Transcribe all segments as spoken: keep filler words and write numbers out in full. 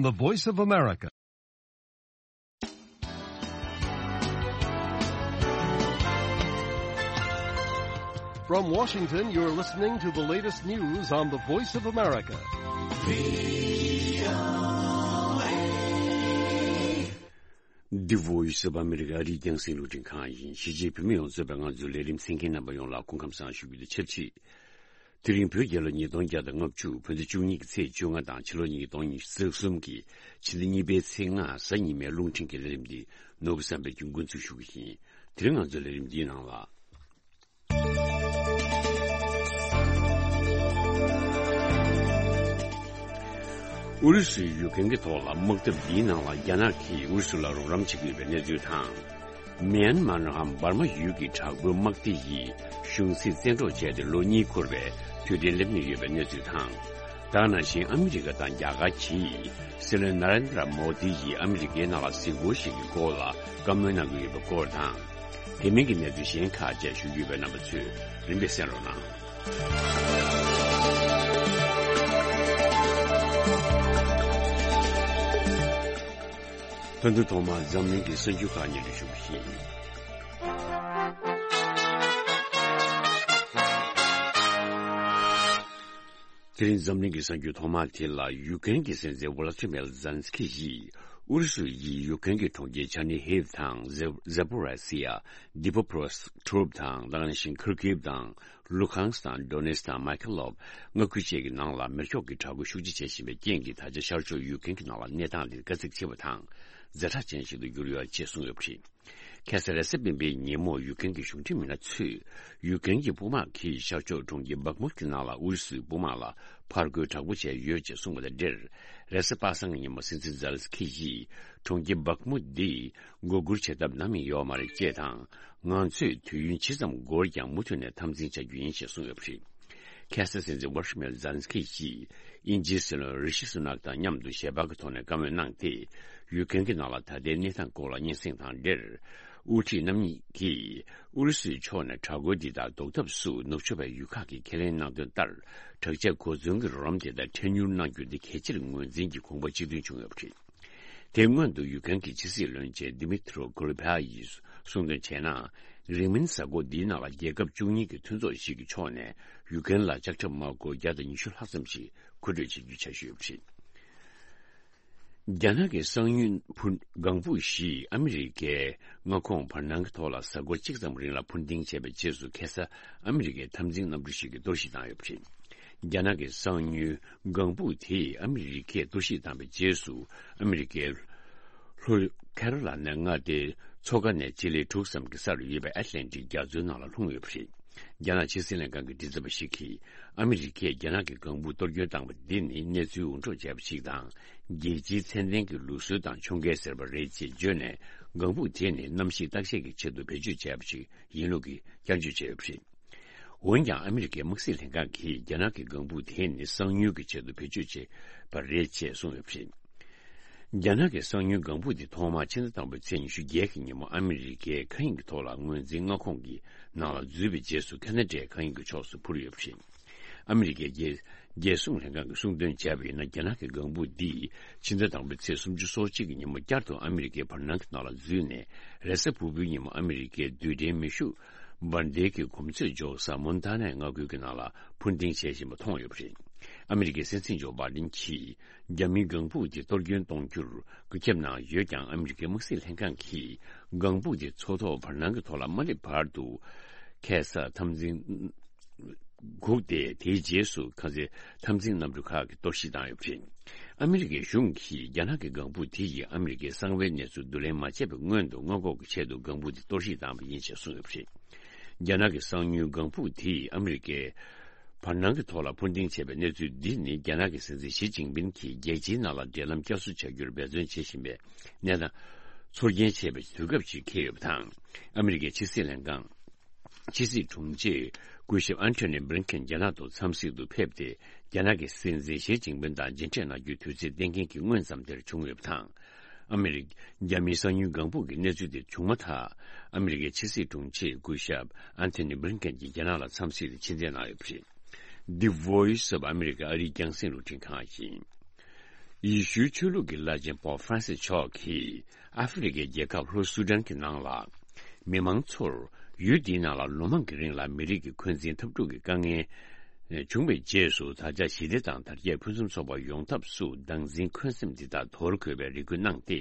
The Voice of America. From Washington, you're listening to the latest news on the Voice of America. The Voice of America. ཨ་རིའི་རྒྱང་སྲིང་རླུང་འཕྲིན་ཁང་ཡིན། གཞིས་བྱེས་བོད་མི་ཡོངས་གཙོས་པའི་ང་ཚོའི་ལས་རིམ་གསན་མཁན་རྣམ་པ་ཡོངས་ལ་སྐུ་ཁམས་བཟང་ཞུ་རྒྱུ་དང་ཆབས་ཅིག་དེ་རིང་བོད་རྒྱལ་ལོ་ཉིས་སྟོང་བརྒྱ་དང་ལྔ་བཅུ་བོད་ཟླ་བཅུ་གཉིས་ཀྱི་ཚེས་བཅོ་ལྔ་དང་ཕྱི་ལོ་ཉིས་སྟོང་ཉི་ཤུ་རྩ་གསུམ་གྱི་ཕྱི་ཟླ་གཉིས་པའི་ཚེས་ལྔ་གཟའ་ཉི་མའི་རླུང་འཕྲིན་གྱི་ལས་རིམ་འདི་ནོར་བུ་བསམ་འཕེལ་གྱིས་འགོ་འཛུགས་ཞུ་གི་ཡིན། དེ་རིང་ང་ཚོའི་ལས་རིམ་འདིའི་ནང་ལ། ཨུ་རུ་སུས་ཡུཀ་རེན་གྱི་ཐོག་ལ་དམག་འཐབ་འདིའི་ནང་ལ་རྒྱ་ནག་གིས་ཨུ་རུ་སུ་ལ་རོགས་རམ་བྱེད་ཀྱི་ཡོད་པའི་གནས་ཚུལ་དང་། མེན་མར་ནམ་འབར་མ་ཡུལ་གྱི་དྲག་པོའི་དམག་སྡེ་ཡིས་གཞུང་སྲིད་བཙན་འཕྲོག་བྱས་ཏེ་ལོ་གཉིས་འཁོར་བའི་དུས་དྲན་སླེབས་ཉེ་ཡོད་པའི་གནས་ཚུལ་དང་། ད་ག་ནང་བཞིན་ཨ་མི་རི་ཀ་དང་རྒྱ་གར་གྱིས་སྲིད་བློན་ན་རེན་དྲ་མོ་དི་ཡིས་ཨ་མི་རི་ཀའི་ནང་ལ་གཟིགས་སྐོར་ཞིག་གི་སྐོར་ལ་བཀའ་མོལ་གནང་གི་ཡོད་པའི་སྐོར་དང་། དེ་མིན་གྱི་གནས་ཚུལ་གཞན་ཁག་བཅས་ཞུ་རྒྱུ་ཡོད་པས་རྣམ་པ་ཚོས་རིམ་པས་གསན་རོགས་གནང་། ད་དུང་ཐོག་མར་འཛམ་གླིང་གི་གསར་འགྱུར་ཁག་སྙན་སྒྲོན་ཞུ་བ་ཡིན། དེ་རིང་འཛམ་གླིང་གི་གསར་འགྱུར་ཐོག་མ་དེ་ལ། ཡུཀ་རེན་གྱི་སྲིད་འཛིན་ཝ་ལ་ཏི་མེར་ཛེ་ལན་སི་ཁི་ཡིས་ཨུ་རུ་སུ་ཡིས་ཡུཀ་རེན་གྱི་གྲོང་ཁྱེར་ཆར་ནི་ཧིབ་དང་ཛེ་ཛེ་པོ་རི་སི་ཡ། དི་པོ་ཀྲོ་སི་ཀྲུབ་དང་། ད་ག་ནང་བཞིན་ཁར་ཀིབ་དང་། ལུ་ཁང་སི་དང་ཌོ་ནེ་སི་དང་མཱ་ཁེ་ལོབ་མངའ་ཁུལ་བཅས་ཀྱི་ནང་ལ་མེ་སྒྱོགས་ཀྱི་དྲག་རྒོལ་ཤུགས་ཆེ་བྱེད་བཞིན་པའི་རྐྱེན་གྱིས། ད་ཆ་ཤར་ཕྱོགས་ཡུཀ་རེན་གྱི་ནང་ལ་གནས་སྟངས་དེ་དཀའ་ཚེགས་ཆེ་བ་དང་ཛ་དྲག་ཅན་ཞིག་ཏུ་གྱུར་ཡོད་ཅེས་གསུངས་ཡོད་པ་རེད། ཁ་སང་རེས་གཟའ་སྤེན་པའི་ཉིན་མོ་ཡུཀ་རེན་གྱི་གཞུང་འབྲེལ་མི་སྣ་ཚོས་ཡུཀ་རེན་གྱི་དཔུང་དམག་གིས་ཤར་ཕྱོགས་གྲོང་ཁྱེར་བྷག་མུད་ཀྱི་ནང་ལ་ཨུ་རུ་སུའི་དཔུང་དམག་ལ་ཕར་རྒོལ་དྲག་པོ་བྱས་ཡོད་ཅེས་གསུངས་པ་དང་འབྲེལ། རེས་གཟའ་པ་སངས་ཀྱི་ཉིན་མོ་སྲིད་འཛིན་ཛེ་ལན་སི་ཁི་ཡིས་གྲོང་ཁྱེར་བྷག་མུད་འདི་མགོ་སྒུར་བྱེད་ཐབས་ནམ་ཡང་ཡོད་མ་རེད་ཅེས་དང་། ང་ཚོས་དུས་ཡུན་ཇི་ཙམ་འགོར་ཀྱང་མུ་མཐུད་ནས་འཐབ་འཛིང་བྱ་རྒྱུ་ཡིན་ཞེས་གསུངས་ཡོད་པ་རེད། ཁ་སང་སྲིད་འཛིན་ཝོ་ལ་ཏི་མེར་ཛེ་ལན་སི་ཁི་ཡིས་དབྱིན་ཇིའི་སྲིད་བློན་རི་ཤི་སུ་ནག་དང་མཉམ་དུ་ཞལ་པར་གྱི་ཐོག་ནས་བཀའ་མོལ་གནང་སྟེ། ཡུཀ་རེན་གྱི་ནང་ལ་ད་ལྟའི་གནས་སྟངས་སྐོར་ལ་སྙན་སེང་དང་འབྲེལ། དབུ་ཁྲིད་རྣམ་གཉིས་ཀྱིས་ཨུ་རུ་སུའི་ཕྱོགས་ནས་དྲག་རྒོལ་འདི་དག་ཟློག་ཐབས་སུ་ནུབ་ཕྱོགས་པའི་ཡུལ་ཁག་གིས་ཁས་ལེན་གནང་དོན་ལྟར། དྲག་ཆས་གོ་མཚོན་གྱི་རོགས་རམ་དེ་དག་འཕྲལ་མྱུར་གནང་རྒྱུ་འདི་གལ་ཆེར་ངོས་འཛིན་གྱིས་དགོངས་པ་གཅིག་མཐུན་བྱུང་ཡོད་པ་རེད། དེ་སྔོན་དུ་ཡུཀ་རེན་གྱི་ཕྱི་སྲིད་བློན་ཆེན་ཌི་མི་ཏྲོ་ཀུ་ལེ་བྷ་ཡིས་གསུངས་དོན་བྱས་ན། རིང་མིན་གཟའ་འཁོར་འདིའི་ནང་ལ་རྒྱལ་ཁབ་བཅུ་གཉིས་ཀྱི་མཐུན་ཚོགས་ཤིག་གི་ཕྱོགས་ནས་ཡུཀ་རེན་ལ་ལྕགས་ཁྲབ་དམག་སྒོར་བརྒྱ་དང་ཉི་ཤུ་ལྷག་ཙམ་ཞིག་མཁོ་སྤྲོད་བྱེད་རྒྱུའི་འཆར་གཞི་ཡོད་པ་རེད། རྒྱ་ནག་གི་གསང་ཉུལ་ཕུ་ལྒང་ཧྥུ་ཞིག་ཨ་མི་རི་ཀའི་མངའ་ཁོངས་བར་སྣང་གི་ཐོག་ལ་གཟའ་འཁོར་གཅིག་ཙམ་རིང་ལ་འཕུར་ལྡིང་བྱས་པའི་རྗེས་སུ། ཁ་སང་ཨ་མི་རི་ཀའི་འཐབ་འཛིང་གནམ་གྲུ་ཞིག་གིས་གཏོར་བཤིག་བཏང་ཡོད་པ་རེད། རྒྱ་ནག་གི་གསང་ཉུལ་ལྒང་ཧྥུ་དེས་ཨ་མི་རི་ཀས་གཏོར་བཤིག་བཏང་བའི་རྗེས་སུ། ཨ་མི་རི་ཀའི་ལྷོ་ཁ་རོ་ལ་ནའི་མངའ་སྡེའི་མཚོ་ཁ་ནས་སྤྱི་ལེ་དྲུག་ཙམ་གྱི་སར་ཡོད་པའི་ཨེཊ་ལན་ཊིག་རྒྱ་མཚོའི་ནང་ལ་ལྷུང་ཡོད་པ་རེད། རྒྱ་ནག་ཕྱི་སྲིད་ལྷན་ཁང་གི་མགྲིན་ཚབ་པ་ཞིག་གིས། ཨ་མི་རི་ཀས་རྒྱ་ནག་གི་ལྒང་ཧྥུ་གཏོར་སྐྱོན་བཏང་བ་འདི་ནི་གནས་ཚུལ་འུར་སྒྲོག་བྱས་པ་ཞིག་དང་། རྒྱལ་སྤྱིའི་ཚད་ལྡན་གྱི་ལུགས་སྲོལ་དང་མཆོང་བརྒལ་ཟེར་བ་རེད་ཅེས་བརྗོད་ནས། ལྒང་ཧྥུ་དེ་ནི་གནམ་གཤིས་བརྟག་དཔྱད་ཀྱི་ཆེད་དུ་བེད་སྤྱོད་བྱས་པ་ཞིག་ཡིན་ལུགས་ཀྱི་བསྐྱར་བརྗོད་བྱས་ཡོད་པ་རེད། འོན་ཀྱང་། ཨ་མི་རི་ཀའི་དམག་སྲིད་ལྷན་ཁང་གིས་རྒྱ་ནག་གི་ལྒང་ཧྥུ་དེ་ནི་གསང་ཉུལ་གྱི་ཆེད་དུ་བེད་སྤྱོད་བྱས་པ་རེད་ཅེས་གསུངས་ཡོད་པ་རེད། རྒྱ་ནག་གི་གསང་ཉུལ་ལྒང་ཧྥུ་དེ་ཐོག་མར་ཕྱི་ཟླ་དང་པོའི་ཚེས་ཉི་ཤུ་བརྒྱད་ཀྱི་ཉིན་མོ་ཨ་མི་རི་ཀའི་མཁའ་དབྱིངས་ཀྱི་ཐོག་ལ་ངོས་འཛིན་མངའ་ཁོངས་ཀྱི་ནང་ལ་འཛུལ་བའི་རྗེས་སུ། ཁ་ན་ཌའི་མཁའ་དབྱིངས་ཀྱི་ཕྱོགས་སུ་འཕུར་ཡོད་པ་རེད། ཨ་མི་རི་ཀའི་རྒྱལ་རྒྱལ་སྲུང་ལྷན་ཁང་གིས་གསུངས་དོན་བྱས་པ་ཡིན་ན། རྒྱ་ནག་གི་ལྒང་ཧྥུ་འདིས་ཕྱི་ཟླ་དང་པོའི་ཚེས་སུམ་ཅུ་སོ་གཅིག་གི་ཉིན་མོ་བསྐྱར་དུ་ཨ་མི་རི་ཀའི་བར་སྣང་གི་ནང་ལ་འཛུལ་ནས། རེས་གཟའ་ཕུར་བུའི་ཉིན་མོ་ཨ་མི་རི་ཀའི་རྡུལ་ཕྲན་མེ་ཤུགས་འབར་མདེལ་གྱི་གོམས་ཚོད་འཇོག་ས་མོན་ཐ་ནའི་མངའ་ཁུལ་གྱི་ནང་ལ་འཕུར་ལྡིང་བྱེད་བཞིན་པ་མཐོང་ཡོད་པ་རེད། ཨ་མི་རི་ཀའི་སྲིད་འཛིན་ཇོ་བྷའི་ཌེན་གྱིས། རྒྱ་མིའི་ལྒང་ཧྥུ་དེ་གཏོར་སྐྱོན་གཏོང་རྒྱུར་བཀོད་ཁྱབ་གནང་ཡོད་ཀྱང་། ཨ་མི་རི་ཀའི་དམག་སྲིད་ལྷན་ཁང་གིས་ལྒང་ཧྥུ་དེ་མཚོ་ཐོག་བར་སྣང་གི་ཐོག་ལ་མ་སླེབས་བར་དུ། ཁ་སང་འཐབ་འཛིང་སྒུག་སྟེ། དེའི་རྗེས་སུ་ཁ་སང་འཐབ་འཛིང་གནམ་གྲུ་ཁག་གིས་གཏོར་བཤིག་བཏང་ཡོད་པ་རེད། ཨ་མི་རི་ཀའི་གཞུང་གིས་རྒྱ་ནག་གི་ལྒང་ཧྥུ་དེ་ཡིས་ཨ་མི་རི་ཀའི་གསང་བའི་གནས་ཚུལ་བསྡུ་ལེན་མ་བྱས་པའི་སྔོན་དུ། སྔོན་འགོག་གི་ཆེད་དུ་ལྒང་ཧྥུ་དེ་གཏོར་བཤིག་བཏང་བ་ཡིན་ཞེས་གསུངས་ཡོད་པ་རེད། རྒྱ་ནག་གི་གསང་ཉུལ་ལྒང་ཧྥུ་དེས་ཨ་མི་རི་ཀའི་བར་སྣང་གི་ཐོག་ལ་འཕུར་ལྡིང་བྱས་པའི་གནས་ཚུལ་འདི་ནི། རྒྱ་ནག་གི་སྲིད་འཛིན་ཞི་ཅིན་ཕིན་གྱིས་རྒྱལ་སྤྱིའི་ནང་ལ་འབྲེལ་ལམ་བསྐྱར་གསོ་བྱ་རྒྱུར་འབད་བརྩོན་བྱེད་བཞིན་པའི་གནས་སྟངས་ཚོར་སྐྱེན་བྱས་པའི་དུས་སྐབས་ཤིག་འཁེལ་ཡོད་པ་དང་། ཨ་མི་རི་ཀའི་ཕྱི་སྲིད་ལྷན་ཁང་ཕྱི་སྲིད་དྲུང་ཆེ་སྐུ་ཞབས་ཨན་ཐོ་ནི་བྷི་ལིན་ཀེན་རྒྱ་ནག་ཏུ་འཚམས་གཟིགས་དུ་ཕེབས་ཏེ། རྒྱ་ནག་གི་སྲིད་འཛིན་ཞི་ཅིན་ཕིན་དང་མཇལ་འཕྲད་གནང་རྒྱུའི་དུས་ཚོད་གཏན་འཁེལ་གྱི་སྔོན་ཙམ་དེར་བྱུང་ཡོད་པ་དང་། ཨ་མི་རི་རྒྱ་མིའི་གསང་ཉུལ་ལྒང་ཧྥུ་གི་གནས་ཚུལ་དེ་བྱུང་མ་ཐག་ཨ་མི་རི་ཀའི་ཕྱི་སྲིད་དྲུང་ཆེ་སྐུ་ཞབས་ཨན་ཐོ་ནི་བྷི་ལིན་ཀེན་གྱིས་རྒྱ་ནག་ལ་འཚམས་གཟིགས་དང་ཕྱི་འཚམས་གནང་ཡོད་པ་རེད། The Voice of America། ཨ་རིའི་རྒྱང་སྲིང་རླུང་འཕྲིན་ཁང་ཡིན། ཡེ་ཤུའི་ཆོས་ལུགས་ཀྱི་བླ་ཆེན་པོབ་ཧྥ་རན་སིས་མཆོག་གིས་ཨ་ཧྥེ་རི་ཁའི་རྒྱལ་ཁབ་ལྷོ་སུ་ཏན་གྱི་ནང་ལ། མི་མང་ཚོར་ཡུལ་འདིའི་ནང་ལ་ལོ་མང་གི་རིང་ལ་མི་རིགས་ཀྱི་འཁོན་འཛིན་འཐབ་འཁྲུག་གི་དཀའ་ངལ་བྱུང་བའི་རྗེས་སུ། ད་ཆ་ཞི་བདེ་དང་དར་རྒྱས་ཕུན་སུམ་ཚོགས་པ་ཡོང་ཐབས་སུ་སྡང་འཛིན་འཁོན་སེམས་འདི་དག་དོར་དགོས་པའི་རེ་སྐུལ་གནང་སྟེ།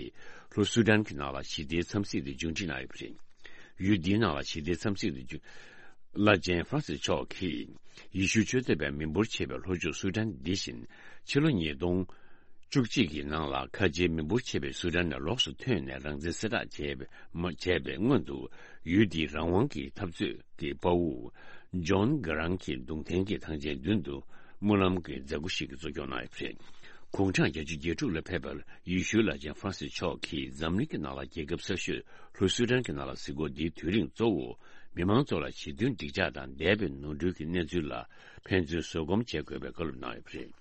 ལྷོ་སུ་ཏན་གྱི་ནང་ལ་ཞི་བདེའི་འཚམས་གཟིགས་དེ་མཇུག་སྒྲིལ་གནང་ཡོད་པ་རེད། ཡུལ་འདིའི་ནང་ལ་ཞི་བདེའི་འཚམས་གཟིགས་དེ་མཇུག་བླ་ཆེན་ཧྥ་རན་སིས་མཆོག་གིས། ཡེ་ཤུའི་ཆོས་དད་པའི་མི་འབོར་ཆེ་བའི་ལྷོ་ཕྱོགས་སུ་ཏན་འདི་བཞིན། ཕྱི་ལོ་ཉིས་སྟོང་བཅུ་གཅིག་གི་ནང་ལ། ཁ་ཆེའི་མི་འབོར་ཆེ་བའི་སུ་ཏན་ནས་ལོགས་སུ་ཐོན་ནས། རང་བཙན་གསལ་བསྒྲགས་བྱས་པའི་མ་བྱས་པའི་སྔོན་དུ། ཡུལ་འདིའི་རང་དབང་གི་འཐབ་རྩོད་ཀྱི་དཔའ་བོ་ཇོན་གྷི་རང་གི་གདུང་རྟེན་གྱི་ཐང་ཆེན་མདུན་དུ། སྨོན་ལམ་གྱི་མཛད་སྒོ་ཞིག་གི་གཙོ་སྐྱོང་གནང་ཡོད་པ་རེད། དགུང་གྲངས་བརྒྱད་ཅུ་གྱ་དྲུག་ལ་ཕེབས་པའི་ཡེ་ཤུའི་བླ་ཆེན་ཧྥ་རན་སིས་མཆོག་གིས། འཛམ་གླིང་གི་ནང་ལ་རྒྱལ་ཁབ་གསར་ཤོས་ལྷོ་སུ་ཏན་གྱི་ནང་ལ་གཟིགས་སྐོར་འདིའི་དུས་རིང་གཙོ་བོ། མི་མང་ཚོ་ལ་ཞི་མཐུན་འགྲིག་འཇགས་དང་འདས་པའི་ནོར་འཁྲུལ་གྱི་གནས་ཚུལ་ལ་ཕན་ཚུན་བཟོད་སྒོམ་བྱེད་དགོས་པའི་བཀའ་སློབ་གནང་ཡོད་པ་རེད།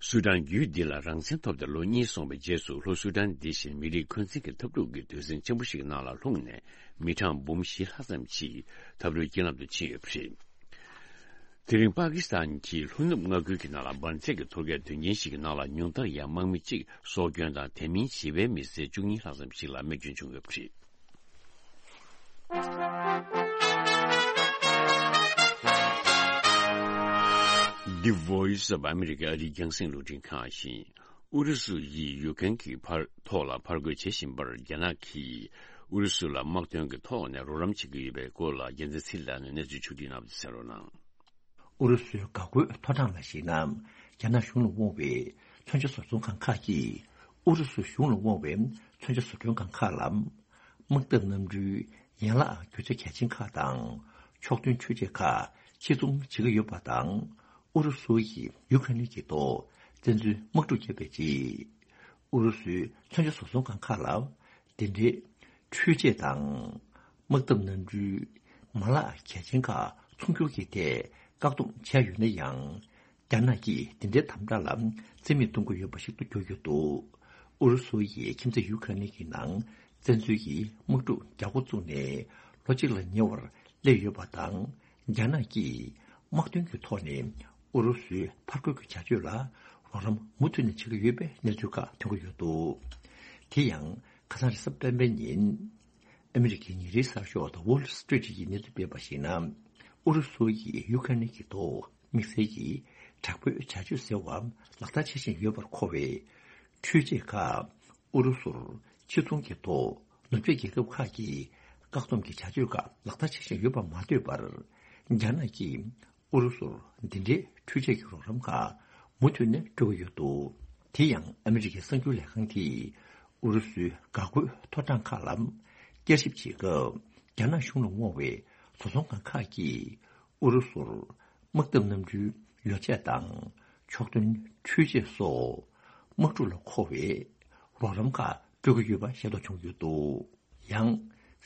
སུ་ཏན་ཡུལ་འདི་ལ་རང་བཙན་ཐོབ་སྟེ་ལོ་གཉིས་སོང་བའི་རྗེས་སུ། ལྷོ་སུ་ཏན་འདི་བཞིན་མི་རིགས་འཁོན་འཛིན་གྱི་འཐབ་འཁྲུག་གི་དུས་ཟིང་ཆེན་པོ་ཞིག་ནང་ལ་ལྷུང་ནས། མི་གྲངས་འབུམ་བཞི་ལྷག་ཙམ་ཞིག་འཐབ་རོའི་རྐྱེན་ལམ་དུ་ཕྱིན་ཡོད་པ་རེད། དེ་རིང་པ་ཀི་སི་ཐན་གྱི་ལྷོ་ནུབ་མངའ་ཁུལ་གྱི་ནང་ལ་འབར་འཛེག་གི་ཐོལ་རྒྱག་དོན་རྐྱེན་ཞིག་གི་ནང་ལ། ཉུང་མཐར་ཡང་དམག་མི་གཅིག་སྲོག་སྐྱོན་དང་། དེ་མིན་ཞི་བའི་མི་སེར་བཅུ་གཉིས་ལྷག་ཙམ་ཞིག་ལ་རྨས་སྐྱོན་བྱུང་ཡོད་པ་རེད། The Voice of America ཨ་རིའི་རྒྱང་སྲིང་རླུང་འཕྲིན་ཁང་ཡིན། ཨུ་རུ་སུ་ཡིས་ཡུ་ཀེན་གྱི་ཕར་ཐོག་ལ་ཕར་རྒོལ་བྱེད་བཞིན་པར། རྒྱ་ནག་གིས་ཨུ་རུ་སུ་ལ་དམག་དོན་གྱི་ཐོག་ནས་རོགས་རམ་བྱེད་ཀྱི་ཡོད་པའི་སྐོར་ལ། རྒྱལ་མཚན་ཚེ་རིང་ལགས་ནས་གནས་ཚུལ་ཕྱོགས་སྒྲིག་གནང་བ་དེ་གསན་རོགས་གནང་། ཨུ་རུ་སུའི་འགག་སྒོའི་ཐོ་གྲངས་ལ་གཞིགས་ན། རྒྱ་ནག་གཞུང་ལ་དབང་བའི་མཚོན་ཆ་བཟོ་ཚོང་ཁང་ཁག་གིས། ཨུ་རུ་སུ་གཞུང་ལ་དབང་བའི་མཚོན་ཆ་བཟོ་སྐྲུན་ཁང་ཁག་ལ། དམག་འཐབ་གནམ་གྲུའི་ཡན་ལག་རྒྱུ་ཆ་གལ་ཆེན་ཁག་དང་། ཕྱོགས་མཐུན་འཕྲུལ་ཆས་ཁག་ཕྱིར་ཚོང་བྱེད་ཀྱི་ཡོད་པ་དང་། ཨུ་རུ་སུ་ཡིས་ཡུ་ཁ་རེན་གྱི་ཐོག་བཙན་འཛུལ་དམག་འཁྲུག་བརྒྱབ་པའི་རྗེས། ཨུ་རུ་སུའི་མཚོན་ཆ་བཟོ་ཚོང་ཁང་ཁག་ལ། དེ་འབྲེལ་འཕྲུལ་ཆས་དང་། དམག་འཐབ་གནམ་གྲུའི་མ་ལག་གལ་ཆེན་ཁག་ཚོང་སྒྱུར་གྱི་ཐད་བཀག་སྡོམ་བྱས་ཡོད་ན་ཡང་། རྒྱ་ནག་གིས་དེ་འབྲེལ་དམ་དྲག་ལ་རྩིས་མེད་གཏོང་གི་ཡོད་པ་ཞིག་ཏུ་གྱུར་ཡོད་འདུག་ཨུ་རུ་སུ་ཡིས་ཁྱིམ་མཚེས་ཡུ་ཁ་རེན་གྱི་ནང་བཙན་འཛུལ་གྱི་དམག་འཁྲུག་རྒྱག་འགོ་བཙུགས་ནས་ལོ་གཅིག་ལ་ཉེ་བར་སླེབས་ཡོད་པ་དང་། རྒྱ་ནག་གིས་དམག་དོན་གྱི་ཐོག་ནས་ཨུ་རུ་སུའི་ཕར་རྒོལ་གྱི་བྱ་སྤྱོད་ལ་རོགས་རམ་མུ་མཐུད་ནས་བྱེད་ཀྱི་ཡོད་པའི་གནས་ཚུལ་ཁག་ཐོན་གྱི་ཡོད་འདུག་དེ་ཡང་ཁ་སང་རེས་གཟའ་སྤེན་པའི་ཉིན། ཨ་མི་རི་ཀའི་ཉིན་རེའི་གསར་ཤོག་The Wall Street ཡིས་གནས་ཚུལ་སྤེལ་བར་གཞིགས་ན། ཨུ་རུ་སུ་ཡིས་ཡུ་ཁ་རེན་གྱི་ཐོག་དམིགས་བསལ་གྱིས་དྲག་པོའི་བྱ་སྤྱོད་ཟེར་བ་ལག་བསྟར་བྱེད་བཞིན་ཡོད་པར་གོ་བའི་འཕྲུལ་ཆས་ཁག་ཨུ་རུ་སུར་ཕྱིར་ཚོང་གི་ཐོག་ནུབ་ཕྱོགས་རྒྱལ་ཁབ་ཁག་གིས་བཀག་སྡོམ་གྱི་བྱ་སྤྱོད་ཁག་ལག་བསྟར་བྱེད་བཞིན་ཡོད་པར་མ་ལྟོས་པར། རྒྱ་ནག་གིས་ཨུ་རུ་སུར་འདི་འདྲའི་འཕྲུལ་ཆས་ཀྱི་རོགས་རམ་ཁག་མུ་མཐུད་ནས་སྤྲོད་ཀྱི་ཡོད་འདུག་དེ་ཡང་ཨ་མི་རི་ཀའི་གསར་འགྱུར་ལས་ཁང་གིས་ཨུ་རུ་སུའི་འགག་སྒོའི་ཐོ་གྲངས་ཁག་ལ་བསྐྱར་ཞིབ་བྱེད་སྐབས། རྒྱ་ནག་གཞུང་ལ་དབང་བའི་བཟོ་ཚོང་ཁང་ཁག་གིས་ཨུ་རུ་སུར་དམག་འཐབ་གནམ་གྲུའི་ཡོ་བྱད་དང་ཕྱོགས་མཐུན་འཕྲུལ་ཆས་སོགས་དམག་འཁྲུག་ལ་མཁོ་བའི་རོགས་རམ་ཁག་སྤྲོད་ཀྱི་ཡོད་པ་ཤེས་རྟོགས་བྱུང་ཡོད་འདུག་ཡང་།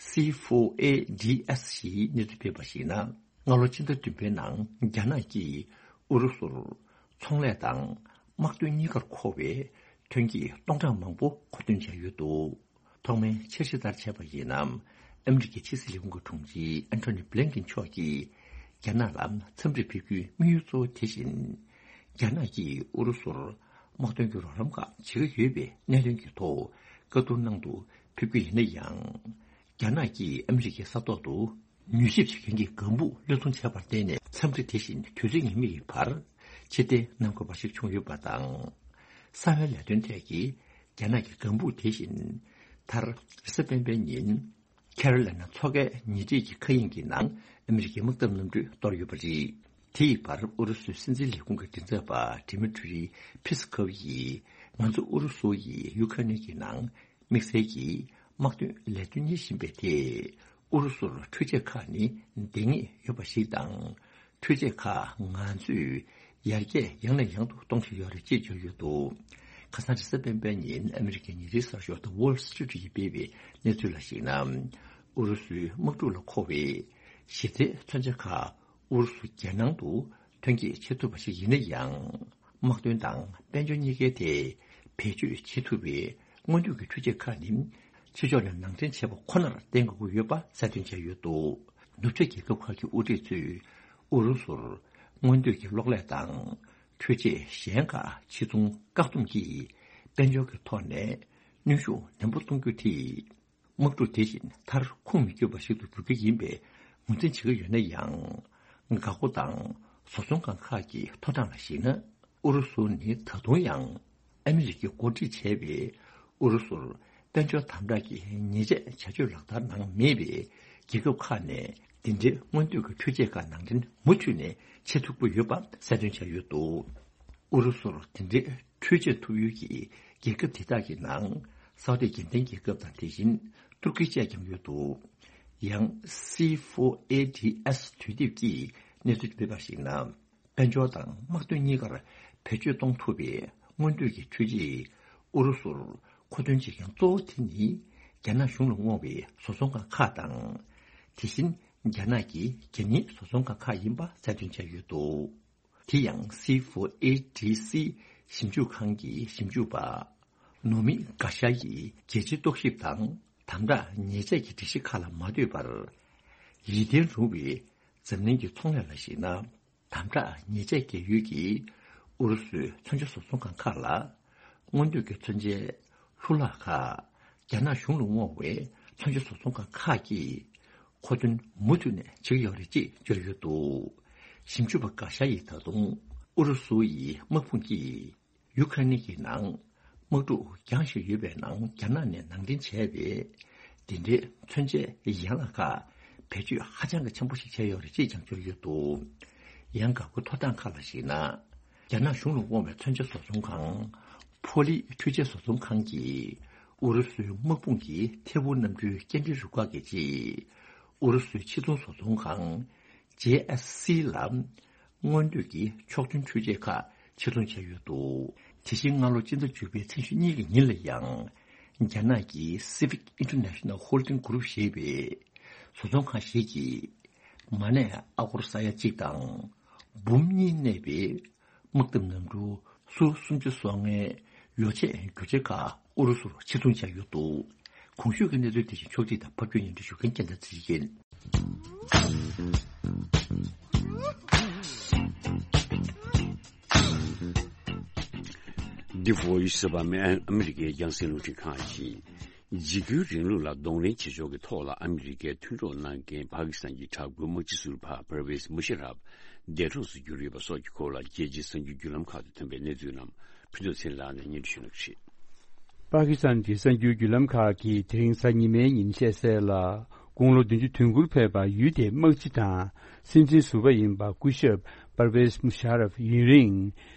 སི་ཕོར་ཨེ་ཌི་ཨེས་ཞེས་གནས་ཚུལ་སྤེལ་བར་གཞིགས་ན། སྔ་ལོ་ཕྱི་ཟླ་བདུན་པའི་ནང་རྒྱ་ནག་གིས་ཨུ་རུ་སུར་ཚོང་ལས་དང་དམག་དོན་གཉིས་ཀར་མཁོ་བའི་ཐོན་སྐྱེད་སྟོང་ཕྲག་མང་པོ་མཁོ་འདོན་བྱས་ཡོད་འདུག་ཐོག་མའི་འཆར་གཞི་ལྟར་བྱས་པ་ཡིན་ན། ཨ་མི་རི་ཀའི་ཕྱི་སྲིད་ལས་ཁུངས་ཀྱི་དྲུང་ཆེ་ཨན་ཐོ་ནི་བྷི་ལིན་ཀིན་མཆོག་གིས་རྒྱ་ནག་ལ་འཚམས་འདྲི་ཕེབས་རྒྱུའི་དམིགས་ཡུལ་གཙོ་བོ་དེ་བཞིན། རྒྱ་ནག་གིས་ཨུ་རུ་སུར་དམག་དོན་གྱི་རོགས་རམ་ཁག་བྱེད་ཀྱི་ཡོད་པའི་གནད་དོན་གྱི་ཐོག་བཀའ་བསྡུར་གནང་དུ་ཕེབས་ཀྱི་ཡིན་ན་ཡང་། རྒྱ་ནག་གིས་ཨ་མི་རི་ཀའི་ས་ཐོག་ཏུ་མྱུལ་ཞིབ་བྱེད་མཁན་གྱི་ལྒང་བུ་བློས་གཏོང་བྱས་པར་བརྟེན་ནས། འཚམས་འདྲི་དེ་བཞིན་དུས་ཚོད་ངེས་མེད་ཀྱི་བར་ཕྱིར་འཐེན་གནང་དགོས་པ་ཞིག་བྱུང་ཡོད་པ་དང་། གསང་བའི་ལས་དོན་ཐད་ཀྱི་རྒྱ་ནག་གི་ལྒང་བུ་དེ་བཞིན། མཐར་རེས་གཟའ་སྤེན་པའི་ཉིན། ཁེ་རོ་ལི་ན་མཚོ་ཁའི་ཉེ་འཁྲིས་ཀྱི་མཁའ་དབྱིངས་ཀྱི་ནང་ཨ་མི་རི་ཀའི་དམག་འཐབ་གནམ་གྲུས་གཏོར་ཡོད་པ་རེད། དེ་ཡི་བར་ཨུ་རུ་སུའི་སྲིད་འཛིན་ལས་ཁུངས་ཀྱི་མགྲིན་ཚབ་པ་ཌི་མི་ཊི་རི་ཕི་སི་ཁོབ་ཡིས། ང་ཚོ་ཨུ་རུ་སུ་ཡིས་ཡུ་ཁ་རེན་གྱི་ནང་དམིགས་བསལ་གྱིས་དམག་དོན་ལས་དོན་གཉེར་བཞིན་པའི་ཐད། ཨུ་རུ་སུར་འཕྲུལ་ཆས་ཁག་ནི་འདང་ངེས་ཡོད་པ་ཞིག་དང་། འཕྲུལ་ཆས་ཁག་ང་ཚོས་ཡར་རྒྱས་ཡང་ནས་ཡང་དུ་གཏོང་བཞིན་ཡོད་རེད་ཅེས་བརྗོད་ཡོད་འདུག་ཁ་སང་རེས་གཟའ་སྤེན་པའི་ཉིན་ཨ་མི་རི་ཀའི་ཉིན་རེའི་གསར་ཤོག་The Wall Street ཡིས་སྤེལ་བའི་གནས་ཚུལ་ལ་གཞིགས་ན། ཨུ་རུ་སུའི་དམག་འཁྲུག་ལ་མཁོ་བའི་གཞི་རྩའི་མཚོན་ཆ་ཁག་ཨུ་རུ་སུ་རྒྱལ་ནང་དུ་ཐོན་སྐྱེད་བྱེད་ཐུབ་པ་ཞིག་ཡིན་ན་ཡང་། དམག་དོན་དང་དཔལ་འབྱོར་གཉིས་ཀའི་ཐད་བེད་སྤྱོད་བྱེད་ཐུབ་པའི་སྔོན་ཐོན་གྱི་འཕྲུལ་ཆས་ཁག་ནི། ཕྱི་ཕྱོགས་ནས་ནང་འདྲེན་བྱས་པ་ཁོ་ནར་བརྟེན་དགོས་ཀྱི་ཡོད་པ་གསལ་སྟོན་བྱས་ཡོད་འདུག་ནུབ་ཕྱོགས་རྒྱལ་ཁབ་ཁག་གི་དབུ་ཁྲིད་ཚོས་ཨུ་རུ་སུར་སྔོན་ཐོན་གྱི་གློག་ཀླད་དང་ འཕྲུལ་ཆས་གཞན་ཁག་ཕྱིར་ཚོང་བཀག་སྡོམ་གྱིས་དཔལ་འབྱོར་གྱི་ཐོག་ནས་གནོན་ཤུགས་ནན་པོ་གཏོང་རྒྱུ་དེས། དམག་འཁྲུག་དེ་བཞིན་མཐར་ཁུངས་མི་འཁྱོལ་བ་ཞིག་ཏུ་འགྱུར་གྱི་ཡིན་པའི་ངོས་འཛིན་བྱེད་ཀྱི་ཡོད་ན་ཡང་། འགག་སྒོ་དང་བཟོ་ཚོང་ཁང་ཁག་གི་ཐོབ་ཐང་ལ་གཞིགས་ན། ཨུ་རུ་སུ་ནི་ད་དུང་ཡང་ཨ་མི་རི་ཀས་འགོ་ཁྲིད་བྱས་པའི་ཨུ་རུ་སུར་དཔལ་འབྱོར་དམ་དྲག་གི་ཉེས་ཆད་བྱ་སྤྱོད་ལག་བསྟར་གནང་མེད་པའི་རྒྱལ་ཁབ་ཁག་ནས་འདི་འདྲའི་སྔོན་སྡོད་ཀྱི་འཕྲུལ་ཆས་ཁག་ནང་འདྲེན་མུ་མཐུད་ནས་བྱེད་ཐུབ་ཀྱི་ཡོད་པ་གསལ་སྟོན་བྱས་ཡོད་འདུག་ཨུ་རུ་སུར་དེ་འདྲའི་འཕྲུལ་ཆས་ཐོབ་ཡུལ་གྱི་རྒྱལ་ཁབ་དེ་དག་གི་ནང་སའུ་ཏི་དགེ་ལྡན་རྒྱལ་ཁབ་དང་དེ་བཞིན་ཏུར་ཀི་བཅས་ཀྱང་ཡོད་འདུག་ཡང་སི་ཕོར་ཨེ་ཌི་ཨེས་དུས་དེབ་ཀྱིས་གནས་ཚུལ་སྤེལ་བར་གཞིགས་ན། དཔལ་འབྱོར་དང་དམག་དོན་གཉིས་ཀར་བེད་སྤྱོད་གཏོང་ཐུབ་པའི་སྔོན་སྡོད་ཀྱི་འཕྲུལ་ཆས་ཨུ་རུ་སུར་མཁོ་འདོན་བྱེད་མཁན་གཙོ་བོ་དེ་ནི་རྒྱ་ནག་གཞུང་ལ་བསྔོ་བའི་བཟོ་ཚོང་ཁང་ཁག་དང་། དེ་བཞིན་རྒྱ་ནག་གི་རྒྱལ་གཉེར་བཟོ་ཚོང་ཁང་ཁག་ཡིན་པ་གསལ་སྟོན་བྱས་ཡོད་འདུག་དེ་ཡང་སི་ཕོར་ཨེ་ཌི་སི་ཞིབ་འཇུག་ཁང་གི་ཞིབ་འཇུག་པ་ནོ་མི་ག་ཤ་ཡིས་རྒྱལ་སྤྱིའི་རྟོག་ཞིབ་དང་དམ་དྲག་ཉེས་ཆད་ཀྱི་སྒྲིག་གཞི་ཁག་ལ་མ་ལྟོས་པར། ཡིད་བརྟན་རུང་བའི་འཛམ་གླིང་གི་ཚོང་ལས་ལ་གཞིགས་ན། དམ་དྲག་ཉེས་ཆད་འགེལ་ཡུལ་གྱིས་ཨུ་རུ་སུའི་མཚོན་ཆ་བཟོ་ཚོང་ཁང་ཁག་ལ་སྔོན་སྡོད་ཀྱི་མཚོན་ཆའི་ལྷུ་ལག་ཁག་རྒྱ་ནག་གཞུང་ལ་བསྔོ་བའི་མཚོན་ཆ་བཟོ་ཚོང་ཁང་ཁག་གིས་མཁོ་འདོན་མུ་མཐུད་ནས་བྱེད་ཀྱི་ཡོད་རེད་ཅེས་བརྗོད་ཡོད་འདུག་ཞིབ་འཇུག་པ་ག་ཤ་ཡིས་ད་དུང་ཨུ་རུ་སུ་ཡི་དམག་དཔུང་གིས་ཡུ་ཁ་རེན་གྱི་ནང་དམག་འཁྲུག་རྒྱང་ཞིག་ཡོད་པའི་ནང་རྒྱ་ནག་ནས་ནང་འདྲེན་བྱས་པའི་འདི་འདྲའི་མཚོན་ཆའི་ཡན་ལག་ཁག་བེད་སྤྱོད་ཧ་ཅང་གི་ཆེན་པོ་ཞིག་བྱས་ཡོད་རེད་ཅེས་ཀྱང་བརྗོད་ཡོད་འདུག་ཡང་འགག་སྒོའི་ཐོབ་ཐང་ཁག་ལ་གཞིགས་ན། རྒྱ་ནག་གཞུང་ལ་དབང་བའི་མཚོན་ཆ་བཟོ་ཚོང་ཁང་ཕོ་ལི་འཕྲུལ་ཆས་བཟོ་ཚོང་ཁང་གིས་ཨུ་རུ་སུའི་དམག་དཔུང་གི་ཐད་འཕུར་གནམ་གྲུའི་སྐྱེལ་འདྲེན་རུ་ཁག་གི་ཆེད་ཨུ་རུ་སུའི་ཕྱིར་ཚོང་བཟོ་ཚོང་ཁང་ཇེ་ཨེས་སི་ལ་སྔོན་སྡོད་ཀྱི་ཕྱོགས་མཐུན་འཕྲུལ་ཆས་ཁག་ཕྱིར་ཚོང་བྱས་ཡོད་འདུག་དེ་བཞིན་སྔ་ལོ་སྤྱི་ཟླ་བཅུ་པའི་ཚེས་ཉི་ཤུ་གཉིས་ཀྱི་ཉིན་ལ་ཡང་རྒྱ་ནག་གི་Civic International Holding Group ཞེས་པའི་བཟོ་ཚོང་ཁང་ཞིག་གིས་མ་ཎི་ཨ་སྒོར་ས་ཡ་གཅིག་དང་འབུམ་གཉིས་གནས་པའི་དམག་འཐབ་གནམ་གྲུ་སུ་སུམ་ཅུ་སོ་ལྔའི་ཡོ་ཆས་རྒྱུ་ཆ་ཁག་ཨུ་རུ་སུར་ཕྱིར་ཚོང་བྱས་ཡོད་འདུག་གོང་ཞུས་ཀྱི་གནས་ཚུལ་དེ་བཞིན་ཕྱོགས་སྒྲིག་དང་ཕབ་སྒྱུར་སྙན་སྒྲོན་ཞུ་མཁན་རྒྱལ་མཚན་ཚེ་རིང་ཡིན། འདི་Voice of Amer- America ཨ་མི་རི་ཀའི་རྒྱང་སྲིང་རླུང་འཕྲིན་ཁང་ཡིན། འཇིགས་སྐུལ་རིང་ལུགས་ལ་གདོང་ལེན་བྱེད་ཕྱོགས་ཀྱི་ཐོག་ལ་ཨ་མི་རི་ཀའི་མཐུན་གྲོགས་གནང་མཁན་པ་ཀི་སི་ཐན་གྱི་དྲག་པོའི་དམག་སྤྱི་ཟུར་པ་པར་ཝེས་མུ་ཤ་རབ་འདས་གྲོངས་སུ་གྱུར་ཡོད་པ་སོགས་ཀྱི་སྐོར་ལ་རྒྱལ་སྤྱིའི་གསར་འགྱུར་བརྒྱུད་ལམ་ཁག་ཏུ་ཐོན་པའི་གནས་ཚུལ་རྣམས་ཕུན་ཚོགས་ཚེ་རིང་ལགས་ནས་སྙན་སྒྲོན་ཞུ་གནང་གི་རེད། པ་ཀི་སི་ཐན་གྱི་གསར་འགྱུར་བརྒྱུད་ལམ་ཁག་གིས་དེ་རིང་གཟའ་ཉི་མའི་ཉིན་བཤད་གསལ་ལ། དགུང་ལོ་བདུན་ཅུ་དོན་དགུར་ཕེབས་པ་ཡུལ་དེའི་དམག་སྤྱི་དང་སྲིད་འཛིན་ཟུར་པ་ཡིན་པ་སྐུ་ཞབས་པར་ཝེས་མུ་ཤ་རབ་ཡུན་རིང་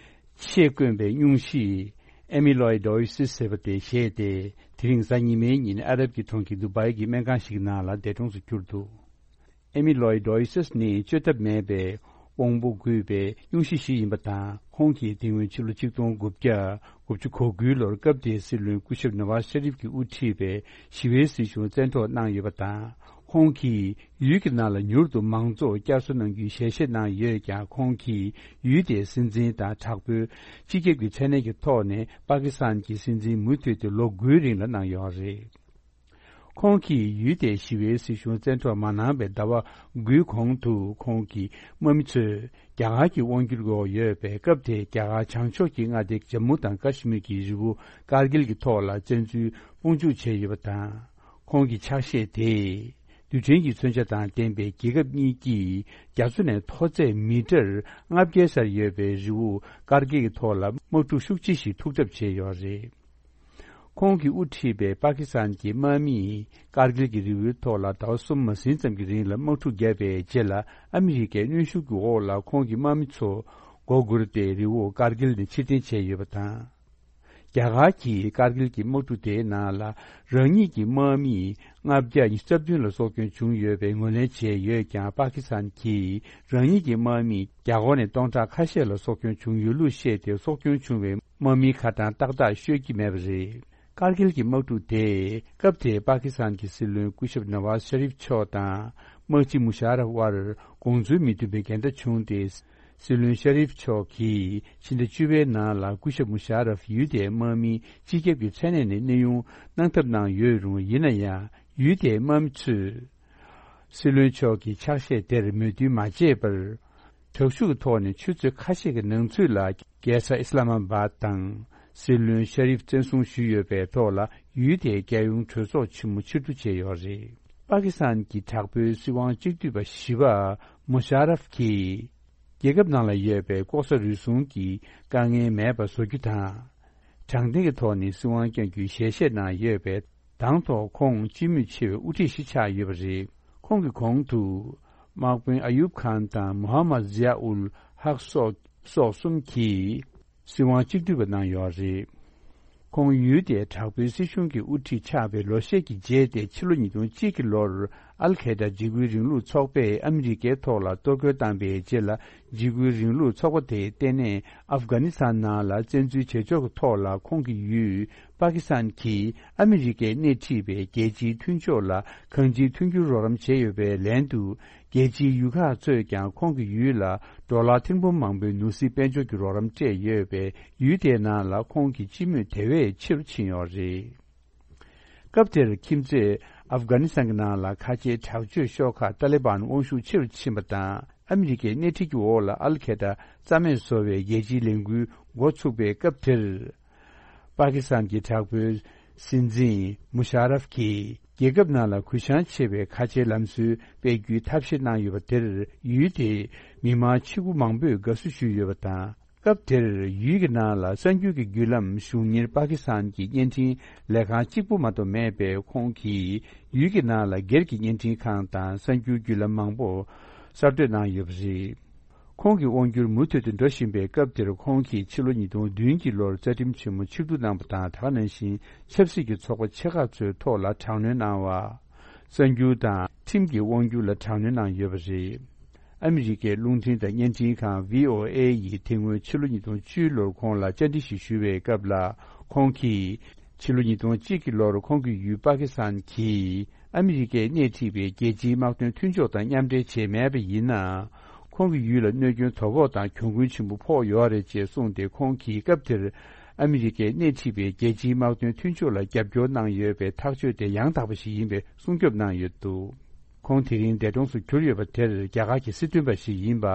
ཆེས་དཀོན་པའི་སྙུང་གཞི་ཨེ་མི་ལོའི་ཌོ་ཡི་སིས་ཟེར་བ་དེ་བཞེས་ཏེ། དེ་རིང་གཟའ་ཉི་མའི་ཉིན་ཨ་རབ་ཀྱི་གྲོང་ཁྱེར་དུ་བའི་གི་སྨན་ཁང་ཞིག་ནང་ལ་འདས་གྲོངས་སུ་གྱུར་འདུག་ཨེ་མི་ལོའི་ཌོ་ཡི་སིས་ནི་བཅོས་ཐབས་མེད་པའི་དབང་པོ་འགུལ་བའི་སྙུང་གཞི་ཞིག་ཡིན་པ་དང་། ཁོང་གིས་དེ་སྔོན་ཕྱི་ལོ་ཆིག་སྟོང་དགུ་བརྒྱ་དགུ་བཅུ་གོ་དགུའི་ལོར་སྐབས་དེའི་སྲིད་བློན་སྐུ་ཞབས་ནོ་ཝཱ་ཤ་རིབ་ཀྱིས་དབུ་ཁྲིད་པའི་ཞི་བའི་སྲིད་གཞུང་བཙན་འཕྲོག་གནང་ཡོད་པ་དང་། ཁོང་གིས་ཡུལ་གྱི་ནང་ལ་མྱུར་དུ་མང་གཙོ་བསྐྱར་གསོ་གནང་རྒྱུའི་ཞལ་བཞེས་གནང་ཡོད་ཀྱང་། ཁོང་གིས་ཡུལ་དེའི་སྲིད་འཛིན་དང་དྲག་པོའི་སྤྱི་ཁྱབ་ཀྱི་མཚན་གནས་ཀྱི་ཐོག་ནས་པ་ཀི་སི་ཐན་གྱི་སྲིད་འཛིན་མུ་མཐུད་དེ་ལོ་དགུའི་རིང་ལ་གནང་ཡོད་རེད། ཁོང་གིས་ཡུལ་དེའི་ཞི་བའི་སྲིད་གཞུང་བཙན་འཕྲོག་མ་གནང་བའི་ཟླ་བ་དགུའི་གོང་དུ། ཁོང་གི་དམག་མི་ཚོས་རྒྱ་གར་གྱི་དབང་སྒྱུར་འོག་ཡོད་པའི་སྐབས་དེའི་རྒྱ་གར་བྱང་ཕྱོགས་ཀྱི་མངའ་སྡེ་ཇམ་མུ་དང་ཀ་ཤི་མིར་གྱི་རི་བོ་ཀར་གིལ་གྱི་ཐོག་ལ་བཙན་འཛུལ་དཔུང་འཇུག་བྱས་ཡོད་པ་དང་། ཁོང་གི་ཕྱག་བཞེས་དེས་རྡུལ་ཕྲན་གྱི་མཚོན་ཆ་དང་ལྡན་པའི་རྒྱལ་ཁབ་གཉིས་ཀྱིས་རྒྱ་མཚོ་ནས་མཐོ་ཚད་མི་ཊར་ལྔ་བརྒྱའི་སར་ཡོད་པའི་རི་བོ་ཀར་གིལ་གྱི་ཐོག་ལ་དམག་འཁྲུག་ཤུགས་ཆེ་ཞིག་ཐུག་གྲབས་བྱས་ཡོད་རེད། ཁོང་གིས་དབུ་ཁྲིད་པའི་པ་ཀི་སི་ཐན་གྱི་དམག་མིས་ཀར་གིལ་གྱི་རི་བོའི་ཐོག་ལ་ཟླ་བ་གསུམ་མ་ཟིན་ཙམ་གྱི་རིང་ལ་དམག་འཁྲུག་བརྒྱབ་པའི་རྗེས་ལ། ཨ་མི་རི་ཀའི་གནོན་ཤུགས་ཀྱི་འོག་ལ་ཁོང་གི་དམག་མི་ཚོ་མགོ་སྒུར་ཏེ་རི་བོ་ཀར་གིལ་ནས་ཕྱིར་འཐེན་བྱས་ཡོད་པ་དང་། རྒྱ་གར་གྱིས་ཀར་གིལ་གྱི་དམག་འཁྲུག་དེའི་ནང་ལ་རང་ཉིད་ཀྱི་དམག་མིས་ལྔ་བརྒྱ་ཉི་ཤུ་རྩ་བདུན་ལ་སྲོག་སྐྱོན་བྱུང་ཡོད་པའི་ངོས་ལེན་བྱས་ཡོད་ཀྱང་། པ་ཀི་སི་ཐན་གྱིས་རང་ཉིད་ཀྱི་དམག་མི་རྒྱ་སྒོར་ནས་སྟོང་ཕྲག་ཁ་ཤས་ལ་སྲོག་སྐྱོན་བྱུང་ཡོད་ལུགས་བཤད་དེ། སྲོག་སྐྱོན་བྱུང་བའི་དམག་མིའི་ཁ་གྲངས་ཏག་ཏག་ཤོད་ཀྱི་མེད་པ་རེད། ཀར་གིལ་གྱི་དམག་འཁྲུག་དེས་སྐབས་དེའི་པ་ཀི་སི་ཐན་གྱི་སྲིད་བློན་སྐུ་ཞབས་ནཱ་ཝཱཟ་ཤ་རིབ་མཆོག་དང་། དམག་སྤྱི་མུ་ཤ་རབ་དབར་དགོངས་ཚུལ་མི་མཐུན་པའི་འགལ་ཟླ་བྱུང་སྟེ། སྲིད་བློན་ཤ་རིབ་མཆོག་གིས་ཕྱི་ཟླ་བཅུ་པའི་ནང་ལ་སྐུ་ཞབས་མུ་ཤ་རབ་ཡུལ་དེའི་དམག་མིའི་སྤྱི་ཁྱབ་ཀྱི་མཚན་གནས་ནས་གནས་དབྱུང་གནང་ཐབས་གནང་ཡོད་རུང་། ཡིན་ན་ཡང་ཡུལ་དེའི་དམག་མི་ཚོས་སྲིད་བློན་མཆོག་གི་ཕྱག་བཞེས་དེར་མོས་མཐུན་མ་བྱས་པར། དྲག་ཤུགས་ཀྱི་ཐོག་ནས་ཆུ་ཚོད་ཁ་ཤས་ཀྱི་ནང་ཚུད་ལ་ རྒྱལ་ས་ཨི་སི་ལ་མ་བཱད་དང་སྲིད་བློན་ཤ་རིབ་བཙན་བཟུང་ཞུས་ཡོད་པའི་ཐོག་ལ། ཡུལ་དེའི་རྒྱལ་ཡོངས་གྲོས་ཚོགས་ཆེན་མོ་ཕྱིར་བསྡུ་བྱས་ཡོད་རེད། པ་ཀི་སི་ཐན་གྱི་དྲག་པོའི་སྲིད་དབང་གཅིག་སྡུད་པ་བཞི་པ་མུ་ཤ་རབ་ཀྱིས། རྒྱལ་ཁབ་ནང་ལ་ཡོད་པའི་ལྐོག་ཟ་རུལ་སུངས་ཀྱི་དཀའ་ངལ་མེད་པ་བཟོ་རྒྱུ་དང་། དྲང་བདེན་གྱི་ཐོག་ནས་སྲིད་དབང་བསྐྱོན་རྒྱུའི་ཞལ་བཞེས་གནང་ཡོད་པའི་དང་ཐོག་ཁོང་སྤྱི་མོས་ཆེ་བའི་དབུ་ཁྲིད་ཞིག་ཆགས་ཡོད་པ་རེད། ཁོང་གི་གོང་དུ། དམག་དཔོན་ཨ་ཡུབ་ཁཱན་དང་མུ་ཧམ་མད་ཛི་ཡ་ཨུལ་ཧག་སོགས་སོགས་གསུམ་གྱིས་སྲིད་དབང་གཅིག་སྡུད་པ་གནང་ཡོད་རེད། ཁོང་ཡུལ་དེའི་དྲག་པོའི་སྲིད་གཞུང་གི་དབུ་ཁྲིད་ཆགས་པའི་ལོ་ཤས་ཀྱི་རྗེས་ཏེ་ཕྱི་ལོ་ཉིས་སྟོང་གཅིག་གི་ལོར་ཨལ་ཁེ་ད་འཇིགས་སྐུལ་རིང་ལུགས་ཚོགས་པས་ཨ་མི་རི་ཀའི་ཐོག་ལ་གཏོར་རྒོལ་བཏང་པའི་རྗེས་ལ། འཇིགས་སྐུལ་རིང་ལུགས་ཚོགས་པ་དེས་ལྟེ་གནས་ཨབ་གྷ་ནི་སི་ཐན་ནང་ལ་བཙན་འཛུལ་བྱེད་ཕྱོགས་ཀྱི་ཐོག་ལ། ཁོང་གི་ཡུལ་པ་ཀི་སི་ཐན་གྱིས་ཨ་མི་རི་ཀས་སྣེ་ཁྲིད་པའི་རྒྱལ་སྤྱིའི་མཐུན་ཕྱོགས་ལ་གང་ཅིའི་མཐུན་འགྱུར་རོགས་རམ་བྱས་ཡོད་པའི་ལན་དུ། རྒྱལ་སྤྱིའི་ཡུལ་ཁག་ཚོས་ཀྱང་ཁོང་གི་ཡུལ་ལ་ཌོ་ལར་ཐེར་འབུམ་མང་པོའི་ནོར་སྲིད་དཔལ་འབྱོར་གྱི་རོགས་རམ་སྤྲད་ཡོད་པས། ཡུལ་དེའི་ནང་ལ་ཁོང་གི་སྤྱི་མོས་དེ་བས་ཆེ་རུ་ཕྱིན་ཡོད་རེད། སྐབས་དེར་ཁྱིམ་མཚེས་ཨབ་གྷ་ནི་སི་ཐན་གྱི་ནང་ལ་ཁ་ཆེའི་དྲག་སྤྱོད་ཤོག་ཁག་ཏཱ་ལི་བན་དབང་ཤུགས་ཆེ་རུ་ཕྱིན་པ་དང་། ཨ་མི་རི་ཀའི་སྣེ་ཁྲིད་ཀྱི་འོག་ལ་ཨལ་ཁེ་ད་རྩ་མེད་བཟོ་བའི་རྒྱལ་སྤྱིའི་ལས་འགུལ་འགོ་ཚུགས་པའི་སྐབས་དེར། པ་ཀི་སི་ཐན་གྱི་དྲག་པོའི་སྲིད་འཛིན་མུ་ཤ་རབ་ཀྱིས་རྒྱལ་ཁབ་ནང་ལ་གུ་བཤངས་ཆེ་བའི་ཁ་ཆེའི་ལམ་སྲོལ་སྤེལ་རྒྱུའི་ཐབས་ཤེས་གནང་ཡོད་པ་དེར། ཡུལ་དེའི་མི་མང་ཆེ་དགུ་མང་པོས་དགའ་བསུ་ཞུས་ཡོད་པ་དང་། སྐབས་དེར་ཡུལ་གྱི་ནང་ལ་གསར་འགྱུར་གྱི་བརྒྱུད་ལམ་གཞུང་གཉེར་པ་ཀི་སི་ཐན་གྱི་བརྙན་འཕྲིན་ལས་ཁང་གཅིག་པུ་མ་གཏོགས་མེད་པས། ཁོང་གིས་ཡུལ་གྱི་ནང་ལ་སྒེར་གྱི་བརྙན་འཕྲིན་ཁང་དང་གསར་འགྱུར་བརྒྱུད་ལམ་མང་པོ་གསར་གཏོད་གནང་ཡོད་པ་རེད། ཁོང་གི་དབང་སྒྱུར་མུ་མཐུད་དུ་འགྲོ་བཞིན་པའི་སྐབས་དེར། ཁོང་གིས་ཕྱི་ལོ་ཉིས་སྟོང་བདུན་གྱི་ལོར་རྩ་ཁྲིམས་ཆེན་མོ་ཆིག་བསྡུ་གནང་པ་དང་། ད་ག་ནང་བཞིན་ཆབ་སྲིད་ཀྱི་ཚོགས་པ་ཆེ་ཁག་ཚོའི་ཐོག་ལ་དྲག་གནོན་གནང་བ། གསར་འགྱུར་དང་ཁྲིམས་ཀྱི་དབང་སྒྱུར་ལ་དྲག་གནོན་གནང་ཡོད་པ་རེད། ཨ་མི་རི་ཀའི་རླུང་འཕྲིན་དང་བརྙན་འཕྲིན་ཁང་བྷི་ཨོ་ཨེ་ཡིས་དེ་སྔོན་ཕྱི་ལོ་ཉིས་སྟོང་བཅུ་ལོར་ཁོང་ལ་བཅར་འདྲི་ཞིག་ཞུ་བའི་སྐབས་ལ། ཁོང་གིས་ཕྱི་ལོ་ཉིས་སྟོང་གཅིག་གི་ལོར་ཁོང་གི་ཡུལ་པ་ཀི་སི་ཐན་གྱིས་ཨ་མི་རི་ཀས་སྣེ་ཁྲིད་པའི་རྒྱལ་སྤྱིའི་དམག་དོན་མཐུན་ཕྱོགས་དང་མཉམ་འབྲེལ་བྱས་མེད་པ་ཡིན་ན། ཁོང་གི་ཡུལ་ལ་གནོད་སྐྱོན་དོ་ཕོག་དང་གྱོང་གུན་ཆེན་པོ་ཕོག་ཡོད་རེད་ཅེས་གསུངས་ཏེ། ཁོང་གིས་སྐབས་དེར་ཨ་མི་རི་ཀས་སྣེ་ཁྲིད་པའི་རྒྱལ་སྤྱིའི་དམག་དོན་མཐུན་ཕྱོགས་ལ་རྒྱབ་སྐྱོར་གནང་ཡོད་པའི་ཐག་གཅོད་དེ་ཡང་དག་པ་ཞིག་ཡིན་པའི་སྲུང་སྐྱོབ་གནང་ཡོད་འདུག་ཁོང་དེ་རིང་འདས་གྲོངས་སུ་གྱུར་ཡོད་པ་དེར། རྒྱ་གར་གྱི་སྲིད་དོན་པ་ཞིག་ཡིན་པ།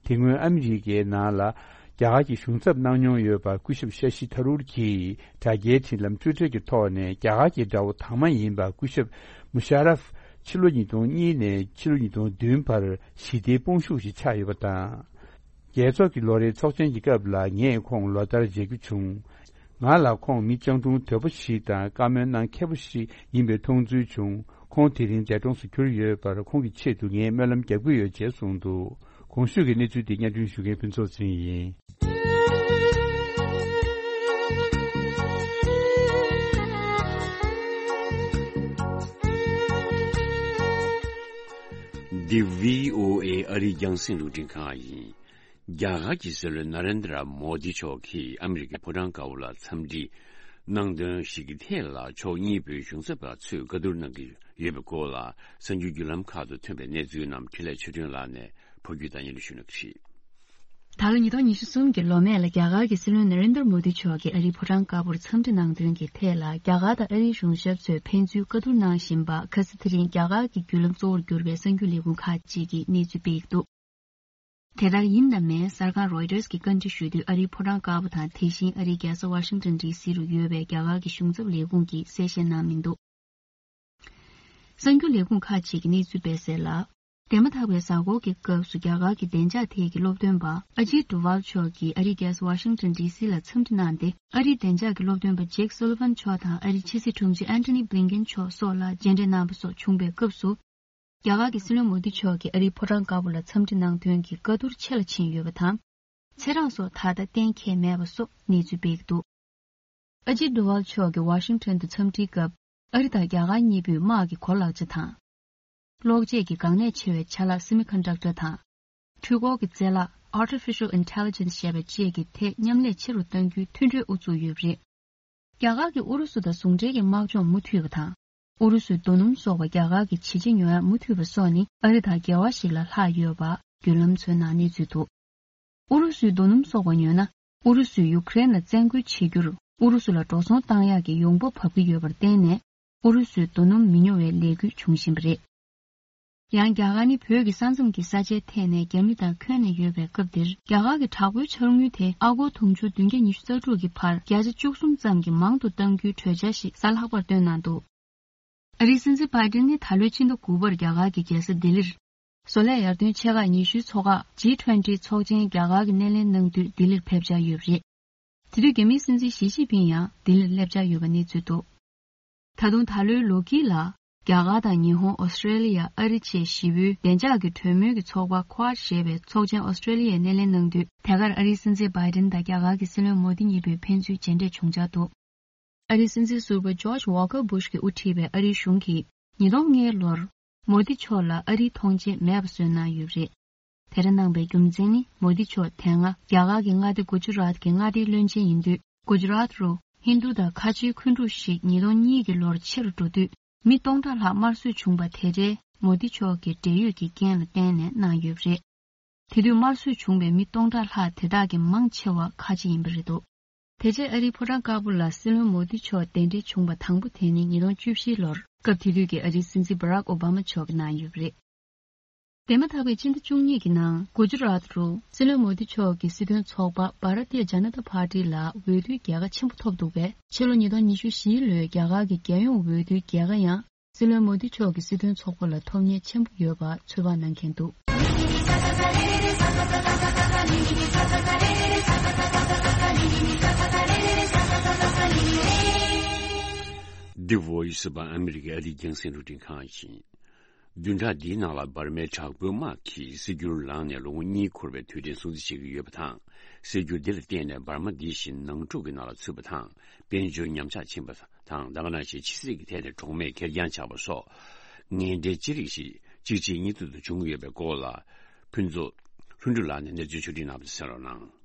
དེ་སྔོན་ཨ་མི་རི་ཀའི་ནང་ལ་རྒྱ་གར་གྱི་གཞུང་ཚབ་གནང་མྱོང་ཡོད་པ་སྐུ་ཞབས་ཤ་ཤི་ཐ་རུར་གྱིས་དྲ་རྒྱའི་འཕྲིན་ལམ་ཊུའི་ཊར་གྱི་ཐོག་ནས། རྒྱ་གར་གྱི་དགྲ་བོ་དང་མ་ཡིན་པ་སྐུ་ཞབས་མུ་ཤ་རབ་ཕྱི་ལོ་ཉིས་སྟོང་གཉིས་ནས་ཕྱི་ལོ་ཉིས་སྟོང་བདུན་བར་ཞི་བདེའི་དཔུང་ཤུགས་ཤིག་ཆགས་ཡོད་པ་དང་། རྒྱལ་ཚོགས་ཀྱི་ལོ་རེའི་ཚོགས་ཆེན་གྱི་སྐབས་ལ་ངས་ཁོང་ལོ་ལྟར་མཇལ་རྒྱུ་བྱུང་། ང་ལ་ཁོང་མི་སྤྱང་གྲུང་དོད་པོ་ཞིག་དང་བཀའ་མོལ་གནང་མཁས་པོ་ཞིག་ཡིན་པའི་མཐོང་ཚུལ་བྱུང་། ཁོང་དེ་རིང་འདས་གྲོངས་སུ་གྱུར་ཡོད་པར། ཁོང་གི་ཆེད་དུ་ངས་སྨོན་ལམ་རྒྱག་གི་ཡོད་ཅེས་གསུངས་འདུག་གོང་ཞུས་ཀྱི་གནས་ཚུལ་འདི་སྙན་སྒྲོན་ཞུ་མཁན་ཕུན་ཚོགས་ཚེ་རིང་ཡིན། འདི་བྷི་ཨོ་ཨེ་ཨ་རིའི་རྒྱང་སྲིང་རླུང་འཕྲིན་ཁང་ཡིན། རྒྱ་གར་གྱི་སྲིད་བློན་ན་རེན་དྲ་མོ་དི་མཆོག་གིས་ཨ་མི་རི་ཀའི་ཕོ་བྲང་དཀར་པོ་ལ་འཚམས་འདྲི་གནང་དོན་ཞིག་གི་ཐད་ལ། ཕྱོགས་གཉིས་པོའི་གཞུང་ཚབ་པ་ཚོས་བཀའ་བསྡུར་གནང་གི་ཡོད་པའི་སྐོར་ལ། གསར་འགྱུར་བརྒྱུད་ལམ་ཁག་ཏུ་ཐོན་པའི་གནས་ཚུལ་རྣམས་འཕྲིན་ལས་ཆོས་སྒྲོན་ལགས་ནས་ཕབ་སྒྱུར་དང་སྙན་སྒྲོན་ཞུ་གནང་གི་རེད། ད་ལོ་ཉིས་སྟོང་ཉི་ཤུ་གསུམ་གྱི་ལོ་སྨད་ལ། རྒྱ་གར་གྱི་སྲིད་བློན་ན་རེན་དྲ་མོ་དི་མཆོག་གིས་ཨ་རིའི་ཕོ་བྲང་དཀར་པོར་འཚམས་འདྲི་གནང་དོན་གྱི་ཐད་ལ། རྒྱ་གར་དང་ཨ་རིའི་གཞུང་ཞབས་ཚོས་ཕན་ཚུན་བཀའ་བསྡུར་གནང་བཞིན་པ། ཁ་སང་དེ་རིང་རྒྱ་གར་གྱི་བརྒྱུད་ལམ་གཙོ་བོར་གྱུར་པའི་གསར་འགྱུར་ལས་ཁུངས་ཁག་ཅིག་གིས་གནས་ཚུལ་སྤེལ་གྱི་འདུག་དེ་ལྟར་ཡིན་དང་མིན། གསར་ཁང་རོའི་ཊར་གྱིས་བཀའ་འདྲི་ཞུ་དུས། ཨ་རིའི་ཕོ་བྲང་དཀར་པོ་དང་། དེ་བཞིན་ཨ་རིའི་རྒྱལ་ས་ཝ་ཤིང་ཊོན་ཌི་སི་རུ་ཡོད་པའི་རྒྱ་གར་གྱི་གཞུང་ཚབ་ལས་ཁུངས་ཀྱིས་གསལ་བཤད་གནང་མི་འདུག་གསར་འགྱུར་ལས་ཁུངས་ཁག་ཅིག་གིས་གནས་ཚུལ་སྤེལ་གསལ་ལ། འདས་མ་ཐག་པའི་གཟའ་འཁོར་གྱི་སྐབས་སུ། རྒྱ་གར་གྱི་བདེ་འཇགས་ཐད་ཀྱི་སློབ་སྟོན་པ་ཨ་ཇིད་ཌོ་ཝལ་མཆོག་གིས་ཨ་རིའི་རྒྱལ་ས་ཝ་ཤིང་ཊོན་ཌི་སི་ལ་འཚམས་འདྲི་གནང་སྟེ། ཨ་རིའི་བདེ་འཇགས་ཀྱི་སློབ་སྟོན་པ་ཇེཀ་སོ་ལི་ཝན་མཆོག་དང་། ཨ་རིའི་ཕྱི་སྲིད་དྲུང་ཆེ་ཨན་ཐོ་ནི་བྷི་ལིན་ཀེན་མཆོག་སོགས་ལ་མཇལ་འཕྲད་གནང་པ་སོགས་བྱུང་བའི་སྐབས་སུ། རྒྱ་གར་གྱི་སྲིད་བློན་མོ་དི་མཆོག་གིས་ཨ་རིའི་ཕོ་བྲང་དཀར་པོ་ལ་འཚམས་འདྲི་གནང་དོན་གྱི་བཀའ་བསྡུར་ཆེ་ལ་ཕྱིན་ཡོད་པ་དང་། ཚེ་རིང་སོགས་ད་ལྟ་གཏན་འཁེལ་མེད་པ་སོགས་གནས་ཚུལ་སྤེལ་གྱི་འདུག་ཨ་ཇིད་ཌོ་ཝལ་མཆོག་གིས་ཝ་ཤིང་ཊོན་དུ་འཚམས་འདྲིའི་སྐབས། ཨ་རི་དང་རྒྱ་གར་གཉིས་པོས་དམག་གི་གོ་ལག་ཆ་དང་། གློག་ཆས་ཀྱི་འགག་གནད་ཆེ་བའི་ཆ་ལག་སེ་མི་ཀོན་ཌག་ཊར་དང་། འཕྲུལ་འཁོར་གྱི་རྩལ་ལག་Artificial Intelligence ཞེས་པ་བཅས་ཀྱི་ཐད་མཉམ་ལས་ཆེ་རུ་གཏང་རྒྱུའི་མཐུན་གྲོས་དབུ་བཙུགས་ཡོད་པ་རེད། རྒྱ་གར་གྱིས་ཨུ་རུ་སུ་དང་ཟུང་འབྲེལ་གྱི་དམག་སྦྱོང་མུ་མཐུད་པ་དང་། ཨུ་རུ་སུའི་རྡོ་སྣུམ་སོགས་པ་རྒྱ་གར་གྱི་ཇི་ཆ་ཉོ་ཡག་མུ་མཐུད་པ་སོགས་ནི་ཨ་རི་དང་འགལ་བ་ཞིག་ལས་ལྷག་ཡོད་པ་བརྒྱུད་ལམ་ཚོའི་ནང་གནས་ཚུལ་འདུག་ཨུ་རུ་སུའི་རྡོ་སྣུམ་སོགས་པ་ཉོས་ན། ཨུ་རུ་སུས་ཡུ་ཀེ་རེན་ལ་བཙན་རྒོལ་བྱེད་རྒྱུར་ཨུ་རུ་སུ་ལ་འགྲོ་སོང་བཏང་ཡག་གི་ཡོང་འབབ་བབས་ཀྱི་ཡོད་པར་བརྟེན་ནས། ཨུ་རུ་སུའི་རྡོ་སྣུམ་མི་ཉོ་བའི་ལས་འགུལ་འབྱུང་བཞིན་པ་རེད། ཡང་རྒྱ་གར་ནི་བོད་ཀྱི་ས་མཚམས་ཀྱི་ས་ཆའི་ཐད་ནས་རྒྱ་མི་དང་འཁོན་ནས་ཡོད་པའི་སྐབས་འདིར། རྒྱ་གར་གྱི་དྲག་པོའི་འཆར་དངུལ་དེ་ཨ་སྒོར་དུང་ཕྱུར་བདུན་བརྒྱ་ཉི་ཤུ་རྩ་དྲུག་གི་བར་བརྒྱ་ཆ་བཅུ་གསུམ་ཙམ་གྱིས་མང་དུ་གཏང་རྒྱུའི་གྲོས་འཆར་ཞིག་གཟའ་ལྷག་པར་བཏོན་གནང་འདུག། ཨ་རིའི་སྲིད་འཛིན་བྷའི་ཏིན་ནི་ད་ལོའི་ཕྱི་ཟླ་དགུ་པར་རྒྱ་གར་གྱི་རྒྱལ་ས་ལྡི་ལིར། བཟོ་ལས་ཡར་ཐོན་ཆེ་ཁག་ཉི་ཤུའི་ཚོགས་ཁག་ཇི་ཊུ་ཝེན་ཊི་ཚོགས་ཆེན་རྒྱ་གར་གྱིས་སྣེ་ལེན་གནང་དུས་ལྡི་ལིར་ཕེབས་འཆར་ཡོད་པ་རེད། དེ་དུས་རྒྱ་མིའི་སྲིད་འཛིན་ཞི་ཅིན་ཕིང་ཡང་ལྡི་ལིར་སླེབས་འཆར་ཡོད་པ་གནས་ཚུལ་འདུག། ད་དུང་ད་ལོའི་ལོ་དཀྱིལ་ལ། རྒྱ་གར་དང་ཉི་ཧོང་། ཨོ་སི་ཀྲེ་ལི་ཡ། ཨ་རི་བཅས་བཞི་པོའི་བདེ་འཇགས་ཀྱི་གྲོས་མོལ་གྱི་ཚོགས་པ་ཁོ་ཨར་ཞེས་པའི་ཚོགས་ཆེན་ཨོ་སི་ཀྲེ་ལི་ཡས་སྣེ་ལེན་གནང་དུས། དེ་གར་ཨ་རིའི་སྲིད་འཛིན་བྷའི་ཏིན་དང་རྒྱ་གར་གྱི་སྲིད་བློན་མོ་དི་གཉིས་པོས་ཕན་ཚུན་མཇལ་འཕྲད་བྱུང་འཆར་འདུག། ཨ་རིའི་སྲིད་འཛིན་ཟུར་པ་ཇོརྗ་ཝོ་ཀར་བུ་ཤ་གིས་དབུ་ཁྲིད་པའི་ཨ་རིའི་གཞུང་གིས་ཉིས་སྟོང་ལྔའི་ལོར་མོ་དི་མཆོག་ལ་ཨ་རིའི་ཐོངས་མཆན་མེད་པ་བཟོས་གནང་ཡོད་པ་རེད། དེ་འདྲ་གནང་པའི་རྒྱུ་མཚན་ནི། མོ་དི་མཆོག་དེ་སྔ་རྒྱ་གར་གྱི་མངའ་སྡེ་གུ་ཇུ་རཱཏ་གྱི་མངའ་སྡེའི་བློན་ཆེན་ཡིན་དུས། གུ་ཇུ་རཱཏ་རུ་ཧིན་རྡུ་དང་ཁ་ཆེའི་འཁོན་འཁྲུག་ཞིག་ཉིས་སྟོང་གཉིས་ཀྱི་ལོར་ཆེ་རུ་འགྲོ་དུས། མི་སྟོང་ཕྲག་ལྷག་དམར་གསོད་བྱུང་བ་དེ་འདྲའི་མོ་དི་མཆོག་གི་འབྲེལ་ཡོད་ཀྱི་རྐྱེན་ལ་བརྟེན་ནས་གནང་ཡོད་པ་རེད། དེ་དུས་དམར་གསོད་བྱུང་བའི་མི་སྟོང་ཕྲག་ལྷག་དེ་དག་གི་མང་ཆེ་བ་ཁ་ཆེ་ཡིན་པ་རེད་འདུག། དེ་རྗེས་ཨ་རིའི་ཕོ་བྲང་དཀར་པོ་ལ་སྲིད་བློན་མོ་དི་མཆོག་གདན་འདྲེན་བྱུང་བ་དང་པོ་དེ་ནི་ཉིས་སྟོང་བཅུ་བཞིའི་ལོར། སྐབས་དེ་དུས་ཀྱི་ཨ་རིའི་སྲིད་འཛིན་བྷ་རག་ཨོ་བྷ་མ་མཆོག་གིས་གནང་ཡོད་པ་རེད། འདས་མ་ཐག་པའི་ཕྱི་ཟླ་བཅུ་གཉིས་ཀྱི་ནང་གུ་ཇུ་རཱཏ་རུ་སྲིད་བློན་མོ་དི་མཆོག་གི་སྲིད་དོན་ཚོགས་པ་བྷ་ར་ཏི་ཡ་ཇ་ན་ཏ་པར་ཏི་ལ་འོས་བསྡུའི་རྒྱལ་ཁ་ཆེན་པོ་ཐོབ་འདུག་པས། ཕྱི་ལོ་ཉིས་སྟོང་ཉི་ཤུ་བཞིའི་ལོའི་རྒྱ་གར་གྱི་རྒྱལ་ཡོངས་འོས་བསྡུའི་རྒྱལ་ཁ་ཡང་སྲིད་བློན་མོ་དི་མཆོག་གི་སྲིད་དོན་ཚོགས་པ་ལ་ཐོབ་ཉེན་ཆེན་པོ་ཡོད་པ་ཚོད་དཔག་གནང་མཁན་འདུག། The Voice of America། ཨ་རིའི་རྒྱང་སྲིང་རླུང་འཕྲིན་ཁང་ཡིན། བདུན་ཕྲག་འདིའི་ནང་ལ་འབར་མའི་དྲག་པོའི་དམག་གིས་སྲིད་འགྱུར་ལངས་ནས་ལོ་ངོ་གཉིས་འཁོར་བའི་དུས་དྲན་སྲུང་བརྩི་བྱེད་ཀྱི་ཡོད་པ་དང་། སྲིད་འགྱུར་འདི་ལ་བརྟེན་ནས་འབར་མ་འདི་བཞིན་ནང་འཁྲུག་གི་ནང་ལ་ཚུད་པ་དང་། དཔལ་འབྱོར་ཉམས་ཆག་ཕྱིན་པ་དང་། ད་ག་ནང་བཞིན་ཕྱི་སྲིད་ཀྱི་ཐད་ནས་གྲོགས་མེད་ཁེར་རྐྱང་ཆགས་པ་སོགས། ངན་འབྲས་ཅི་རིགས་ཤིག་གཅིག་རྗེས་གཉིས་མཐུད་དུ་འབྱུང་གི་ཡོད་པའི་སྐོར་ལ། ཕུན་ཚོགས་ལྷུན་གྲུབ་ལགས་ནས་གནས་ཚུལ་ཕྱོགས་སྒྲིག་གནང་བ་གསན་རོགས་གནང་།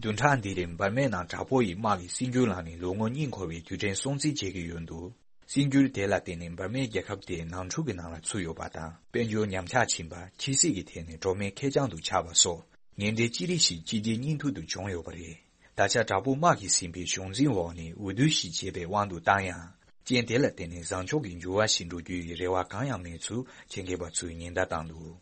བདུན་ཕྲག་འདིའི་རིང་འབར་མའི་ནང་དྲག་པོ་ཡི་དམག་གིས་སྲིད་འགྱུར་ལངས་ནས་ལོ་ངོ་གཉིས་འཁོར་བའི་དུས་དྲན་སྲུང་བརྩི་བྱེད་ཀྱི་ཡོད་འདུག། སྲིད་འགྱུར་དེ་ལ་བརྟེན་ནས་འབར་མའི་རྒྱལ་ཁབ་དེ་ནང་འཁྲུག་གི་ནང་ལ་ཚུད་ཡོད་པ་དང་། དཔལ་འབྱོར་ཉམས་ཆག་ཕྱིན་པ། ཕྱི་སྲིད་ཀྱི་ཐད་ནས་གྲོགས་མེད་ཁེར་རྐྱང་དུ་ཆགས་པ་སོགས། ངན་འབྲས་ཅི་རིགས་ཤིག་གཅིག་རྗེས་གཉིས་མཐུད་དུ་བྱུང་ཡོད་པ་རེད། ད་ཆ་དྲག་པོ་དམག་གིས་ཟིན་པའི་གཞུང་འཛིན་འོག་ནས་འོས་བསྡུ་ཞིག་བྱས་པའི་དབང་དུ་བཏང་ཡང་། རྐྱེན་དེ་ལ་བརྟེན་ནས་བཟང་ཕྱོགས་ཀྱི་འགྱུར་བ་ཞིག་འགྲོ་རྒྱུ་ཡི་རེ་བ་གང་ཡང་མེད་ཚུལ་ཆེད་མཁས་པ་ཚོས་ཉེན་བརྡ་བཏང་འདུག།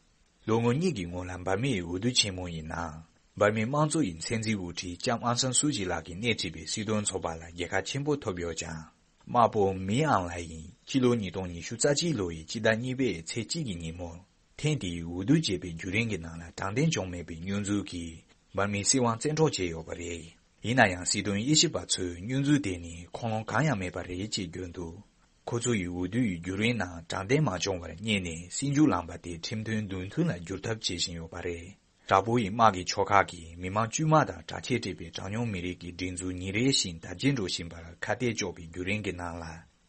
ལོ་ངོ་གཉིས་ཀྱི་སྔོན་ལ་འབར་མའི་འོས་བསྡུ་ཆེན་མོ་ཡི་ནང་། འབར་མའི་དམངས་གཙོ་ཡི་མཚན་འཛིན་དབུ་ཁྲིད་ལྕམ་ཨང་སན་སུའུ་ཅི་ལགས་ཀྱིས་སྣེ་ཁྲིད་པའི་སྲིད་དོན་ཚོགས་པ་ལ་རྒྱལ་ཁ་ཆེན་པོ་ཐོབ་ཡོད་ཀྱང་། དམག་དཔོན་མི་ཨང་ལའེ་ཡིས་ཕྱི་ལོ་ཉིས་སྟོང་ཉི་ཤུ་རྩ་གཅིག་ལོ་ཡི་སྤྱི་ཟླ་གཉིས་པའི་ཚེས་གཅིག་གི་ཉིན་མོར། ཐེངས་དེའི་འོས་བསྡུ་བྱས་པའི་བརྒྱུད་རིམ་གྱི་ནང་ལ་དྲང་བདེན་བྱུང་མེད་པའི་བསྙོན་འཛུལ་གྱིས། འབར་མའི་སྲིད་དབང་བཙན་འཕྲོག་བྱས་ཡོད་པ་རེད། ཡིན་ན་ཡང་སྲིད་དོན་དབྱེ་ཞིབ་པ་ཚོས་བསྙོན་འཛུལ་དེ་ནི་ཁུངས་ལུང་གང་ཡང་མེད་པ་རེད་ཅེས་བརྗོད་འདུག། ཁོ་ཚོ་ཡིས་འོས་བསྡུ་ཡི་བརྒྱུད་རིམ་ནང་དྲང་བདེན་མ་བྱུང་བར་བསྙད་ནས་སྲིད་འགྱུར་ལངས་པ་དེ་ཁྲིམས་མཐུན་མདུན་མཐུན་ལ་བསྒྱུར་ཐབས་བྱེད་བཞིན་ཡོད་པ་རེད། དྲག་པོ་ཡི་དམག་གི་ཕྱོགས་ཁག་གིས་མི་མང་དཀྱུས་མ་དང་དྲག་ཆས་སྤྲས་པའི་གྲངས་ཉུང་མི་རིགས་ཀྱི་སྒྲིག་འཛུགས་ཉིན་རེ་བཞིན་དར་རྒྱས་འགྲོ་བཞིན་པར་ཁ་གཏད་གཅོག་པའི་བརྒྱུད་རིམ་གྱི་ནང་ལ།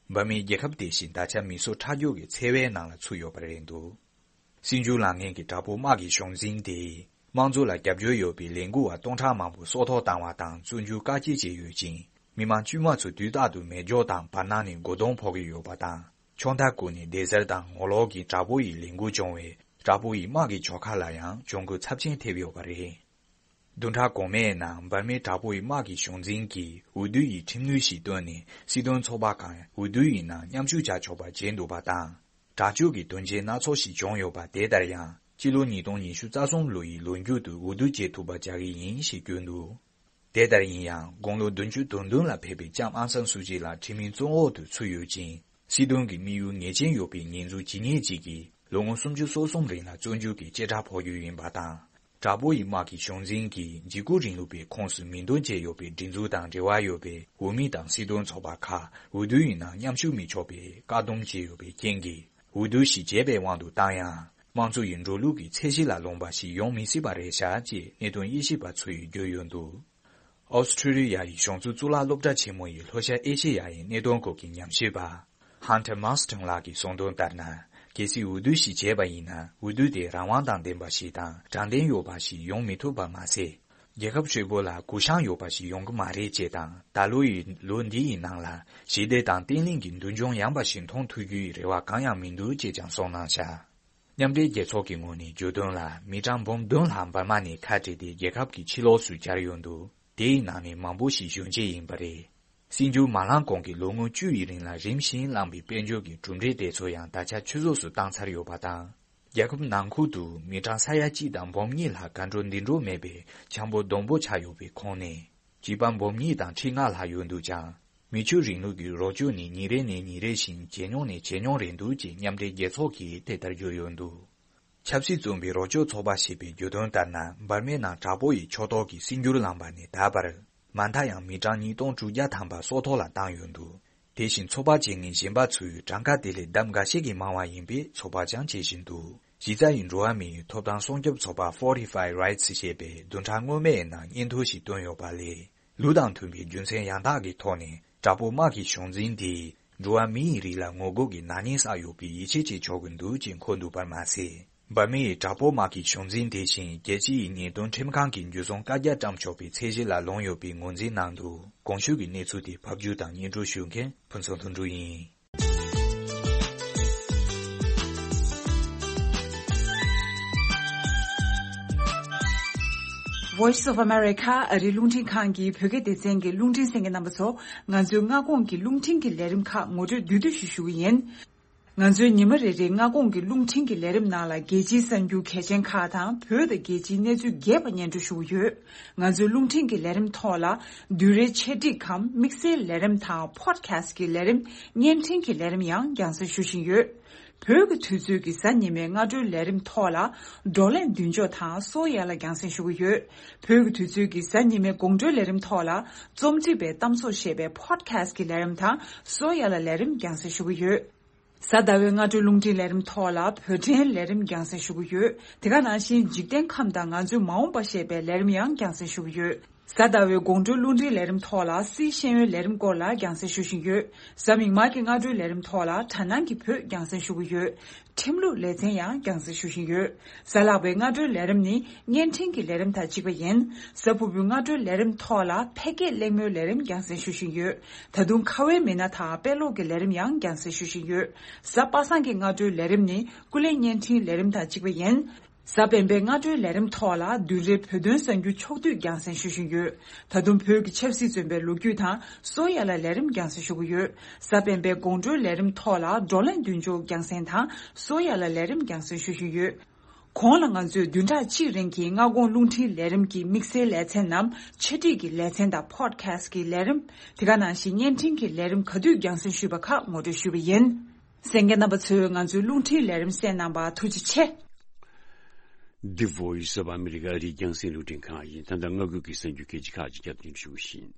འབར་མའི་རྒྱལ་ཁབ་དེ་བཞིན་ད་ཆ་མི་གསོད་ཁྲག་སྦྱོར་གྱི་འཚེ་བའི་ནང་ལ་ཚུད་ཡོད་པ་རེད་འདུག། སྲིད་འགྱུར་ལངས་མཁན་གྱི་དྲག་པོ་དམག་གི་གཞུང་འཛིན་དེས་དམངས་གཙོ་ལ་རྒྱབ་སྐྱོར་ཡོད་པའི་ལས་འགུལ་བ་སྟོང་ཕྲག་མང་པོ་སྲོག་ཐོག་བཏང་བ་དང་བཙོན་འཇུག་བཀག་སྐྱིལ་བྱས་ཡོད་ཅིང་། མི་མང་དཀྱུས་མ་ཚོ་དུས་རྟག་ཏུ་མེ་སྒྱོགས་དང་བར་སྣང་ནས་མགོ་རྡུང་ཕོག་གི་ཡོད་པ་དང་། ཕྱོགས་མཐའ་ཀུན་ནས་བདེ་གཟར་དང་ངོ་ལོག་གི་དྲག་པོ་ཡི་ལས་འགུལ་བྱུང་བས། དྲག་པོ་ཡི་དམག་གི་ཕྱོགས་ཁག་ལ་ཡང་གྱོང་གུན་ཚབས་ཆེན་ཐེབས་ཡོད་པ་རེད། བདུན་ཕྲག་གོང་མའི་ནང་འབར་མའི་དྲག་པོ་ཡི་དམག་གི་གཞུང་འཛིན་གྱིས་འོས་བསྡུ་ཡི་ཁྲིམས་ནུས་ཤིག་བཏོན་ནས་སྲིད་དོན་ཚོགས་པ་གང་འོས་བསྡུ་ཡི་ནང་མཉམ་ཞུགས་བྱ་ཆོག་པ་བྱས་འདུག་པ་དང་། དྲག་སྤྱོད་ཀྱི་དོན་རྐྱེན་སྣ་ཚོགས་ཤིག་བྱུང་ཡོད་པ་དེ་ལྟར་ཡང་། སྤྱི་ལོ་ཉིས་སྟོང་ཉི་ཤུ་རྩ་གསུམ་ལོ་ཡི་ལོ་མཇུག་ཏུ་འོས་བསྡུ་བྱེད་ཐུབ་པ་བྱ་གི་ཡིན་ཞེས་བརྗོད་འདུག། དེ་ལྟར་ཡིན་ཡང་དགུང་ལོ་བདུན་ཅུ་དོན་བདུན་ལ་ཕེབས་པའི་ལྕམ་ཨང་སན་སུའུ་ཅི་ལགས་ཁྲིམས་མིའི་བཙོན་འོག་ཏུ་ཚུད་ཡོད་ཅིང་། སྲིད་དོན་གྱི་དམིགས་ཡུལ་ངེས་ཅན་ཡོད་པའི་ཉེས་འཛུགས་ཇི་སྙེད་ཅིག་གིས་ལོ་ངོ་སུམ་ཅུ་སོ་གསུམ་རིང་ལ་བཙོན་འཇུག་གི་བྱེ་བྲག་ཕོག་རྒྱུ་ཡིན་པ་དང་། དྲག་པོ་ཡི་དམག་གི་གཞུང་འཛིན་གྱིས་འཇིགས་སྐུལ་རིང་ལུགས་པའི་ཁོངས་སུ་མིང་འདོན་བྱས་ཡོད་པའི་སྒྲིག་འཛུགས་དང་འབྲེལ་བ་ཡོད་པའི་འོས་མི་དང་སྲིད་དོན་ཚོགས་པ་ཁག་འོས་བསྡུ་ཡི་ནང་མཉམ་ཞུགས་མི་ཆོག་པའི་བཀག་སྡོམ་བྱས་ཡོད་པའི་རྐྱེན་གྱིས། འོས་བསྡུ་ཞིག་བྱས་པའི་དབང་དུ་བཏང་ཡང་། དམངས་གཙོ་ཡི་འགྲོ་ལུགས་ཀྱི་ཚད་གཞི་ལ་ལོངས་པ་ཞིག་ཡོང་མི་སྲིད་པ་རེད་ཤག་ཅེས་གནད་དོན་དབྱེ་ཞིབ་པ་ཚོས་བརྗོད་ཡོད་འདུག། ཨོ་སི་ཁྲུ་ལི་ཡ་ཡི་གཞུང་བཙུགས་གཙུག་ལག་སློབ་གྲྭ་ཆེན་མོ་ཡི་ལྷོ་ཤར་ཨེ་ཤེ་ཡ་ཡི་གནད་དོན་སྐོར་གྱི་ཉམས་ཞིབ་པ། Hunter Marston ལགས་ཀྱིས་གསུངས་དོན་ལྟར་ན། གལ་སྲིད་འོས་བསྡུ་ཞིག་བྱས་པ་ཡིན་ན། འོས་བསྡུ་དེ་རང་དབང་དང་ལྡན་པ་ཞིག་དང་དྲང་བདེན་ཡོད་པ་ཞིག་ཡོང་མི་ཐུབ་པ་མ་ཟད། རྒྱལ་ཁབ་ཧྲིལ་པོ་ལ་གུ་བཤངས་ཡོད་པ་ཞིག་ཡོང་གི་མ་རེད་ཅེས་དང་། ད་ལོ་ཡི་ལོ་འདི་ཡི་ནང་ལ་ཞི་བདེ་དང་བརྟན་ལྷིང་གི་མདུན་ལྗོངས་ཡངས་པ་ཞིག་མཐོང་ཐུབ་རྒྱུའི་རེ་བ་གང་ཡང་མི་འདུག་ཅེས་ཀྱང་གསུངས་གནང་བཞག། མཉམ་འབྲེལ་རྒྱལ་ཚོགས་ཀྱི་ངོས་ནས་བརྗོད་དོན་ལ། མི་གྲངས་འབུམ་བདུན་ལྷག་འབར་མ་ནས་ཁ་བྲལ་ཏེ་རྒྱལ་ཁབ་ཀྱི་ཕྱི་ལོགས་སུ་གྱར་ཡོད་འདུག། དེའི་ནང་ནས་མང་པོ་ཞིག་གཞོན་སྐྱེས་ཡིན་པ་རེད། སྲིད་འགྱུར་མ་ལངས་གོང་གི་ལོ་ངོ་བཅུ་ཡི་རིང་ལ་རིམ་བཞིན་བླངས་པའི་དཔལ་འབྱོར་གྱི་གྲུབ་འབྲས་དེ་ཚོ་ཡང་ད་ཆ་ཆུད་ཟོས་སུ་བཏང་ཚར་ཡོད་པ་དང་། རྒྱལ་ཁབ་ནང་ཁུལ་དུ་མི་གྲངས་ས་ཡ་གཅིག་དང་འབུམ་གཉིས་ལྷག་གར་འགྲོ་འདུག་འགྲོ་མེད་པའི་འཆམ་པོ་སྡོང་པོ་ཆགས་ཡོད་པའི་ཁོངས་ནས། བྱིས་པ་འབུམ་གཉིས་དང་ཁྲི་ལྔ་ལྷག་ཡོད་འདུག་ཀྱང་། མི་ཆོས་རིང་ལུགས་ཀྱི་རོགས་སྐྱོར་ནི་ཉིན་རེ་ནས་ཉིན་རེ་བཞིན་ཇེ་ཉུང་ནས་ཇེ་ཉུང་རེད་འདུག་ཅེས་མཉམ་འབྲེལ་རྒྱལ་ཚོགས་ཀྱིས་དེ་ལྟར་བརྗོད་ཡོད་འདུག་ཆབ་སྲིད་བཙོན་པའི་རོགས་སྐྱོར་ཚོགས་པ་ཞེས་པས་བརྗོད་དོན་ལྟར་ན། འབར་མའི་ནང་དྲག་པོ་ཡི་ཕྱོགས་གཏོགས་ཀྱི་སྲིད་འགྱུར་ལངས་པ་ནས་ད་བར། མ་མཐའ་ཡང་མི་གྲངས་ཉིས་སྟོང་དྲུག་བརྒྱ་ཐམ་པ་སྲོག་ཐོག་ལ་བཏང་ཡོད་འདུག་དེ་བཞིན་ཚོགས་པ་བྱེད་མཁན་གཞན་པ་ཚོས་གྲངས་ཀ་དེ་ལས་ལྡབ་འགའ་ཤས་ཀྱིས་མང་བ་ཡིན་པའི་ཚོད་དཔག་ཀྱང་བྱེད་བཞིན་འདུག་གཞི་རྩ་ཡི་འགྲོ་བ་མིའི་ཐོབ་ཐང་སྲུང་སྐྱོབ་ཚོགས་པ་Fortify Rights ཞེས་པས་བདུན་ཕྲག་སྔོན་མའི་ནང་སྙན་ཐོ་ཞིག་བཏོན་ཡོད་པ་ལས། ལུགས་དང་མཐུན་པའི་རྒྱུ་མཚན་ཡང་དག་གི་ཐོག་ནས་དྲག་པོ་དམག་གི་གཞུང་འཛིན་དེས་འགྲོ་བ་མིའི་རིགས་ལ་ངོ་རྒོལ་གྱི་ནག་ཉེས་བསགས་ཡོད་པའི་ཡིད་ཆེས་བྱེད་ཆོག་གི་འདུག་ཅེས་འཁོད་འདུག་པར་མ་ཟད། འབར་མའི་དྲག་པོ་དམག་གི་གཞུང་འཛིན་དེ་བཞིན་རྒྱལ་སྤྱིའི་ཉེས་དོན་ཁྲིམས་ཁང་གི་འཇུ་བཟུང་བཀའ་རྒྱ་བཀྲམ་ཆོག་པའི་ཚད་གཞི་ལ་ལྷུང་ཡོད་པའི་ངོས་འཛིན་གནང་འདུག་གོང་ཞུས་ཀྱི་གནས་ཚུལ་དེ་ཕབ་སྒྱུར་དང་སྙན་སྒྲོན་ཞུ་མཁན་ཕུན་ཚོགས་ལྷུན་གྲུབ་ཡིན། Voice of America ཨ་རིའི་རླུང་འཕྲིན་ཁང་གི་བོད་སྐད་སྡེ་ཚན་གྱི་རླུང་འཕྲིན་གསན་མཁན་རྣམ་པ་ཚོ། ང་ཚོའི་མངའ་ཁོངས་ཀྱི་རླུང་འཕྲིན་གྱི་ལས་རིམ་ཁག་ངོ་སྤྲོད་བསྡུས་བསྡུས་ཤིག་ཞུ་གི་ཡིན། ང་ཚོའི་ཉི་མ་རེ་རེའི་མངའ་ཁོངས་ཀྱི་རླུང་འཕྲིན་གྱི་ལས་རིམ་ནང་ལ་རྒྱལ་སྤྱིའི་གསར་འགྱུར་གལ་ཆེན་ཁག་དང་བོད་དང་རྒྱལ་སྤྱིའི་གནས་ཚུལ་རྒྱས་པ་སྙན་སྒྲོན་ཞུ་གི་ཡོད། ང་ཚོའི་རླུང་འཕྲིན་གྱི་ལས་རིམ་ཐོག་ལ་བསྡུས་རའི་ཆེད་སྒྲིག་གམ་དམིགས་བསལ་ལས་རིམ་དང་podcast གི་ལས་རིམ། བརྙན་འཕྲིན་གྱི་ལས་རིམ་ཡང་རྒྱང་སྲིང་ཞུ་བཞིན་ཡོད། བོད་ཀྱི་དུས་ཚོད་ཀྱི་གཟའ་ཉི་མའི་སྔ་དྲོའི་ལས་རིམ་ཐོག་ལ་བགྲོ་གླེང་མདུན་ལྕོག་དང་སོ་ཡ་ལ་རྒྱང་སྲིང་ཞུ་གི་ཡོད། བོད་ཀྱི་དུས་ཚོད་ཀྱི་གཟའ་ཉི་མའི་དགོང་དྲོའི་ལས་རིམ་ཐོག་ལ་རྩོམ་སྒྲིག་པའི་གཏམ་ཚོགས་ཞེས་པའི་podcast གི་ལས་རིམ་དང་སོ་ཡ་ལ་ལས་རིམ་རྒྱང་སྲིང་ཞུ་གི་ཡོད། གཟའ་ཟླ་བའི་སྔ་དྲོའི་རླུང་འཕྲིན་ལས་རིམ་ཐོག་ལ་བོད་འཕྲིན་ལས་རིམ་རྒྱང་སྲིང་ཞུ་གི་ཡོད། དེ་ག་ནང་བཞིན་འཇིག་རྟེན་ཁམས་དང་ང་ཚོའི་མ་འོངས་པ་ཞེས་པའི་ལས་རིམ་ཡང་རྒྱང་སྲིང་ཞུ་གི་ཡོད། གཟའ་ཟླ་བའི་དགོང་དྲོའི་རླུང་འཕྲིན་ལས་རིམ་ཐོག་ལ་སིའི་ཤེས་ཡོན་ལས་རིམ་སྐོར་ལ་རྒྱང་སྲིང་ཞུ་བཞིན་ཡོད། གཟའ་མིག་དམར་གྱི་སྔ་དྲོའི་ལས་རིམ་ཐོག་ལ་དྲ་སྣང་གི་བོད་རྒྱང་སྲིང་ཞུ་གི་ཡོད། ཁྲིམས་ལུགས་ལེ་ཚན་ཡང་རྒྱང་སྲིང་ཞུ་བཞིན་ཡོད། གཟའ་ལྷག་པའི་སྔ་དྲོའི་ལས་རིམ་ནི་བརྙན་འཕྲིན་གྱི་ལས་རིམ་དང་གཅིག་པ་ཡིན། གཟའ་ཕུར་བུའི་སྔ་དྲོའི་ལས་རིམ་ཐོག་ལ་ཕལ་སྐད་གླེང་མོལ་ལས་རིམ་རྒྱང་སྲིང་ཞུ་བཞིན་ཡོད། ད་དུང་ཁ་བའི་མི་སྣ་དང་དཔེ་ཀློག་གི་ལས་རིམ་ཡང་རྒྱང་སྲིང་ཞུ་བཞིན་ཡོད། གཟའ་པ་སངས་ཀྱི་སྔ་དྲོའི་ལས་རིམ་ནི་ཀུན་གླེང་བརྙན་འཕྲིན་ལས་རིམ་དང་གཅིག་པ་ཡིན། གཟའ་སྤེན་པའི་སྔ་དྲོའི་ལས་རིམ་ཐོག་ལ་བདུན་རེའི་བོད་དོན་གསར་འགྱུར་ཕྱོགས་བསྡུས་རྒྱང་སྲིང་ཞུ་བཞིན་ཡོད། ད་དུང་བོད་ཀྱི་ཆབ་སྲིད་བཙོན་པའི་ལོ་རྒྱུས་དང་སོ་ཡ་ལ་ལས་རིམ་རྒྱང་སྲིང་ཞུ་གི་ཡོད། གཟའ་སྤེན་པའི་དགོང་དྲོའི་ལས་རིམ་ཐོག་ལ་བགྲོ་གླེང་མདུན་ལྕོག་རྒྱང་སྲིང་དང་སོ་ཡ་ལ་ལས་རིམ་རྒྱང་སྲིང་ཞུ་བཞིན་ཡོད། གོང་ལ་ང་ཚོས་བདུན་ཕྲག་གཅིག་རིང་གི་མངའ་ཁོངས་རླུང་འཕྲིན་ལས་རིམ་གྱི་དམིགས་བསལ་ལེ་ཚན་ནམ་ཆེད་སྒྲིག་གི་ལེ་ཚན་དང་podcast གི་ལས་རིམ། དེ་ག་ནང་བཞིན་བརྙན་འཕྲིན་གྱི་ལས་རིམ་ག་དུས་རྒྱང་སྲིང་ཞུས་པ་ཁག་ངོ་སྤྲོད་ཞུས་པ་ཡིན། གསན་མཁན་རྣམ་པ་ཚོས་ང་ཚོའི་རླུང་འཕྲིན་ལས་རིམ་གསན་གནང་བར་ཐུགས་རྗེ་ཆེ། The Voice of America ཨ་རིའི་རྒྱང་སྲིང་རླུང་འཕྲིན་ཁང་ཡིན། ད་ལྟ་མངའ་ཁུལ་གྱི་གསར་འགྱུར་གལ་ཆེ་ཁག་ཅིག་སྐྱབས་སྟོན་ཞུ་བཞིན།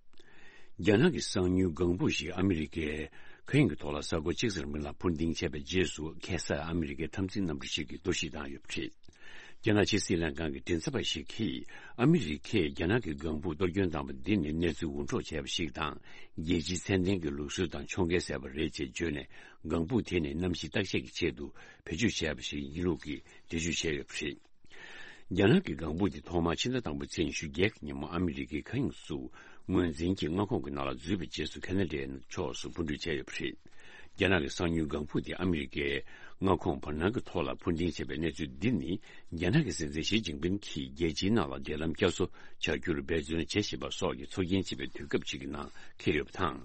རྒྱ་ནག་གི་གསང་ཉུལ་ལྒང་བུ་ཞིག་ཨ་མི་རི་ཀའི་མཁའ་དབྱིངས་ཀྱི་ཐོག་ལ་ས་གོ་གཅིག་ཙམ་རིང་ལ་འཕུར་ལྡིང་བྱས་པའི་རྗེས་སུ། ཁ་སང་ཨ་མི་རི་ཀའི་འཐབ་འཛིང་གནམ་གྲུ་ཞིག་གིས་གཏོར་བཤིག་བཏང་ཡོད་པ་རེད། རྒྱ་ནག་ཕྱི་སྲིད་ལྷན་ཁང་གི་མགྲིན་ཚབ་པ་ཞིག་གིས། ཨ་མི་རི་ཀས་རྒྱ་ནག་གི་ལྒང་བུ་གཏོར་སྐྱོན་བཏང་བ་འདི་ནི་གནས་ཚུལ་འུར་སྒྲོག་བྱས་པ་ཞིག་དང་། རྒྱལ་སྤྱིའི་ཚད་ལྡན་གྱི་ལུགས་སྲོལ་དང་ཕྱོགས་འགལ་ཟེར་བ་རེད་ཅེས་བརྗོད་ནས། ལྒང་བུ་དེ་ནི་གནམ་གཤིས་བརྟག་དཔྱད་ཀྱི་ཆེད་དུ་བེད་སྤྱོད་བྱས་པ་ཞིག་ཡིན་ལུགས་ཀྱི་འགྲེལ་བརྗོད་བྱས་ཡོད་པ་རེད། རྒྱ་ནག་གི་ལྒང་བུ་དེ་ཐོག་མར་ཕྱི་ཟླ་དང་པོའི་ཚེས་ཉི་ཤུ་བརྒྱད་ཀྱི་ཉིན་མོ་ཨ་མི་རི་ཀའི་མཁའ་དབྱིངས་སུ་ངོས་འཛིན་གྱི་མངའ་ཁོངས་ཀྱི་ནང་ལ་འཛུལ་བའི་རྗེས་སུ། ཁ་ན་ཌའི་ཕྱོགས་སུ་འཕུར་འགྲུལ་བྱས་ཡོད་པ་རེད། རྒྱ་ནག་གི་གསང་ཉུལ་ལྒང་བུ་དེ་ཨ་མི་རི་ཀའི་མངའ་ཁོངས་བར་སྣང་གི་ཐོག་ལ་འཕུར་ལྡིང་བྱས་པའི་གནས་ཚུལ་འདི་ནི། རྒྱ་ནག་གི་སྲིད་འཛིན་ཞི་ཅིན་ཕིན་གྱིས་རྒྱལ་སྤྱིའི་ནང་ལ་འབྲེལ་ལམ་བསྐྱར་གསོ་བྱ་རྒྱུར་འབད་བརྩོན་བྱེད་བཞིན་པ་སོགས་ཀྱི་ཚོགས་རྒྱན་བྱེད་པའི་དུས་སྐབས་ཅིག་གི་ནང་འཁེལ་ཡོད་པ་དང་།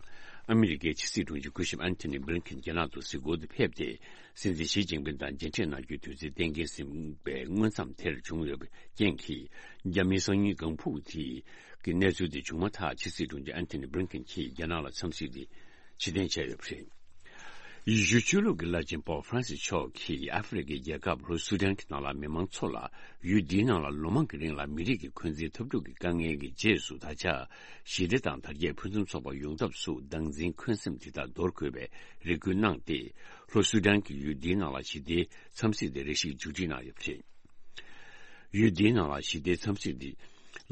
ཨ་མི་རི་ཀའི་ཕྱི་སྲིད་དྲུང་ཆེ་སྐུ་ཞབས་ཨན་ཐོ་ནི་བྷི་ལིན་ཁིན་རྒྱ་ནག་ཏུ་གཟིགས་སྐོར་དུ་ཕེབས་ཏེ། སྲིད་འཛིན་ཞི་ཅིན་ཕིན་དང་མཇལ་འཕྲད་གནང་རྒྱུའི་དུས་ཚོད་གཏན་འཁེལ་ཟིན་པའི་མངོན་མཚམས་དེར་བྱུང་ཡོད་པའི་རྐྱེན་གྱིས། རྒྱ་མིའི་གསང་ཉུལ་ལྒང་བུ་དེ་གི་གནས་ཚུལ་དེ་བྱུང་མ་ཐག་ཕྱི་སྲིད་དྲུང་ཆེ་ཨན་ཐོ་ནི་བྷི་ལིན་ཁིན་གྱིས་རྒྱ་ནག་ལ་འཚམས་གཟིགས་དེ་ཕྱིར་འཐེན་བྱས་ཡོད་པ་རེད། ཡེ་ཤུའི་ཆོས་ལུགས་ཀྱི་བླ་ཆེན་པོབ་ཧྥ་རན་སིས་མཆོག་གིས་ཨ་ཧྥེ་རི་ཁའི་རྒྱལ་ཁབ་ལྷོ་སུ་ཌན་གྱི་ནང་ལ་མི་མང་ཚོ་ལ། ཡུལ་འདིའི་ནང་ལ་ལོ་མང་གི་རིང་ལ་མི་རིགས་ཀྱི་འཁོན་འཛིན་འཐབ་འཁྲུག་གི་དཀའ་ངལ་གྱི་རྗེས་སུ། ད་ཆ་ཞི་བདེ་དང་དར་རྒྱས་ཕུན་སུམ་ཚོགས་པ་ཡོང་ཐབས་སུ་སྡང་འཛིན་འཁོན་སེམས་དེ་དག་འདོར་དགོས་པའི་རེ་སྐུལ་གནང་སྟེ། ལྷོ་སུ་ཌན་གྱིས་ཡུལ་འདིའི་ནང་ལ་ཞི་བདེའི་འཚམས་གཟིགས་དེ་རེ་ཞིག་མཇུག་སྒྲིལ་གནང་ཡོད་པ་རེད། ཡུལ་འདིའི་ནང་ལ་ཞི་བདེའི་འཚམས་གཟིགས་འདི།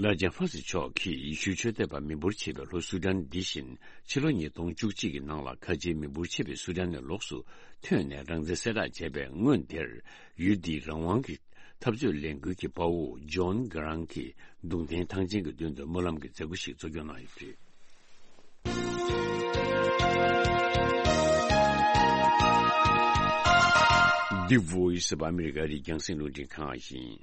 བླ་ཆེན་ཧྥ་སི་མཆོག་གིས་ཡེ་ཤུའི་ཆོས་དད་པ་མི་འབོར་ཆེ་བའི་ལྷོ་སུ་ཌན་འདི་བཞིན། ཕྱི་ལོ་ཉིས་སྟོང་བཅུ་གཅིག་གི་ནང་ལ་ཁ་ཆེའི་མི་འབོར་ཆེ་བའི་སུ་ཌན་ནས་ལོགས་སུ་ཐོན་ནས་རང་བཙན་གསལ་བསྒྲགས་བྱས་པའི་སྔོན་དེར། ཡུལ་འདིའི་རང་དབང་གི་འཐབ་རྩོད་ལས་འགུལ་གྱི་དཔའ་བོ་ཇོན་གྷི་རང་གིས་གདུང་རྟེན་ཐང་ཆེན་གྱི་མདུན་དུ་སྨོན་ལམ་གྱི་མཛད་སྒོ་ཞིག་གཙོ་སྐྱོང་གནང་ཡོད་པ་རེད། The Voice of America ཨ་རིའི་རྒྱང་སྲིང་རླུང་འཕྲིན་ཁང་ཡིན།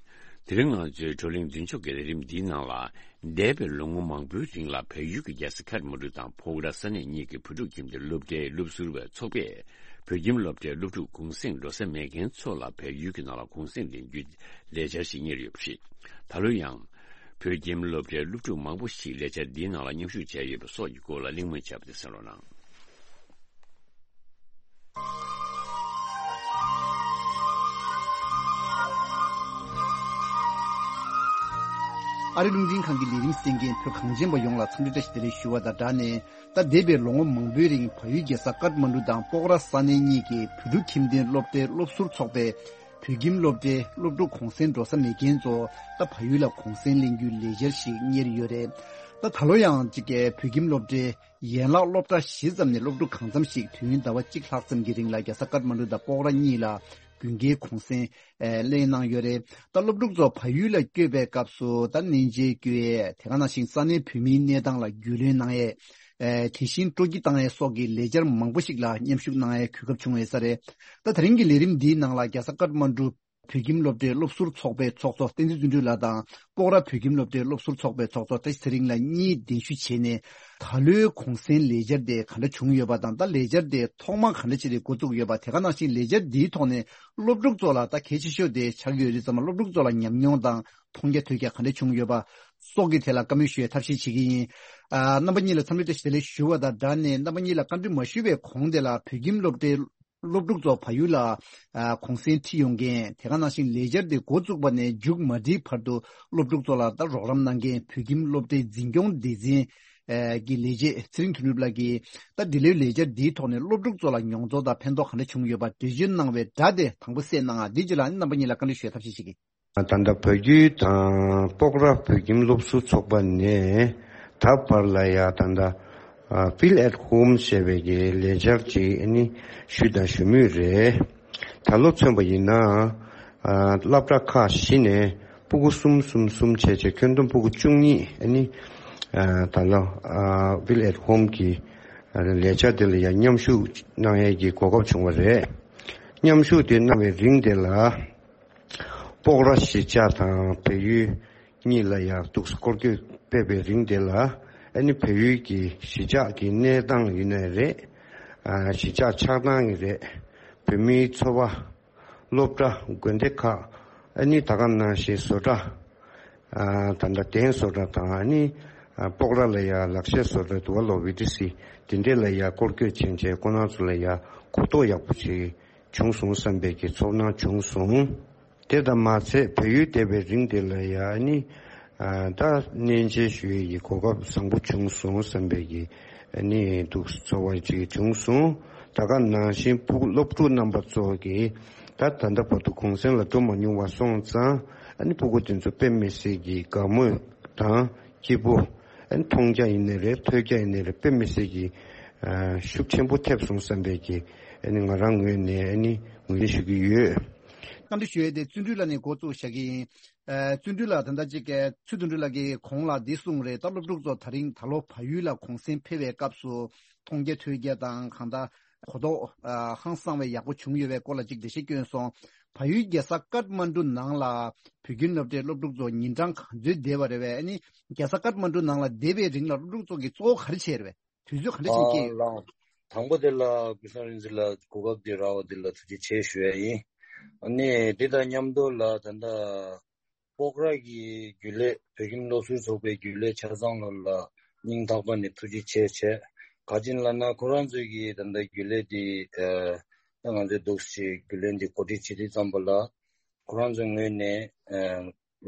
དེ་རིང་ང་ཚོའི་བགྲོ་གླེང་མདུན་ལྕོག་གི་ལས་རིམ་འདིའི་ནང་ལ། འདས་པའི་ལོ་ངོ་མང་པོའི་རིང་ལ་བལ་ཡུལ་གྱི་རྒྱལ་ས་ཁ་ཐ་མན་ཌུ་དང་ཕོ་ཝ་ར་ས་གནས་གཉིས་ཀྱི་བོད་ཕྲུག་ཁྱིམ་སྡེ་སློབ་གྲྭའི་སློབ་ཟུར་བའི་ཚོགས་པས། བོད་ཁྱིམ་སློབ་གྲྭའི་སློབ་ཕྲུག་གུང་སེང་འགྲོ་ས་མེད་མཁན་ཚོ་ལ་བལ་ཡུལ་གྱི་ནང་ལ་གུང་སེང་ལེན་རྒྱུའི་ལས་འཆར་ཞིག་གཉེར་ཡོད་པ་རེད། ད་ལོ་ཡང་། བོད་ཁྱིམ་སློབ་གྲྭའི་སློབ་ཕྲུག་མང་པོ་ཞིག་ལས་འཆར་འདིའི་ནང་ལ་མཉམ་ཞུགས་བྱས་ཡོད་པ་སོགས་ཀྱི་སྐོར་ལ་གླེང་མོལ་བྱས་པ་དེ་གསན་རོགས་གནང་། ཨ་རི་རླུང་འཕྲིན་ཁང་གི་ལས་རིམ་གསན་མཁན་བོད་གངས་ཅན་པ་ཡོངས་ལ་འཚམས་འདྲི་བཀྲ་ཤིས་བདེ་ལེགས་ཞུ་བ་དང་སྦྲགས་ནས། ད་འདས་པའི་ལོ་ངོ་མང་པོའི་རིང་བལ་ཡུལ་རྒྱལ་ས་ཀཏ་མན་གྲུ་དང་སྤོག་ར་ས་གནས་གཉིས་ཀྱི་བོད་ཕྲུག་ཁྱིམ་སྡེའི་སློབ་གྲྭའི་སློབ་ཟུར་ཚོགས་པས་བོད་ཁྱིམ་སློབ་གྲྭའི་སློབ་ཕྲུག་གུང་སེང་འགྲོ་ས་མེད་མཁན་ཚོ་ད་བལ་ཡུལ་ལ་གུང་སེང་ལེན་རྒྱུའི་ལས་འཆར་ཞིག་གཉེར་ཡོད་རེད། ད་ད་ལོ་ཡང་གཅིག་གི་བོད་ཁྱིམ་སློབ་གྲྭའི་ཡན་ལག་སློབ་གྲྭ་བཞི་ཙམ་ནས་སློབ་ཕྲུག་གང་འཚམ་ཞིག་དུས་ཡུན་ཟླ་བ་གཅིག་ལྷག་ཙམ་གྱི་རིང་ལ་རྒྱལ་ས་ཀཏ་མན་གྲུ་དང་སྤོག་ར་གཉིས་ལ་དགུན་ཁའི་གུང་སེང་ཨེ་ལེན་གནང་ཡོད་རེད། ད་སློབ་ཕྲུག་ཚོ་བལ་ཡུལ་ལ་བསྐྱོད་པའི་སྐབས་སུ་ད་གནས་མཇལ་བསྐྱོད་ཡས་དེ་ག་ནང་བཞིན་ས་གནས་བོད་མིའི་གནས་སྟངས་ལ་རྒྱུས་ལོན་གནང་ཡས། ཨེ་དེ་བཞིན་སྤྲོ་སྐྱིད་བཏང་ཡས་སོགས་ཀྱི་ལས་འཆར་མང་པོ་ཞིག་ལ་མཉམ་ཞུགས་གནང་ཡས་གོ་སྐབས་བྱུང་ཡོད་ས་རེད། ད་དེ་རིང་གི་ལས་རིམ་འདིའི་ནང་ལ་རྒྱལ་ས་ཀཏ་མན་གྲུ་བོད་ཁྱིམ་སློབ་གྲྭའི་སློབ་ཟུར་ཚོགས་པའི་ཚོགས་གཙོ་བསྟན་འཛིན་བརྩོན་འགྲུས་ལགས་དང་། སྤོག་ར་བོད་ཁྱིམ་སློབ་གྲྭའི་སློབ་ཟུར་ཚོགས་པའི་ཚོགས་གཙོ་བཀྲ་ཤིས་ཚེ་རིང་ལགས་གཉིས་གདན་ཞུ་བྱས་ནས། ད་ལོའི་གུང་སེང་ལས་འཆར་དེ་ག་འདྲ་བྱུང་ཡོད་པ་དང་། ད་ལས་འཆར་དེ་ཐོག་མ་ག་འདྲ་བྱས་ཏེ་འགོ་བཙུགས་ཡོད་པ། དེ་ག་ནང་བཞིན་ལས་འཆར་འདིའི་ཐོག་ནས་སློབ་ཕྲུག་ཚོ་ལ་ད་གལ་ཆེ་ཤོས་དེ་ཆགས་ཀྱི་ཡོད་རེད་ཙང་། སློབ་ཕྲུག་ཚོ་ལ་ཉམས་མྱོང་དང་མཐོང་རྒྱ་ཐོས་རྒྱ་ག་འདྲ་བྱུང་ཡོད་པ་སོགས་ཀྱི་ཐད་ལ་བཀའ་མོལ་ཞུ་བའི་ཐབས་ཤེས་བྱེད་ཀྱི་ཡིན། ཨ་རྣམ་པ་གཉིས་ལ་འཚམས་འདྲི་བཀྲ་ཤིས་བདེ་ལེགས་ཞུ་བ་དང་སྦྲགས་ནས། རྣམ་པ་གཉིས་ལ་བཀའ་འདྲི་མ་ཞུ་བའི་གོང་དེ་ལ་བོད་ཁྱིམ་སློབ་གྲྭའི་སློབ་ཕྲུག་ཚོ་བལ་ཡུལ་ལ་ཨ་གུང་སེང་ཁྲིད་ཡོང་མཁན། དེ་ག་ནང་བཞིན་ལས་འཆར་དེ་འགོ་བཙུགས་པ་ནས་མཇུག་མ་སྒྲིལ་བར་དུ་སློབ་ཕྲུག་ཚོ་ལ་ད་རོགས་རམ་གནང་མཁན་བོད་ཁྱིམ་སློབ་གྲྭའི་འཛིན་སྐྱོང་སྡེ་ཚན་ཨ་གྱི་ལས་བྱེད་ཚེ་རིང་དོན་གྲུབ་ལགས་ཀྱིས། ད་འདི་ལོའི་ལས་འཆར་འདིའི་ཐོག་ནས་སློབ་ཕྲུག་ཚོ་ལ་མྱོང་ཚོར་དང་ཕན་ཐོགས་ག་འདྲ་བྱུང་ཡོད་པ་འགྲེལ་བརྗོད་གནང་བའི་སྒྲ་དེ་དང་པོ་གསན་གནང་ཨ། འདི་རྗེས་ལ་རྣམ་པ་གཉིས་ལ་བཀའ་འདྲི་ཞུ་བའི་ཐབས་ཤེས་བྱེད་ཀྱི། ད་ལྟ་བོད་བརྒྱུད་དང་སྤོག་ར་བོད་ཁྱིམ་སློབ་ཟུར་ཚོགས་པ་ནས་ད་བར་ལ་ཡ་ད་ལྟ་ཨ་Feel at Home ཞེས་པའི་གི་ལས་འཆར་ཅིག་ཨ་ནི་ཞུས་དང་ཞུ་མུས་རེད། ད་ལོ་མཚོན་པ་ཡིན་ན་ཨ་སློབ་གྲྭ་ཁག་བཞི་ནས་སྤུ་གུ་གསུམ་གསུམ་གསུམ་བྱས་བྱས་ཁྱོན་བསྡོམས་སྤུ་གུ་བཅུ་གཉིས་ཨ་ནི་ཨ་ད་ལོ་ཨ་Feel at Home གི་ཨ་ལས་འཆར་དེ་ལ་ཡ་མཉམ་ཞུགས་གནང་ཡས་ཀྱི་གོ་སྐབས་བྱུང་བ་རེད། མཉམ་ཞུགས་དེ་གནང་བའི་རིང་དེ་ལ། སྤོག་ར་གཞིས་ཆགས་དང་བལ་ཡུལ་གཉིས་ལ་ཡང་འདུག་སྐོར་སྐྱོད་སྤེལ་བའི་རིང་དེ་ལ། ཨ་ནི་བལ་ཡུལ་གྱི་གཞིས་ཆགས་ཀྱི་གནས་སྟངས་ཡིན་ནའི་རེད། ཨ་གཞིས་ཆགས་ཆགས་སྟངས་ཡིན་རེད། བོད་མིའི་འཚོ་བ། སློབ་གྲྭ། དགོན་སྡེ་ཁག་ཨ་ནི་ད་ག་ནང་བཞིན་བཟོ་གྲྭ། ཨ་ད་ལྟ་གདན་བཟོ་གྲྭ་དང་ཨ་ནི་ཨ་སྤོག་ར་ལ་ཡང་ལག་ཤེས་བཟོ་གྲྭ་འདུག་བ། ལོ་བི་ཏི་སི་དེ་འདྲས་ལ་ཡང་སྐོར་སྐྱོད་བྱས་བྱས་ཁོང་རྣམ་ཚོ་ལ་ཡང་གོ་རྟོགས་ཡག་པོ་ཅིག་བྱུང་སོང་བསམ་པའི་གི་ཚོར་སྣང་བྱུང་སོང་། དེ་དང་མ་ཚད་བལ་ཡུལ་བསྡད་པའི་རིང་དེ་ལ་ཡང་ནི་ཨ་ད་གནས་མཇལ་ཞུ་ཡས་ཀྱི་གོ་སྐབས་བཟང་པོ་བྱུང་སོང་བསམ་པའི་གི་ནི་འདུག་ཚོར་བ་ཅིག་བྱུང་སོང་། ད་ག་ནང་བཞིན་ཕྲུ་གུ་སློབ་ཕྲུག་རྣམ་པ་ཚོ་གི་ད་ད་ལྟ་བར་དུ་གུང་སེང་ལ་འགྲོ་མ་མྱོང་བ་སོང་ཙང་ཨ་ནི་ཕྲུ་གུ་དེ་ཚོ་དཔེ་མི་སྲིད་ཀྱི་དགའ་མོས་དང་སྐྱིད་པོ། ཨ་ནི་མཐོང་རྒྱ་ཡིན་ནའི་རེད། ཐོས་རྒྱ་ཡིན་ནའི་རེད། དཔེ་མི་སྲིད་ཀྱི་ཨ་ཤུགས་ཆེན་པོ་ཐེབས་སོང་བསམ་པའི་གི་ཨ་ནི་ང་རང་ངོས་ནས་ཨ་ནི་ངོས་འཛིན་ཞུ་གི་ཡོད། བཀའ་འདྲི་ཞུ་ཡས་དེ་བརྩོན་འགྲུས་ལགས་ནས་འགོ་བཙུགས་བཞག་གི་ཡིན། ཨ་བརྩོན་འགྲུས་ལགས་ད་ལྟ་ཅིག་ཚུལ་དོན་འགྲུབ་ལགས་ཀྱིས་གོང་ལ་འདི་གསུངས་རེད། ད་སློབ་ཕྲུག་ཚོ་ད་རིང་ད་ལོ་བལ་ཡུལ་ལ་གུང་སེང་ཕེབས་པའི་སྐབས་སུ་མཐོང་རྒྱ་ཐོས་རྒྱ་དང་གང་ལྟར་གོ་རྟོགས་ཨ་ཧང་སང་བའི་ཡག་པོ་བྱུང་ཡོད་པའི་སྐོར་ལ་ཅིག་འགྲེལ་བཤད་བསྐྱོན་སོང་། བལ་ཡུལ་རྒྱལ་ས་ཀཏ་མན་གྲུ་ནང་ལ་བོད་ཁྱིམ་སློབ་གྲྭའི་སློབ་ཕྲུག་ཚོ་ཉིན་གྲངས་ག་ཚོད་བསྡད་པ་རེད་པས། ཨ་ནི་རྒྱལ་ས་ཀཏ་མན་གྲུ་ནང་ལ་བསྡད་པའི་རིང་ལ་སློབ་ཕྲུག་ཚོ་གིས་གཙོ་བོ་ག་རེ་བྱས་རེད་པས། དུས་ཚོད་ག་འདྲ་ཞིག་སྐྱེལ་ཡོད། ཨ་ལགས། དང་པོ་དེ་ལ་ཀུན་བཟང་རིག་འཛིན་ལགས་གོ་སྐབས་འདི་རག་པ་འདི་ལ་ཐུགས་རྗེ་ཆེ་ཞུ་ཡ་ཡིན། ཨ་ནི་འདི་དང་མཉམ་དུ་ལ་ད་ལྟ་སྤོག་ར་གི་རྒྱུན་ལས་བོད་ཁྱིམ་སློབ་ཟུར་ཚོགས་པའི་རྒྱུན་ལས་ཆ་ཚང་ལ་ལ་སྙིང་ཐག་པ་ནས་ཐུགས་རྗེ་ཆེ་བྱས། ག་ཅི་ལབ་ན་ཁོ་རང་ཚོས་ཀྱི་ད་ལྟ་རྒྱུན་ལས་འདི་ཨ་ད་ང་ཚོས་འདུག་སེ་རྒྱུན་ལས་འདི་གོ་སྒྲིག་བྱེད་དུས་ཙམ་པ་ལ་ཁོ་རང་ཚོའི་ངོས་ནས་ཨ་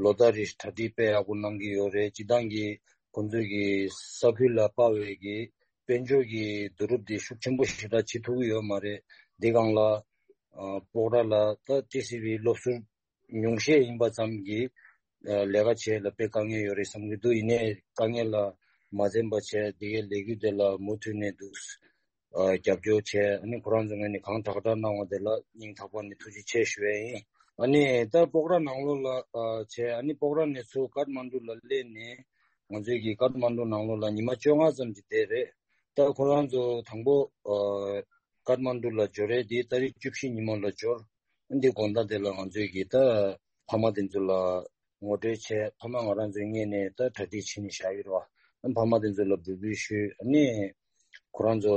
ལོ་ལྟར་རེ་གྲ་སྒྲིག་དཔེ་ཡག་པོ་གནང་གི་ཡོད་རེད། སྤྱིར་བཏང་གི་ཁོང་ཚོས་ཀྱི་ས་ཁུལ་ལ་དཔག་པའི་གི་དཔལ་འབྱོར་གྱི་བསྡུ་རུབ་དེ་ཤུགས་ཆེན་པོ་ཞེ་དྲག་བྱེད་ཐུབ་ཀྱི་ཡོད་མ་རེད། འདི་སྒང་ལ་ཨ་སྤོག་ར་ལ་ད་ཊི་སི་ཝི་སློབ་ཟུར་ཉུང་ཤས་ཡིན་པ་ཙམ་གྱིས་ཨ་ལས་ཀ་བྱེད་ལ་དཔེ་དཀའ་ངལ་ཡོད་རེད་བསམ་གྱི་འདུག་ཡིན་ནའི་དཀའ་ངལ་ལ་མ་འཛེམས་པ་བྱས། འདི་གའི་ལས་འགུལ་དེ་ལ་མུ་མཐུད་ནས་འདུག་ཨ་རྒྱབ་སྐྱོར་བྱས། ཨ་ནི་ཁོ་རང་ཚོ་ངོས་ནས་གང་དྲག་དྲག་གནང་བ་དེ་ལ་སྙིང་ཐག་པ་ནས་ཐུགས་རྗེ་ཆེ་ཞུ་ཡས་ཡིན། ཨ་ནི་ད་སྤོག་ར་ནང་ལོགས་ལ་ཨ་བྱས། ཨ་ནི་སྤོག་ར་ནས་ཚུར་ཀཏ་མན་གྲུ་ལ་སླེབས་ནས་ང་ཚོས་ཀྱི་ཀཏ་མན་གྲུ་ནང་ལོགས་ལ་ཉི་མ་བཅོ་ལྔ་ཙམ་གྱི་བསྡད་རེད། ད་ཁོ་རང་ཚོ་དང་པོ་ཨ་ཀཏ་མན་གྲུ་ལ་འབྱོར་རེད། དེ་ཏ་རིག་བཅུ་བཞི་ཉི་མ་ལ་འབྱོར། ཨ་འདི་དགོང་དག་དེ་ལ་ང་ཚོས་ཀྱི་ད་ཕ་མ་དེ་ཚོ་ལ་ངོ་སྤྲོད་བྱས། ཕ་མ་ང་རང་ཚོའི་སྔོན་ནས་ད་གྲ་སྒྲིག་བྱས་ནས་བཞག་ཡོད་རེད་བ། ཕ་མ་དེ་ཚོ་ལ་འབོད་སྐུལ་ཞུས། ཨ་ནི་ཁོ་རང་ཚོ་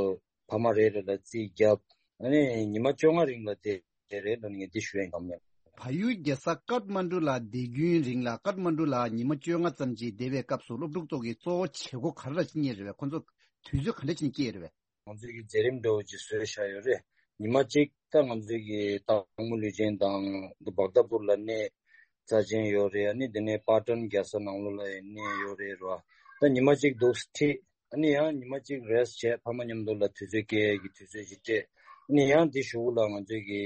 ཕ་མ་རེ་རེ་ལ་རྩིས་བརྒྱབ། ཨ་ནི་ཉི་མ་བཅོ་ལྔ་རིང་ལ་དེ་དེ་རེད་ལོ། ངས་འདི་ཞུ་ཡ་ཡིན་གམ་ཡང་། བལ་ཡུལ་རྒྱལ་ས་ཀཏ་མན་གྲུ་ལ་བསྡད་རྒྱུའི་རིང་ལ། ཀཏ་མན་གྲུ་ལ་ཉི་མ་བཅོ་ལྔ་ཙམ་ཅིག་བསྡད་པའི་སྐབས་སུ་སློབ་ཕྲུག་ཚོ་གི་གཙོ་བོ་བྱེད་སྒོ་ག་རེ་ར་ཅིག་རྙེད་རེད་བས། ཁོང་ཚོ་དུས་ཚོད་ག་འདྲ་ཅིག་སྐྱེལ་རེད་བས། ང་ཚོས་ཀྱི་མཛད་རིམ་འདྲ་བོ་ཅིག་བཟོས་བཞག་ཡོད་རེད། ཉི་མ་གཅིག་ད་ང་ཚོས་ཀྱི་སྟག་མོ་ལུས་སྦྱིན་དང་འདི་བག་དྷ་པུར་ལ་གནས་རྩ་ཅན་ཡོད་རེད། ཨ་ནི་དེ་ནས་པ་ཊན་རྒྱལ་ས་ནང་ལོགས་ལ་ཡང་གནས་ཡོད་རེད་ར། ད་ཉི་མ་གཅིག་འདུག་ཁྲིད། ཨ་ནི་ཡང་ཉི་མ་གཅིག་རེ་སི་ཊི་བྱས། ཕ་མ་མཉམ་དུ་ལ་དུས་ཚོད་སྐྱེལ་ཡས་ཀྱི་དུས་ཚོད་ཅིག་སྤྲད། ཨ་ནི་ཡང་དེ་གཞུག་ལ་ང་ཚོས་ཀྱི་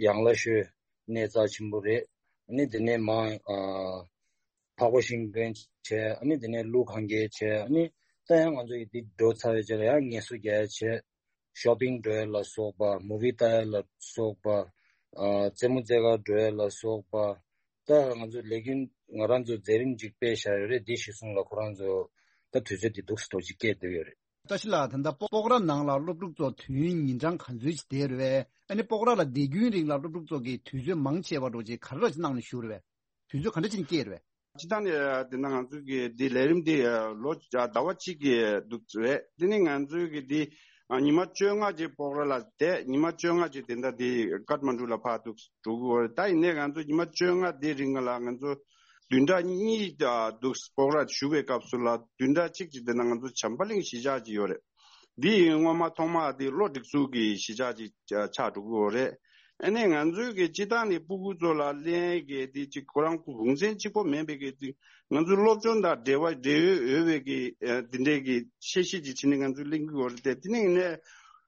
ཡང་ལ་ཤོད་གནས་རྩ་ཆེན་པོ་རེད། ཨ་ནི་དེ་ནས་མ་ཨ། འཕགས་པ་ཤིང་དཔོན་བྱས། ཨ་ནི་དེ་ནས་ཀླུ་གན་རྐྱལ་བྱས། ཨ་ནི་ད་ཡང་ང་ཚོ་ཡི་འདི་འགྲོ་ཚར་བའི་རྗེས་ལ་ཡང་ངལ་གསོ་རྒྱག་ཡ་བྱས། ཤོ་པིང་འགྲོ་ཡ་ལ་སོགས་པ། མུ་བི་ལྟ་ཡ་ལ་སོགས་པ། ཨ། རྩེད་མོ་རྩེ་གར་འགྲོ་ཡ་ལ་སོགས་པ། ད་ང་ཚོ་ལས་རྒྱུན་ང་རང་ཚོ་མཛད་རིམ་ཅིག་སྤེལ་བཞག་ཡོད་རེད། འདི་གཞི་བཟུང་ལ་ཁོ་རང་ཚོ་ད་དུས་ཚོད་འདི་འདུག་སེ་འགྲོ་ཅིག་སྐྱེལ་བསྡད་ཡོད་རེད། བཀྲ་ཤིས་ལགས། ད་ལྟ་སྤོག་ར་ནང་ལ་སློབ་ཕྲུག་ཚོ་དུས་ཡུན་ཉིན་གྲངས་ག་ཚོད་ཅིག་བསྡད་རེད་བས། ཨ་ནི་སྤོག་ར་ལ་བསྡད་རྒྱུའི་རིང་ལ་སློབ་ཕྲུག་ཚོ་གིས་དུས་ཚོད་མང་ཆེ་བ་འགྲོ་ཅིག་ག་རེ་ར་ཅིག་གནང་ནས་བཞུགས་རེད་བས། དུས་ཚོད་ག་འདྲ་ཅིག་སྐྱེལ་རེད་བས། སྤྱིར་བཏང་ནས་དེ་ན་ང་ཚོ་གི་འདི་ལས་རིམ་འདི་ལོ་ཟླ་བ་གཅིག་གི་འདུག་རེད། དེ་ནི་ང་ཚོའི་གི་འདི་ཉི་མ་བཅོ་ལྔ་ཅིག་སྤོག་ར་ལ་བསྡད། ཉི་མ་བཅོ་ལྔ་ཅིག་དེ་འདྲ་འདི་ཀཏ་མན་གྲུ་ལ་ཕར་འདུག་འགྲོ་གི་ཡོད་རེད། ད་ཡིན་ནའི་ང་ཚོ་ཉི་མ་བཅོ་ལྔ་འདི་རིང་ལ་ང་ཚོ་བདུན་ཕྲག་གཉིས་འདུག་སྤོག་ར་བཞུགས་པའི་སྐབས་སུ་ལ་བདུན་ཕྲག་གཅིག་ཅིག་དེ་ན་ང་ཚོ་བྱམས་པ་གླིང་གཞིས་ཆགས་ཅིག་ཡོད་རེད། འདི་ཡིན་སྔོན་མ་ཐོག་མ་འདི་གློ་སྒྲིག་འཛུགས་ཀྱི་གཞིས་ཆགས་ཅིག་ཆགས་འགྲོ་གི་ཡོད་རེད། ཨ་ནི་ང་ཚོའི་གི་སྤྱིར་བཏང་ནས་སྤུ་གུ་ཚོ་ལ་ལེན་གི་འདི་ཅིག་ཁོ་རང་གུང་སེང་གཅིག་པོ་མིན་པའི་གི་འདི་ང་ཚོའི་སློབ་སྦྱོང་དང་འབྲེལ་བ་འབྲེལ་ཡོད་ཡོད་པའི་གི་འདི་འདྲའི་གི་ཤེས་བྱ་ཅིག་བྱས་ནས་ང་ཚོས་ལེན་གི་ཡོད་རེད་དེ། དེ་ནས་ཡིན་ནའི་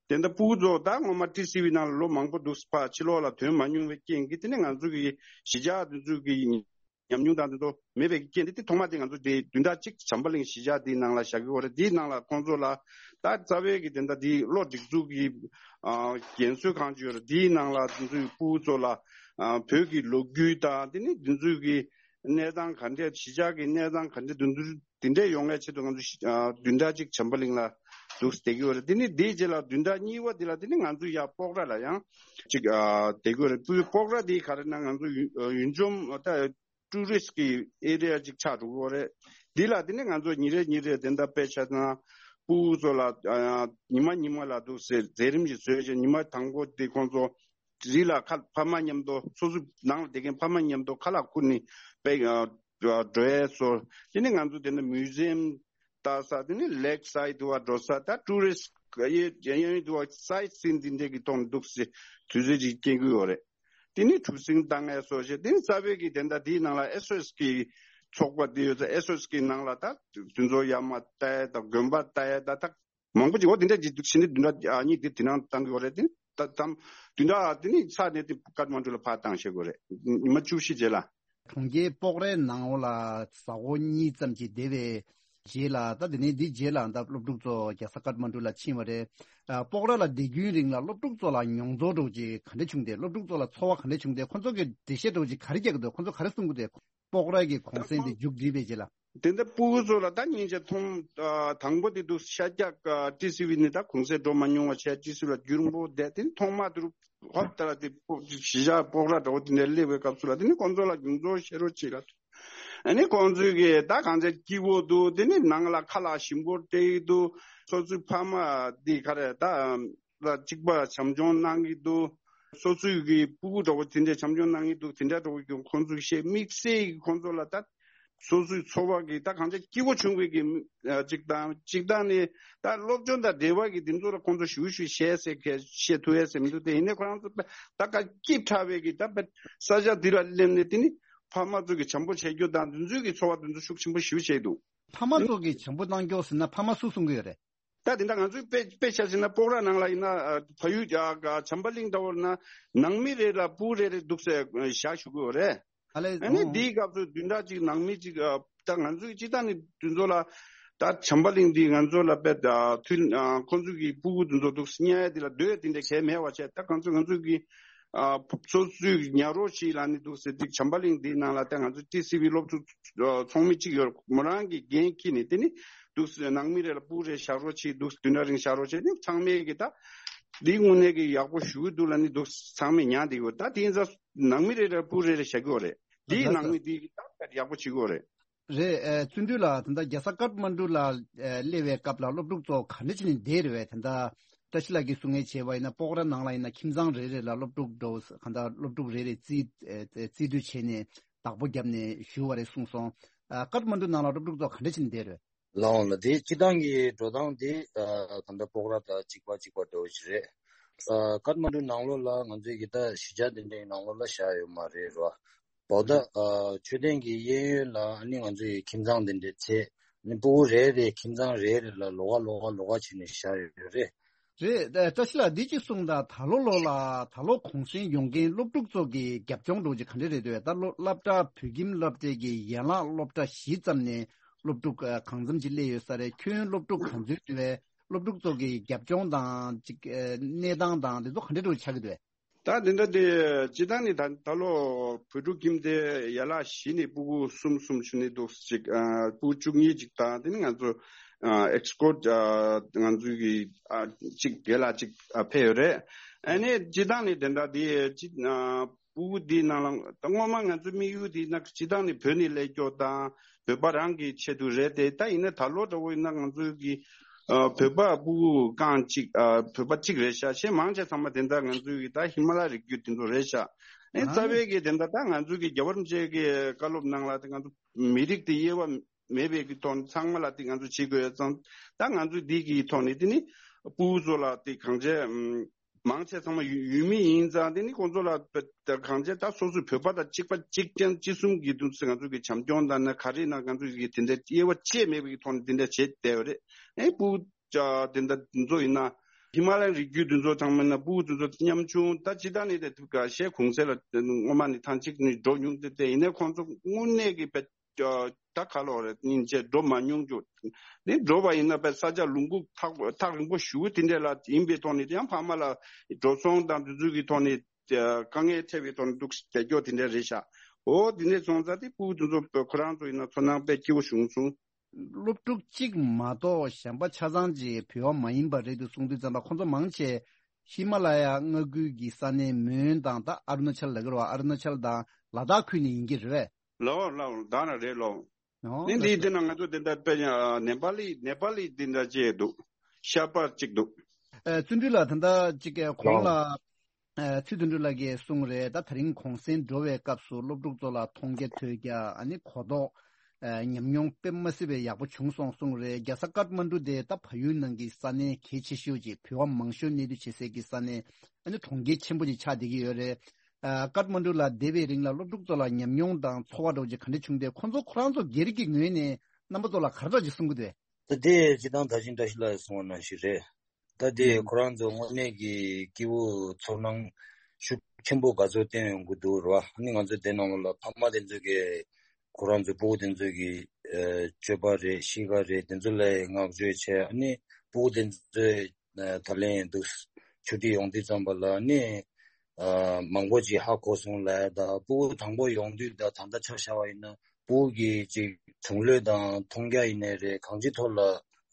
དེ་འདྲ་སྤུ་གུ་ཚོ་ད་སྔོན་མ་ཊི་སི་ཝི་ནང་ལ་ལོ་མང་པོ་འདུག་ཕར་ཕྱི་ལོགས་ལ་ཐོན་མ་མྱོང་བའི་རྐྱེན་གྱིས་དེ་ནས་ང་ཚོ་གི་གཞིས་ཆགས་འདི་ཚོའི་གི་ཉམས་མྱོང་དང་དེ་ཚོ་མེད་པའི་རྐྱེན་དེ། དེ་ཐོག་མ་དེ་ང་ཚོ་དེ་བདུན་ཕྲག་གཅིག་བྱམས་པ་གླིང་གཞིས་ཆགས་དེའི་ནང་ལ་བཞག་གི་ཡོད་རེད། དེའི་ནང་ལ་ཁོང་ཚོ་ལ་ད་རྩ་བའི་གི་དེ་འདྲ་དེ་གློ་སྒྲིག་འཛུགས་ཀྱི་ཨ་རྒན་གསོ་ཁང་ཅིག་ཡོད་རེད། དེའི་ནང་ལ་དེ་ཚོའི་སྤུ་གུ་ཚོ་ལ་ཨ་བོད་ཀྱི་ལོ་རྒྱུས་དང་དེ་ནི་དེ་ཚོའི་གི་གནས་སྟངས་ག་འདྲས། གཞིས་ཆགས་ཀྱི་གནས་སྟངས་ག་འདྲས། དེ་ཚོ་དེ་འདྲས་ཡོང་བའི་ཆེད་དུ་ང་ཚོ་ཨ་བདུན་ཕྲག་གཅིག་བྱམས་པ་གླིང་ལ་འདུག་བསྡད་ཀྱི་ཡོད་རེད། དེ་ནི་དེའི་རྗེས་ལ་བདུན་ཕྲག་གཉིས་པ་དེ་ལ་དེ་ནི་ང་ཚོ་ཡར་སྤོག་ར་ལ་ཡང་ཅིག་ཨ་བསྡད་ཀྱི་ཡོད་རེད། སྤོག་ར་དེ་ག་རེ་ན་ང་ཚོ་ཡུལ་ཡུལ་ལྗོངས་ད་ཊུ་རི་སི་ཊི་གི་ཨེ་རི་ཡ་ཅིག་ཆགས་འགྲོ་གི་ཡོད་རེད། འདི་ལ་དེ་ནས་ང་ཚོ་ཉིན་རེ་ཉིན་རེ་དེ་འདྲ་དཔེ་ཆ་དང་སྤུ་གུ་ཚོ་ལ་ཨ་ཉི་མ་ཉི་མ་ལ་འདུག་སེ་མཛད་རིམ་ཞིག་བཟོས་བྱས། ཉི་མ་དང་པོ་དེ་ཁོང་ཚོ་རི་ལ་ཁ་ཕ་མ་མཉམ་དུ་སོ་སོ་ནང་ལ་བསྡད་མཁན་ཕ་མ་མཉམ་དུ་ཁ་ལག་ཁུར་ནས་དཔེ་ཨ་འགྲོ་ཡས་སོ། དེ་ནས་ང་ཚོ་དེ་འདྲ་མིའུ་ཛི་ཡམ་ལྟ་ས། དེ་ནས་ལེག་སའིཌ་དུ་བ་འགྲོ་ས། ད་ཊུ་རི་སི་ཊི་གཡས་གཡོན་དུ་བ་སའིཊ་སིན་འདི་འདྲས་ཀྱི་ཐོག་ནས་འདུག་སེ་དུས་ཚོད་ཅིག་སྐྱེལ་གི་ཡོད་རེད། དེ་ནི་གྲུ་གཟིངས་བཏང་ཡས་སོགས་བྱས། དེ་ནི་རྩ་བའི་གི་དེ་འདྲ་དེའི་ནང་ལ་ཨེས་ཨོ་ཨེས་གི་ཚོགས་པ་དེ་ཡོད་ཚེ་ཨེས་ཨོ་ཨེས་གི་ནང་ལ་ད་དུད་འགྲོ་ཡར་མར་ལྟ་ཡས་དང་དགོན་པ་ལྟ་ཡས་ད་ད་མང་པོ་ཅིག་འོ་དེ་འདྲ་ཅིག་འདུག་ཕྱིན་ཏེ་བདུན་ཕྲག་ཨ་གཉིས་དེ་དེ་ནང་བཏང་གི་ཡོད་རེད། དེ་ནི་ད་དམ་བདུན་ཕྲག་དེ་ནི་ཚར་ནས་དེ་ཀཏ་མན་གྲུ་ལ་ཕར་བཏང་བྱེད་དགོས་རེད། ཉི་མ་བཅུ་བཞི་རྗེས་ལ། གྲོང་ཁྱེར་སྤོག་རའི་ནང་འོག་ལ་གཟའ་འཁོར་གཉིས་ཙམ་ཅིག་བསྡད་པའི་རྗེས་ལ། ད་དེ་ནས་འདི་རྗེས་ལ་ད་སློབ་ཕྲུག་ཚོ་རྒྱལ་ས་ཀཏ་མན་གྲུ་ལ་ཕྱིན་པ་རེད། ཨ། སྤོག་ར་ལ་བསྡད་རྒྱུའི་རིང་ལ་སློབ་ཕྲུག་ཚོ་ལ་མྱོང་ཚོར་འདྲ་བོ་ཅིག་ག་འདྲ་བྱུང་སྟེ། སློབ་ཕྲུག་ཚོ་ལ་ཚོར་བ་ག་འདྲ་བྱུང་སྟེ། ཁོང་ཚོ་གིས་འགྲེལ་བཤད་འདྲ་བོ་ཅིག་ག་རེ་རྒྱག་གི་འདུག་ཁོང་ཚོ་ག་རེ་གསུང་གི་འདུག་སྤོག་ར་གི་གུང་སེང་དེ་མཇུག་སྒྲིལ་བའི་རྗེས་ལ། དེ་འདྲ་སྤུ་གུ་ཚོ་ལ་ད་སྙིང་རྗེ་མཐོང་། ཨ། དང་པོ་དེ་འདུག་ཤར་རྒྱག་ཨ། ཊི་སི་ཝི་ནི་ད་གུང་སེང་འགྲོ་མ་མྱོང་བ་བྱས། ཊི་སི་ཝི་ལ་རྒྱུན་རིང་པོ་བསྡད། དེ་ནི་ཐོག་མ་དུ་ཧོབ་ལྟ་ར་དེ་སྤོ་གཞིས་ཆགས་སྤོག་ར་འདྲ་བོ་དེ་འདྲ་སླེབས་པའི་སྐབས་སུ་ལ་དེ་ནི་ཁོང་ཚོ་ལ་རྒྱུན་ཚོར་བཤད་རོགས་བྱེད་ལ། ཨ་ནི་ཁོང་ཚོས་གི་ད་གང་ཚེ་སྐྱིད་པོ་འདུག་དེ་ནི་ནང་ལ་ཁ་ལག་ཞིམ་པོ་སྤྲད་ཀྱི་འདུག་སོ་སོའི་ཕ་མ་འདི་ག་རེ་ད་ལ་གཅིག་པ་བྱམས་སྐྱོང་གནང་གི་འདུག་སོ་སོའི་གི་སྤུ་གུ་འདྲ་བོ་དེ་འདྲས་བྱམས་སྐྱོང་གནང་གི་འདུག་དེ་འདྲ་འདྲ་བོ་གི་ཁོང་ཚོས་བཤད། དམིགས་བསལ་གི་ཁོང་ཚོ་ལ་ད་སོ་སོའི་འཚོ་བ་གི་ད་གང་ཅི་སྐྱིད་པོ་བྱུང་བའི་གི་ཨ་གཅིག་དང་། གཅིག་དང་ནི་ད་སློབ་སྦྱོང་དང་འབྲེལ་བ་གི་དེ་ཚོ་ལ་ཁོང་ཚོ་ཞུ་ཞུ་བཤད་ཟེར་གི་བཤད་ཐུབ་ཡས་ཟེར་མི་འདུག་དེ་ཡིན་ནའི་ཁོ་རང་ཚོ་ད་ག་སྐྱིད་དྲགས་པའི་གི་ད་ས་ཆ་འདི་ལ་སླེབས་ནས་དེ་ནི་ཕ་མ་ཚོ་གི་བྱམས་པོ་བྱེད་རྒྱུ་དང་དེ་ཚོའི་གི་འཚོ་བ་དེ་ཚོ་ཤུགས་ཆེན་པོ་ཞུ་བྱས་འདུག་ཕ་མ་ཚོ་གི་བྱམས་པོ་གནང་རྒྱུ་ཟེར་ན་ཕ་མ་སུ་གསུང་གི་ཡོད་རེད། ད་དེ་འདྲ་ང་ཚོའི་དཔེ་དཔེ་ཆ་བཞག་ན་སྤོག་ར་ནང་ལ་ཡིན་ན་ཨ་བལ་ཡུལ་ཨ་བྱམས་པ་གླིང་འདྲ་བོ་ན་ནང་མི་རེ་ལ་སྤུ་རེ་རེ་འདུག་སེ་བཞག་བཞུགས་ཀྱི་ཡོད་རེད། ཨ་ལས། ཨ་ནི་འདིའི་སྐབས་སུ་བདུན་ཕྲག་གཅིག་ནང་མི་གཅིག་ཨ་ད་ང་ཚོའི་སྤྱི་བཏང་ནི་དེ་ཚོ་ལ་ད་བྱམས་པ་གླིང་འདི་ང་ཚོ་ལ་དཔེ་ཨ་མཐུན་ཨ་ཁོང་ཚོ་གི་སྤུ་གུ་དེ་ཚོ་འདུག་སེ་ཉལ་ཡ་དེ་ལ་སྡོད་ཡ་དེ་འདྲ་གལ་མེད་པ་བྱས། ད་ང་ཚོ་ང་ཚོ་གི་ཨ་སོ་སོའི་ཉལ་རོགས་ཤིག་ལ་ནི་འདུག་སེ་འདི་བྱམས་པ་གླིང་འདིའི་ནང་ལ་ད་ང་ཚོ་ཊི་སི་ཝི་སློབ་ཕྲུག་ཚོགས་མི་གཅིག་ཡོད། མོ་རང་གི་འགན་འཁྱེར་ནས་དེ་ནི་འདུག་སེ་ནང་མི་རེ་ལ་སྤུ་རེ་བཞག་རོགས་བྱེད། འདུག་སེ་བདུན་ཕྲག་རིང་བཞག་རོགས་བྱེད། ནི་ཚང་མས་ཀྱི་ད་འདི་དངོས་གནས་ཀྱི་ཡག་པོ་ཞུ་གི་འདུག་ལབ་ནི་འདུག་སེ་ཚང་མས་ཉར་བསྡད་ཡོད། ད་དེ་ཡིན་ཙང་ནང་མི་རེ་རེ་ལ་སྤུ་རེ་རེ་བཞག་གི་ཡོད་རེད། འདིའི་ནང་མི་འདི་ད་ཡག་པོ་བྱེད་ཀྱི་ཡོད་རེད། རེད། ཨ་བརྩོན་འགྲུས་ལགས། ད་ལྟ་རྒྱལ་ས་ཀཏ་མན་གྲུ་ལ་ཨ་སླེབས་པའི་སྐབས་ལ་སློབ་ཕྲུག་ཚོ་ག་འདྲ་བྱས་ནས་བསྡད་རེད་བས། ད་ལྟ་ བཀྲ་ཤིས་ལགས་ཀྱིས་གསུང་མཁན་བྱས་པ་ཡིན་ན། སྤོག་ར་ནང་ལ་ཡིན་ན་ཁྱིམ་ཚང་རེ་རེ་ལ་སློབ་ཕྲུག་འགྲོ་གང་ལྟར་སློབ་ཕྲུག་རེ་རེ་རྩིས་ཨེ་རྩིས་སྤྲོད་བྱས་ནས་བདག་པོ་བརྒྱབ་ནས་བཞུགས་པ་རེད་གསུངས་སོང་། ཨ་ཀཏ་མན་ཌུ་ནང་ལ་སློབ་ཕྲུག་ཚོ་ག་འདྲ་བྱས་ནས་བསྡད་རེད། ལའོ་ལ་དེ་སྤྱི་བཏང་གི་འགྲོ་སྟངས་དེ་ཨ་གང་ལྟར་སྤོག་ར་དང་གཅིག་པ་གཅིག་པ་འདྲ་བོ་ཞིག་རེད། ཨ་ཀཏ་མན་ཌུ་ནང་ལོགས་ལ་ང་ཚོའི་གི་ད་གཞིས་ཆགས་དེ་འདྲའི་ནང་ལོགས་ལ་བཞག་ཡོད་མ་རེད་རོ། བོད་ཨ་མཆོད་རྟེན་གྱི་གཡས་གཡོན་ལ་ཨ་ནི་ང་ཚོའི་ཁྱིམ་ཚང་དེ་འདྲའི་ཚད་ཨ་ནི་སྤུ་གུ་རེ་རེ་ཁྱིམ་ཚང་རེ་རེ་ལ་ལོགས་ཀ་ལོགས་ཀ་ལོགས་ཀ་བྱས་ནས་བཞག་ཡོད་རེད། རེད། ཨ་བཀྲ་ཤིས་ལགས་འདི་གཅིག་གསུངས་དང་། ད་ལོ་ལོ་ལ་ད་ལོ་གུང་སེང་ཡོང་མཁན་སློབ་ཕྲུག་ཚོ་གི་རྒྱབ་ལྗོངས་འདྲ་བོ་ཅིག་ག་འདྲ་རེད་འདུག་ད་ལོ་སློབ་གྲྭ་བོད་ཁྱིམ་སློབ་གྲྭའི་གི་ཡན་ལག་སློབ་གྲྭ་བཞི་ཙམ་ནས་སློབ་ཕྲུག་ཨ་གང་འཚམ་ཅིག་སླེབས་ཡོད་ས་རེད། ཁྱོན་སློབ་ཕྲུག་ག་ཚོད་འདུག་བས། སློབ་ཕྲུག་ཚོ་གི་རྒྱབ་ལྗོངས་དང་ཅིག་ཨ་གནས་སྟངས་དང་དེ་ཚོ་ག་འདྲ་འདྲ་བོ་ཆགས་ཀྱི་འདུག་བས། ད་དེ་འདྲ་དེ་སྤྱི་བཏང་ནས་ད་ད་ལོ་བོད་ཕྲུག་ཁྱིམ་སྡེ་ཡན་ལག་བཞི་ནས་སྤུ་གུ་གསུམ་གསུམ་བྱུང་ནས་འདུག་ཅིག་ཨ་སྤུ་གུ་བཅུ་གཉིས་ཅིག་དང་དེ་ནས་ང་ཚོ་ཨ་ཨེག་སི་ཀོཊ་ཨ་ང་ཚོའི་གི་ཨ་ཅིག་རྒན་ལགས་ཅིག་ཨ་ཕེབས་ཡོད་རེད། ཨ་ནི་སྤྱི་བཏང་ནས་དེ་འདྲ་དེ་ཅིག་ཨ་སྤུ་གུ་དེའི་ནང་ལ་ད་སྔོན་མ་ང་ཚོའི་དམིགས་ཡུལ་དེ་ན་སྤྱི་བཏང་ནས་བོད་ནས་སླེབས་ཀྱོག་དང་བོད་པ་རང་གི་ཆེད་དུ་རེད་དེ། ད་ཡིན་ན་ད་ལོ་འདྲ་བོ་ཡིན་ན་ང་ཚོའི་གི་ཨ་བོད་པ་སྤུ་གུ་རྐང་གཅིག་ཨ་བོད་པ་གཅིག་རེད་ཤག་གཞན་མང་ཆེ་ཚང་མ་དེ་འདྲ་ང་ཚོའི་གི་ད་ཧི་མ་ལ་རི་རྒྱུད་དེ་ཚོ་རེད་ཤག་ཨེ་རྩ་བའི་གི་དེ་འདྲ་ད་ང་ཚོའི་གི་རྒྱལ་བ་རིན་པོ་ཆེ་གི་བཀའ་སློབ་ནང་ལ་དེ་ང་ཚོ་མི་རིགས་དེ་དབྱེ་བ་མེད་པའི་གི་ཐོག་ནས་ཚང་མ་ལ་དེ་ང་ཚོ་བྱེད་དགོས་ཡོད་ཙང་། ད་ང་ཚོ་འདི་གི་ཐོག་ནས་དེ་ནི་སྤུ་གུ་ཚོ་ལ་དེ་གང་བྱས་ཨམ་མང་ཆེ་ཚང་མ་ཡུལ་ཡུལ་མི་ཡིན་ཙང་དེ་ནི་ཁོང་ཚོ་ལ་དེ་གང་བྱས་ད་སོ་སོའི་བོད་པ་དང་གཅིག་པ་གཅིག་རྐྱང་གཅིག་གསུམ་གི་དུས་ཚོད་ང་ཚོ་གི་བྱམས་སྐྱོང་དང་ན་ག་རེ་ན་ང་ཚོ་གི་དེ་འདྲ་དབྱེ་བ་ཕྱེ་མེད་པའི་ཐོག་ནས་དེ་འདྲ་བྱེད་བསྡད་ཡོད་རེད། ཨེ་སྤུ་གུ་ཅག་དེ་འདྲ་འདི་ཚོ་ཡིན་ན་ཧི་མ་ལ་ཡའི་རི་རྒྱུད་འདི་ཚོ་ཚང་མ་ཡིན་ན་སྤུ་གུ་འདི་ཚོ་ཉམ་ཆུང་ད་ཇི་ལྟར་ནས་དེ་ཐུབ་ག་ཤེས་གུང་སེང་ལ་སྔོན་མ་ནས་ཐང་ཅིག་ནས་འགྲོ་མྱོང་དེ་དེ་ཡིན་ན་ཁོང་ཚོ་དངོས་གནས་ཀྱི་དཔེ་ད་ག་ལོག་རེད་སྙིང་རྗེ་འགྲོ་མ་མྱོང་རྒྱུ། ནི་འགྲོ་བ་ཡིན་ན་དཔེ་ས་ཆ་ལུང་ཁུག་ཐག་ཐག་རིང་པོ་ཞུ་དེ་འདྲ་ལ་ཡིན་པའི་ཐོག་ནས་ཡང་ཕ་མ་ལ་འགྲོ་སོང་དང་དུས་ཚོད་ཀྱི་ཐོག་ནས་དཀའ་ངལ་འཕྲད་པའི་ཐོག་ནས་འདུག་བསྡད་རྒྱུ་དེ་འདྲ་རེད་ཤག་འོ་དེ་འདྲ་སོང་ཙང་དེ་སྤུ་གུ་དེ་ཚོ་ཁོ་རང་ཚོ་ཡིན་ན་ཚོར་སྣང་དཔེ་སྐྱིད་པོ་བྱུང་སོང་། སློབ་ཕྲུག་གཅིག་མ་གཏོགས་གཞན་པ་ཆ་ཚང་ཅིག་བོད་པ་མ་ཡིན་པ་རེད་འདུག་གསུང་དུས་ཙམ་པ་ཁོང་ཚོ་མང་ཆེ་ཧི་མ་ལ་ཡ་མངའ་ཁུལ་གྱི་ས་གནས་མོན་དང་ད་ཨ་རུ་ན་ཅལ་ལབ་ཀྱི་རེད་བ། ཨ་རུ་ན་ཅལ་དང་ལ་དྭགས་ཁུལ་ནས་ཡིན་གྱི་རེད་པས། ལའོ་ལའོ་ད་ན་རེད་ལོ། ཨོ་ནི་ལགས་འདི་སོ། འདི་ན་ང་ཚོ་འདི་འདྲ་དཔེ་ཡང་ནེ་པ་ལི་ནེ་པ་ལི་འདི་འདྲ་ཅིག་འདུག་ཤར་པ་གཅིག་འདུག་ཨ་བརྩོན་འགྲུས་ལགས་ད་ལྟ་གཅིག་གོང་ལ་ཨ་ཚེ་བརྩོན་འགྲུས་ལགས་ཀྱིས་གསུངས་རེད། ད་ད་རིང་གུང་སེང་འགྲོ་བའི་སྐབས་སུ་སློབ་ཕྲུག་ཚོ་ལ་མཐོང་རྒྱ་ཐོས་རྒྱ་ཨ་ནི་གོ་རྟོགས་ཨ་ཉམས་མྱོང་དཔེ་མ་སྲིད་པའི་ཡག་པོ་བྱུང་སོང་གསུངས་རེད། རྒྱལ་ས་ཀཏ་མན་ཌུ་དེ་ད་བལ་ཡུལ་ནང་གི་ས་གནས་གལ་ཆེ་ཤོས་ཅིག་བོད་པ་མང་ཤོས་གནས་སྡོད་བྱེད་སའི་གི་ས་གནས་ཨ་ནི་གྲོང་ཁྱེར་ཆེན་པོ་ཅིག་ཆགས་བསྡད་ཀྱི་ཡོད་རེད། ཨ་ཀཏ་མན་ཌུ་ལ་བསྡད་པའི་རིང་ལ་སློབ་ཕྲུག་ཚོ་ལ་ཉམས་མྱོང་དང་ཚོར་བ་འདྲ་བོ་ཅིག་ག་འདྲ་བྱུང་སྟེ། ཁོང་ཚོ་ཁོ་རང་ཚོ་སྒེར་གྱི་ངོས་ནས་རྣམ་པ་ཚོ་ལ་ག་རེ་འདྲ་ཅིག་གསུང་གི་འདུག་ད་དེ་སྤྱི་བཏང་ད་ཅི་འདྲ་ཞིག་ལ་གསུང་བ་ནང་བཞིན་རེད། ད་དེ་ཨུམ་ཁོ་རང་ཚོ་དངོས་གནས་ཀྱི་སྐྱིད་པོ་ཚོར་སྣང་ཤུགས་ཆེན་པོ་ག་ཚོད་བསྟན་ཡོང་གི་འདུག་རེད་བ། ཨ་ནི་ང་ཚོ་དེ་ནང་ལོགས་ལ་ཕ་མ་དེ་ཚོ་གིས་ཁོ་རང་ཚོའི་སྤུ་གུ་དེ་ཚོ་གི་ཨ་སྤྱོད་པ་རེད་གཤིས་ཀ་རེད་དེ་ཚོ་ལ་བསྔགས་བརྗོད་བྱས། ཨ་ནི་སྤུ་གུ་དེ་ཚོས་ད་ལན་འདུག་ཆུ་ཐིགས་ཡོང་དུས་ཙམ་པ་ལ་ནི་ཨ་མང་པོ་ཅིག་ཧ་གོ་སོང་ལབ་ཡ། ད་སྤུ་གུ་དང་པོ་ཡོང་དུས་ད་ད་ལྟ་ཆ་བཞག་པ་ཡིན་ན་སྤུ་གུ་གི་ཅིག་གཞུང་ལས་དང་མཐོང་རྒྱ་ཡིན་ནའི་རེད། གང་ཅིའི་ཐོག་ལ་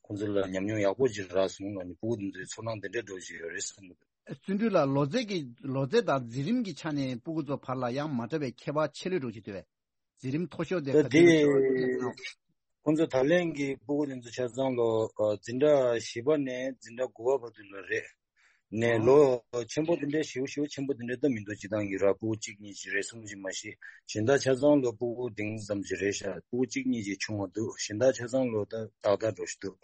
ཁོང་ཚོ་ལ་ཉམས་མྱོང་ཡག་པོ་ཅིག་རག་སོང་ལབ་ནི་སྤུ་གུ་དེ་ཚོའི་ཚོར་སྣང་དེ་འདྲ་འདྲ་བོ་ཅིག་ཡོད་རེད་བསམ་གི་འདུག་བརྩོན་འགྲུས་ལགས་ལོ་ཚད་ཀྱི་ལོ་ཚད་དང་འཛིན་རིམ་གྱི་ཆ་ནས་སྤུ་གུ་ཚོ་བར་ལ་ཡང་མ་འདྲ་བའི་ཁྱད་པར་ཆེ་ལོས་འདྲ་བོ་ཅིག་འདུག་བས། འཛིན་རིམ་མཐོ་ཤོས་དེ་ད་ག་དེ་དུས་ཚོད་ཡིན་ནམ། ཁོང་ཚོ་ད་ལན་གྱི་སྤུ་གུ་དེ་ཚོ་ཆ་ཚང་ལོ་ཨ་འཛིན་གྲྭ་བཞི་པ་ནས་འཛིན་གྲྭ་དགུ་པ་བར་དུ་ལ་རེད། ནས་ཨོ། ལོ་ཆེན་པོ་དེ་འདྲའི་ཞེ་པོ་ཞེ་པོ་ཆེན་པོ་དེ་འདྲའི་ད་མི་འདུག་སྤྱི་བཏང་གི་ར་སྤུ་གུ་གཅིག་གཉིས་ཅིག་རེད་གསུངས་ཀྱི་མ་གཞི་གཞན་དག་ཆ་ཚང་ལོ་སྤུ་གུ་འདི་ཙམ་ཅིག་རེད་ཤག་སྤུ་གུ་གཅིག་གཉིས་ཅིག་ཆུང་བ་འདུག་གཞན་དག་ཆ་ཚང་ལོ་ད་ཏག་ཏག་འགྲོ་བཞིན་འདུག་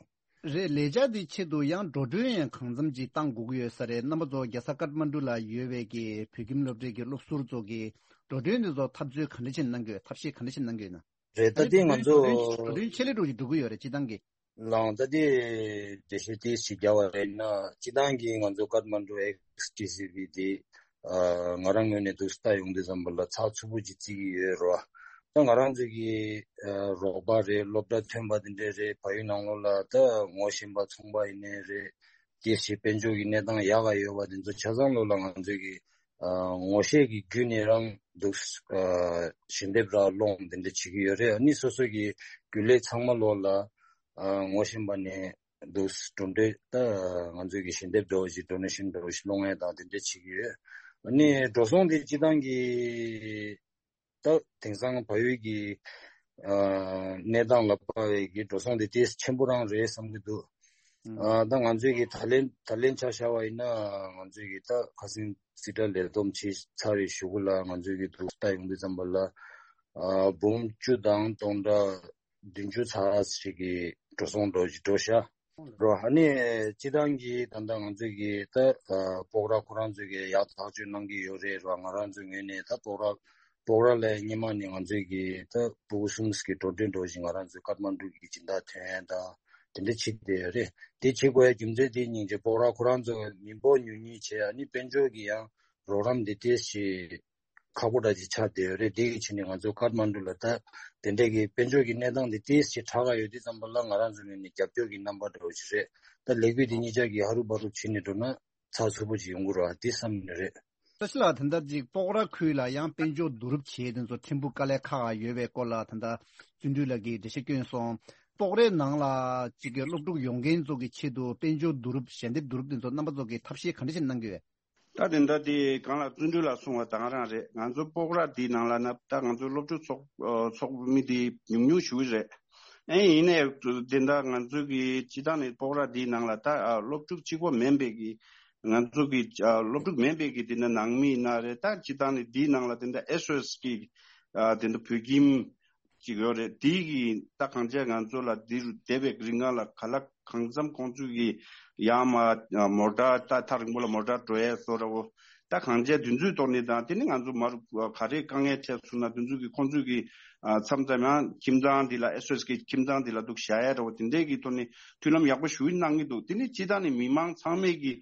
རེད། ལས་འཆར་འདི་ཆེད་དུ་ཡང་འགྲོ་གྲོན་ཡང་གང་འཚམ་ཅིག་བཏང་དགོས་ཀྱི་ཡོད་ས་རེད། རྣམ་པ་ཚོ་རྒྱལ་ས་ཀཏ་མན་ཌུ་ལ་ཡོད་པའི་གི་བོད་ཁྱིམ་སློབ་གྲྭའི་གི་སློབ་ཟུར་ཚོ་གི་འགྲོ་གྲོན་འདི་ཚོ་ཐབས་ཚུལ་ག་འདྲ་ཞིག་གནང་གི་ཡོད། ཐབས་ཤེས་ག་འདྲ་ཞིག་གནང་གི་ཡོད་ན། རེད། ད་ཨ་ནི་ལྟའི་ང་ཚོ་འགྲོ་གྲོན་ཆེད་ལས་འགྲོ་གི་འགྲོ་གི་ཡོད་རེད་སྤྱི་བཏང་གི། ལའང་ད་ལྟའི་འགྲེལ་བཤད་ཏོག་ཙམ་རྒྱག་པ་ཡིན་ན་སྤྱི་བཏང་གི་ང་ཚོ་ཀཏ་མན་ཌུ་ཨེག་སི་ཊི་སི་བི་དེ་ཨ་ང་རང་ངོས་ནས་འདུག་ལྟ་ཡོང་དུས་ཙམ་པ་ལ་ཚགས་ཚུད་པོ་ཅིག་བརྩི་གི་ཡོད་རེད་བ། ད་ང་རང་ཚོ་གི་ཨ་རོགས་པ་རེད། སློབ་གྲྭ་ཐོན་པ་དེ་འདྲས་རེད། བལ་ཡུལ་ནང་ལོགས་ལ་ད་ངོ་ཤེས་པ་ཚོང་པ་ཡིན་ནའི་རེད། སྐྱེས་ཆེ་དཔལ་འབྱོར་གྱི་གནས་སྟངས་ཡག་ག་ཡོད་པ་དེ་ཚོ་ཆ་ཚང་ལོགས་ལ་ང་ཚོས་ཀྱི་ཨ་ངོ་ཤེས་ཀྱི་བརྒྱུད་ནས་རང་འདུག་ཨ་ཞལ་འདེབས་ར་སློང་དེ་འདྲ་བྱེད་ཀྱི་ཡོད་རེད། ཨ་ནི་སོ་སོ་གི་རྒྱུན་ལས་ཚང་མ་ལོགས་ལ་ཨ་ངོ་ཤེས་པ་ནས་འདུག་འགྲོ་འདོད་ད་ང་ཚོས་ཀྱི་ཞལ་འདེབས་འདྲ་བོ་ཞིག་ཌོ་ནེ་ཤན་འདྲ་བོ་ཞིག་སློང་ཡས་དང་དེ་འདྲ་བྱེད་ཀྱི་ཡོད། ཨ་ནི་འགྲོ་སོང་དེ་སྤྱི་བཏང་གི་ད་དེང་སང་བལ་ཡུལ་གྱི་ཨ་གནས་སྟངས་ལ་དཔག་པའི་གི་འགྲོ་སོང་དེ་ཏོག་ཙམ་ཆེན་པོ་རང་རེད་བསམ་གྱི་འདུག་ཨ་ད་ང་ཚོས་ཀྱི་ད་ལན་ད་ལན་ཆ་བཞག་པ་ཡིན་ན། ང་ཚོས་ཀྱི་ད་ཁ་སང་རྩིས་ཁྲ་ལས་བསྡོམས་བྱས་ཚར་བའི་གཞུག་གུ་ལ་ང་ཚོས་ཀྱི་འདུག་ལྟ་ཡོང་དུས་ཙམ་པ་ལ། ཨ་འབུམ་བཅུ་དང་སྟོང་ཕྲག་བདུན་ཅུ་ཙམ་ཞིག་གི་འགྲོ་སོང་འགྲོ་འགྲོ་ཤག་རོ། ཨ་ནི་སྤྱི་བཏང་གི་ད་ལྟ་ང་ཚོས་ཀྱི་ད་ཨ་སྤོག་ར་ཁོ་རང་ཚོས་ཀྱི་ཡག་ཐག་གཅོད་གནང་གི་ཡོད་རེད་རོ། ང་རང་ཚོའི་ངོས་ནས་ད་སྤོག་ར་སྤོག་ར་ལ་སྔོན་མ་ནས་ང་ཚོས་ཀྱི་ད་ཕྲུ་གུ་གསུམ་གྱི་འགྲོ་གྲོན་འགྲོ་བཞིན་ང་རང་ཚོའི་ཀཏ་མན་ཌུ་གི་སྦྱིན་བདག་ཐོན་ཡ་དང་དེ་འདྲ་བྱེད་བསྡད་ཡོད་རེད། དེ་བྱེད་དགོས་ཡ་རྒྱུ་མཚན་དེ་སྙིང་རྗེ་སྤོག་ར་ཁོ་རང་ཚོ་མི་འབོར་ཉུང་ཉུང་བྱས། ཨ་ནི་དཔལ་འབྱོར་གྱི་ཡང་རོགས་རམ་དེ་ཏོག་ཙམ་ཁག་པོ་འདྲ་ཅིག་ཆགས་བསྡད་ཡོད་རེད། དེ་གི་ཕྱིར་ནས་ང་ཚོ་ཀཏ་མན་ཌུ་ལ་ད་དེ་འདྲས་ཀྱི་དཔལ་འབྱོར་གྱི་གནས་སྟངས་དེ་ཏོག་ཙམ་དྲག་ག་ཡོད་དུས་ཙམ་པ་ལ་ང་རང་ཚོ་ངོས་ནས་རྒྱབ་སྐྱོར་གྱི་རྣམ་པ་འདྲ་བོ་ཞིག་རེད། ད་ལས་འགུལ་དེ་གཉིས་ཆ་གི་ཧ་རུ་བ་རུ་བྱེད་ནས་འགྲོ་ན་ཚགས་ཚུད་པོ་ཅིག་ཡོང་གི་རེད་བ་དེ་བསམ་ནས་རེད། བཀྲ་ཤིས་ལགས། ད་ལྟ་ཅིག་སྤོག་ར་ཁུལ་ལ་ཡང་དཔལ་འབྱོར་བསྡུ་རུབ་བྱེད་དེ་ཚོ་ཕྲན་བུ་དཀའ་ལས་ཁག་ཡོད་པའི་སྐོར་ལ་ད་ལྟ་བརྩོན་འགྲུས་ལགས་ཀྱིས་འགྲེལ་བཤད་བསྐྱོན་སོང་། སྤོག་རའི་ནང་ལ་ཅིག་གི་སློབ་ཕྲུག་ཡོང་མཁན་ཚོ་གི་ཆེད་དུ་དཔལ་འབྱོར་བསྡུ་རུབ་ཞལ་འདེབས་བསྡུ་རུབ་དེ་ཚོ་རྣམ་པ་ཚོ་གིས་ཐབས་ཤེས་ག་འདྲ་ཞིག་གནང་གི་ཡོད། ད་དེ་འདྲ་དེ་གང་ལ་བརྩོན་འགྲུས་ལ་གསུངས་པ་དང་རང་རེད། ང་ཚོ་སྤོག་ར་དེའི་ནང་ལ་ན་ད་ང་ཚོ་སློབ་ཕྲུག་ཚོགས་ཨ་ཚོགས་མི་དེ་ཉུང་ཉུང་ཞུ་གི་རེད། ཨེ་ཡིན་ནའི་དེ་འདྲ་ང་ཚོ་གི་སྤྱི་བཏང་ནས་སྤོག་ར་དེའི་ནང་ལ་ད་ཨ་སློབ་ཕྲུག་གཅིག་པོ་མིན་པའི་གི་ང་ཚོ་གི་ཨ་སློབ་ཕྲུག་མིན་པའི་གི་དེ་འདྲ་ནང་མི་ཡིན་ན་རེད། ད་སྤྱི་བཏང་ནས་དེའི་ནང་ལ་དེ་འདྲ་ཨེས་ཨོ་ཨེས་གི་ཨ་དེ་འདྲ་བོད་ཁྱིམ་ཅིག་ཡོད་རེད། དེ་གི་ད་གང་བྱས་ང་ཚོ་ལ་འདིར་བསྡད་པའི་རིང་ལ་ག་ལ་གང་འཚམ་ཁོང་ཚོས་གི་ཡང་མ་མོ་ཊ་ད་ཐག་རིང་པོ་ལ་མོ་ཊ་འགྲོ་ཡས་བཟོ་འདྲ་བོ་ད་གང་བྱས་དེ་ཚོའི་ཐོག་ནས་དང་དེ་ནི་ང་ཚོ་མར་ག་རེ་དཀའ་ངལ་འཕྲད་སོང་ན་དེ་ཚོ་གི་ཁོང་ཚོས་གི་མཚམས་མཚམས་ཡང་ཁྱིམ་ཚང་འདི་ལ་ཨེས་ཨོ་ཨེས་གི་ཁྱིམ་ཚང་འདི་ལ་འདུག་བཞག་ཡས་འདྲ་བོ་དེ་འདྲས་གི་ཐོག་ནས་མཐུན་ལམ་ཡག་པོ་ཞུ་གནང་གི་འདུག་དེ་ནི་སྤྱི་བཏང་ནས་མི་མང་ཚང་མས་གི་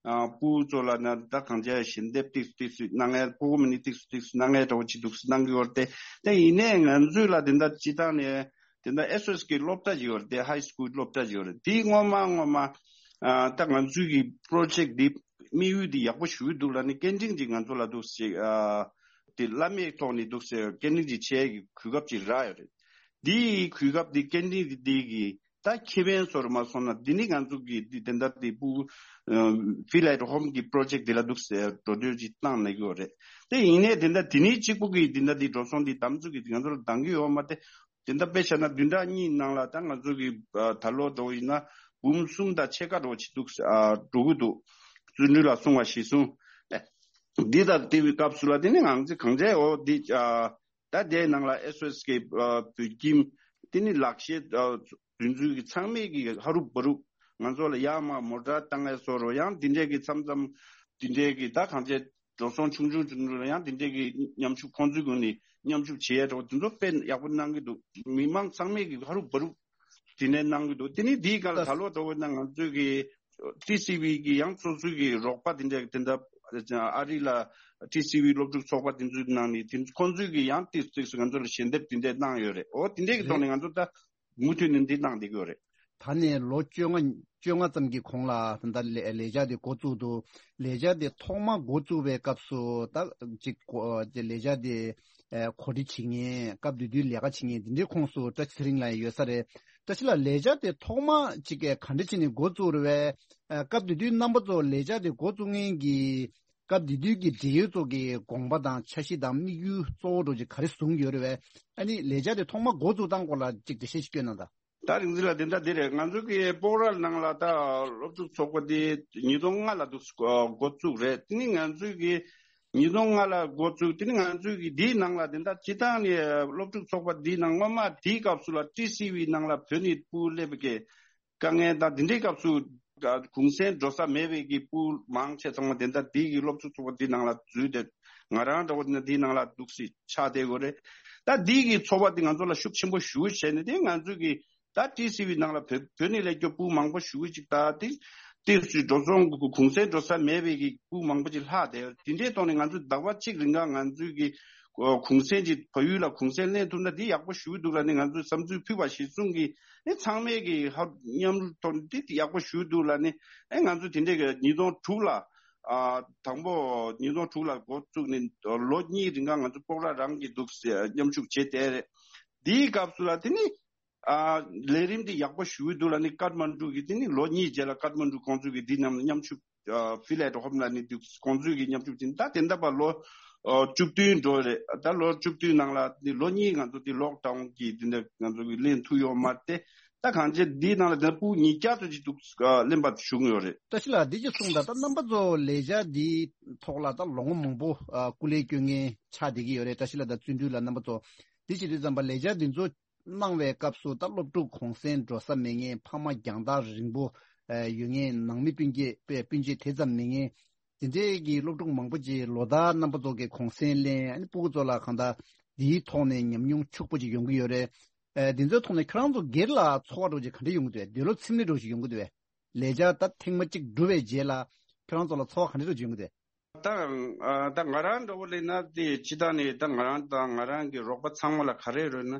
ཨ་ཕྲུ་གུ་ཚོ་ལ་ན་ད་གང་བྱས་ཞལ་འདེབས་ཏིག་ཏིག་སུ་གནང་ཡས་ཕྲུ་གུ་མི་ནི་ཏིག་སུ་ཏིག་སུ་གནང་ཡས་འདྲ་བོ་ཅིག་འདུག་སུ་གནང་གི་ཡོད་རེད་དེ། དེ་ཡིན་ནའི་ང་ཚོས་ལ་དེ་འདྲ་སྤྱི་བཏང་ནས་དེ་འདྲ་ཨེས་ཨོ་ཨེས་གི་སློབ་གྲྭ་ཅིག་ཡོད་རེད་དེ། ཧའི་སི་ཀུལ་སློབ་གྲྭ་ཅིག་ཡོད་རེད། དེ་སྔོན་མ་སྔོན་མ་ཨ་ད་ང་ཚོའི་གི་པྲོ་ཇེཀ་འདི་དམིགས་ཡུལ་འདི་ཡག་པོ་ཞུ་གི་འདུག་ལ་ནི་སྐད་འཕྲིན་ཅིག་ང་ཚོ་ལ་འདུག་ཟེར་ཨ་དེ་བླ་མེད་ཐོག་ནས་འདུག་ཟེར་སྐད་འཕྲིན་ཅིག་བྱས་གི་གོ་སྐབས་ཅིག་རག་ཡོད་རེད། འདིའི་གོ་སྐབས་འདི་སྐད་འཕྲིན་འདི་འདི་གི་ད་ཁེ་ཕན་བཟོ་རུ་མ་སོང་ན་འདི་ནི་ང་ཚོ་གི་འདི་དེ་འདྲ་དེ་ཕྲུ་གུ་ཕི་ལའེ་ཊི་ཧོམ་གི་པྲོ་ཇེཀ་འདི་ལ་འདུག་ཟེར་འགྲོ་སྡོད་ཅིག་བཏང་ནས་ཡོད་རེད། དེ་ཡིན་ནའི་དེ་འདྲ་དེ་ནི་གཅིག་པུ་གི་དེ་འདྲ་དེ་འགྲོ་སོང་འདི་དམ་ཚུགས་ཀྱི་ང་ཚོ་ལ་འདང་གི་ཡོད་མ་རེད། དེ་འདྲ་དཔེ་བཞག་ན་བདུན་ཕྲག་གཉིས་ནང་ལ་ད་ང་ཚོ་གི་ད་ལོ་འགྲོ་ཡིན་ན་འབུམ་གསུམ་དང་ཕྱེད་ཀ་འགྲོ་ཅིག་འདུག་འགྲོ་གི་འདུག་བརྩོན་འགྲུས་ལ་གསུང་བ་ཞིག་གསུང་། འདི་དང་དེ་བའི་སྐབས་སུ་ལ་དེ་ནི་ང་ཚོ་གང་འདྲ་འོ་འདི། ད་དེའི་ནང་ལ་ཨེས་ཨོ་ཨེས་ཀྱི་བོད་ཁྱིམ་དེ་ནི་ལག་ཤེས་དུས་ཚོད་ཀྱི་ཚང་མས་ཀྱི་ཧ་རུ་བ་རུ་ང་ཚོ་ལ་ཡར་མར་མོ་ཊ་བཏང་ཡས་བཟོ་རོགས་ཡང་དེ་འདྲས་ཀྱི་མཚམས་མཚམས་དེ་འདྲས་ཀྱི་ད་གང་བྱས་འགྲོ་སོང་ཆུང་ཆུང་ཆུང་ཆུང་ཡང་དེ་འདྲས་ཀྱི་མཉམ་ཞུགས་ཁོང་ཚོའི་སྒོ་ནས་མཉམ་ཞུགས་བྱེད་ཡས་འགྲོ་དེ་ཚོ་དཔེ་ཡག་པོ་གནང་གི་འདུག་མི་མང་ཚང་མས་ཀྱི་ཧ་རུ་བ་རུ་དེ་ནས་གནང་གི་འདུག་དེ་ནི་དེའི་སྒང་ལ་ད་ལོ་འགྲོ་བ་ན་ང་ཚོས་ཀྱི་ཊི་སི་ཝི་གི་ཡང་སོ་སོའི་གི་རོགས་པ་དེ་འདྲ་དེ་འདྲ་ཨ་རི་ལ་ཊི་སི་ཝི་སློབ་ཕྲུག་ཚོགས་པ་དེ་ཚོའི་ནང་ནས་དེ་ཁོང་ཚོས་གི་ཡང་ཏིག་ཏིག་སུ་ང་ཚོ་ལ་ཞལ་འདེབས་དེ་འདྲ་གནང་ཡོད་རེད། འོ་དེ་འདྲའི་གི་ཐོག་ནས་ང་ཚོ་ད་མུ་མཐུད་ནས་འདི་གནང་བསྡད་ཀྱི་ཡོད་རེད། ད་ནས་ལོ་བཅོ་ལྔ་བཅོ་ལྔ་ཙམ་གྱི་གོང་ལ་ད་ལྟ་ལས་ལས་འཆར་དེ་འགོ་བཙུགས་འདུག་ལས་འཆར་དེ་ཐོག་མ་འགོ་བཙུགས་པའི་སྐབས་སུ་ད་ཅིག་གོ་ལས་འཆར་དེ་གོ་སྒྲིག་བྱེད་མཁན་སྐབས་དེ་དུས་ལས་ཀ་བྱེད་མཁན་དེ་འདྲའི་ཁོངས་སུ་བཀྲ་ཤིས་ཚེ་རིང་ལགས་ཡོད་ས་རེད། བཀྲ་ཤིས་ལགས་ལས་འཆར་དེ་ཐོག་མ་ཅིག་ག་འདྲ་བྱས་ནས་འགོ་བཙུགས་རེད་བས། སྐབས་དེ་དུས་རྣམ་པ་ཚོ་ལས་འཆར་དེ་འགོ་བཙུགས་མཁན་གྱི་སྐབས་དེ་དུས་ཀྱི་འབྲེལ་ཡོད་ཚོ་གི་དགོངས་པ་དང་འཆར་གཞི་དང་དམིགས་ཡུལ་གཙོ་བོ་འདྲ་ཅིག་ག་རེ་བཟུང་ཡོད་རེད་བས། ཨ་ནི་ལས་འཆར་དེ་ཐོག་མ་འགོ་བཙུགས་སྟངས་སྐོར་ལ་ཅིག་འགྲེལ་བཤད་ཅིག་སྐྱོན་གནང་དང་། ད་རིག་འཛིན་ལགས་དེ་འདྲ་དེ་རེད། ང་ཚོ་གི་སྤོག་ར་ནང་ལ་ད་སློབ་ཕྲུག་ཚོགས་པ་དེ་ཉིས་སྟོང་ལྔ་ལ་འདུག་འགོ་བཙུགས་རེད། དེ་ནི་ང་ཚོས་གི་ཉིས་སྟོང་ལྔ་ལ་འགོ་བཙུགས། དེ་ནི་ང་ཚོས་གི་དེའི་ནང་ལ་དེ་འདྲ་སྤྱི་བཏང་ནས་སློབ་ཕྲུག་ཚོགས་པ་དེའི་ནང་སྔོན་མ་དེའི་སྐབས་སུ་ལ་ཊི་སི་ཝི་ནང་ལ་བོད་ནས་ཕྲུ་གུ་སླེབས་པའི་དཀའ་ངལ་དང་དེ་འདྲའི་སྐབས་སུ་གུང་སེང་འགྲོ་ས་མེད་པའི་གི་ཕྲུ་གུ་མང་ཆེ་ཚང་མ་དེ་འདྲ་དེའི་གི་སློབ་ཕྲུག་ཚོགས་པ་དེའི་ནང་ལ་འཛུལ་ཏེ་ང་རང་འདྲ་བོ་དེ་འདྲ་དེའི་ནང་ལ་འདུག་སེ་ཆགས་བསྡད་ཡོད་རེད། ད་དེའི་གི་ཚོགས་པ་དེ་ང་ཚོ་ལ་ཤུགས་ཆེན་པོ་ཞེ་པོ་བྱས་ནས་དེ་ང་ཚོས་གི་ད་ཊི་སི་ཝི་ནང་ལ་བོད་བོད་ནས་སླེབས་རྒྱུ་ཕྲུ་གུ་མང་པོ་ཞེ་པོ་ཅིག་ད་དེ་ཏིག་ཙམ་འགྲོ་སོང་གུང་སེང་འགྲོ་ས་མེད་པའི་གི་ཕྲུ་གུ་མང་པོ་ཅིག་ལྷག་བསྡད་ཡོད། དེ་འདྲའི་ཐོག་ནས་ང་ཚོས་ཟླ་བ་གཅིག་རིང་ག་ང་ཚོས་གི་གུང་སེང་ཅིག་བལ་ཡུལ་ལ་གུང་སེང་ལེན་ཐུབ་ན་འདི་ཡག་པོ་ཞེ་པོ་འདུག་ལ་ནི་ང་ཚོས་བསམ་ཚུལ་ཕུལ་བ་གཞིར་བཟུང་གི་ཨེ་ཚང་མས་ཀྱི་ཧ་མཉམ་རུབ་ཐོག་ནས་འདི་ཡག་པོ་ཞེ་པོ་འདུག་ལ་ནི་ཨེ་ང་ཚོས་དེ་འདྲའི་གི་ཉིས་སྟོང་དྲུག་ལ་ཨ་དང་པོ་ཉིས་སྟོང་དྲུག་ལ་འགོ་བཙུགས་ནས་ལོ་གཉིས་རིང་ག་ང་ཚོ་སྤོག་ར་རང་གི་འདུག་སེ་མཉམ་ཞུགས་བྱས་བསྡད་རེད། འདིའི་སྐབས་སུ་ལ་དེ་ནི་ཨ་ལས་རིམ་འདི་ཡག་པོ་ཞེ་པོ་འདུག་ལ་ནི་ཀཏ་མན་གྲུ་གི་དེ་ནི་ལོ་གཉིས་རྗེས་ལ་ཀཏ་མན་གྲུ་ཁོང་ཚོས་ཀྱི་འདི་རྣམས་མཉམ་ཞུགས་ཨ་ཕི་ལེ་ཊི་ཧོམ་ལ་ནི་འདུག་ཁོང་ཚོས་ཀྱི་མཉམ་ཞུགས་ཅིག་ད་དེ་འདྲ་པ་ལོ་ཨ་བཅུ་བདུན་འགྲོ་རེད། ད་ལོ་བཅུ་བདུན་ནང་ལ་ནི་ལོ་གཉིས་ང་ཚོ་འདི་ལོག་ཌའུན་གྱི་འདི་འདྲ་ང་ཚོ་གི་ལེན་ཐུབ་ཡོད་མ་རེད། ད་གང་ཅི་འདིའི་ནང་ལ་དེ་ཕྲུ་གུ་ཉིས་བརྒྱ་ཙམ་ཅིག་འདུག་ཨ་གླེན་པ་ཞུ་གི་ཡོད་རེད། བཀྲ་ཤིས་ལགས། འདི་ཅིག་གསུངས་དང་། ད་རྣམ་པ་ཚོ་ལས་འཆར་འདིའི་ཐོག་ལ་ད་ལོ་ངོ་མང་པོ་ཨ་སྐུ་ལས་སྐྱོན་མཁན་ཆགས་བསྡད་ཀྱི་ཡོད་རེད། བཀྲ་ཤིས་ལགས་དང་བརྩོན་འགྲུས་ལགས། རྣམ་པ་ཚོ་འདི་བྱེད་དུས་ཙམ་པ་ལས་འཆར་འདི་ཚོ་གནང་བའི་སྐབས་སུ་ད་སློབ་ཕྲུག་གུང་སེང་འགྲོ་ས་མེད་མཁན། ཕ་མ་རྒྱང་ཐག་རིང་པོ་ཨ་ཡོད་མཁན། ནང་མི་སྤུན་མཆེད་པའི་སྤུན་མཆེད་དེ་ཙམ་མེད་མཁན། དེ་འདྲའི་གི་སློབ་ཕྲུག་མང་པོ་ཅིག་ལོ་ལྟར་རྣམ་པ་ཚོ་གི་གུང་སེང་ལེན། ཨ་ནི་སྤུ་གུ་ཚོ་ལ་གང་ལྟར་འདིའི་ཐོག་ནས་ཉམས་མྱོང་ཕྱུག་པོ་ཅིག་ཡོང་གི་ཡོད་རེད། ཨ་འདི་ཚོའི་ཐོག་ནས་ཁྱོད་རང་ཚོ་སྒེར་ལ་ཚོར་བ་འདྲ་ཅིག་ག་འདྲ་ཡོང་གི་འདུག་འདོད་བློ་ཚིམ་ནས་འདྲ་ཅིག་ཡོང་གི་འདུག་ལས་འཆར་ད་ཐེངས་མ་གཅིག་གྲུབ་པའི་རྗེས་ལ་ཁྱོད་རང་ཚོ་ལ་ཚོར་བ་ག་འདྲ་འདྲ་ཅིག་ཡོང་གི་འདུག་ད་ཨ་ད་ང་རང་འདྲ་བོ་ལས་ན་དེ་སྤྱིར་བཏང་ནས་ད་ང་རང་དང་ང་རང་གི་རོགས་པ་ཚང་མ་ལ་ག་རེ་རེད་ན།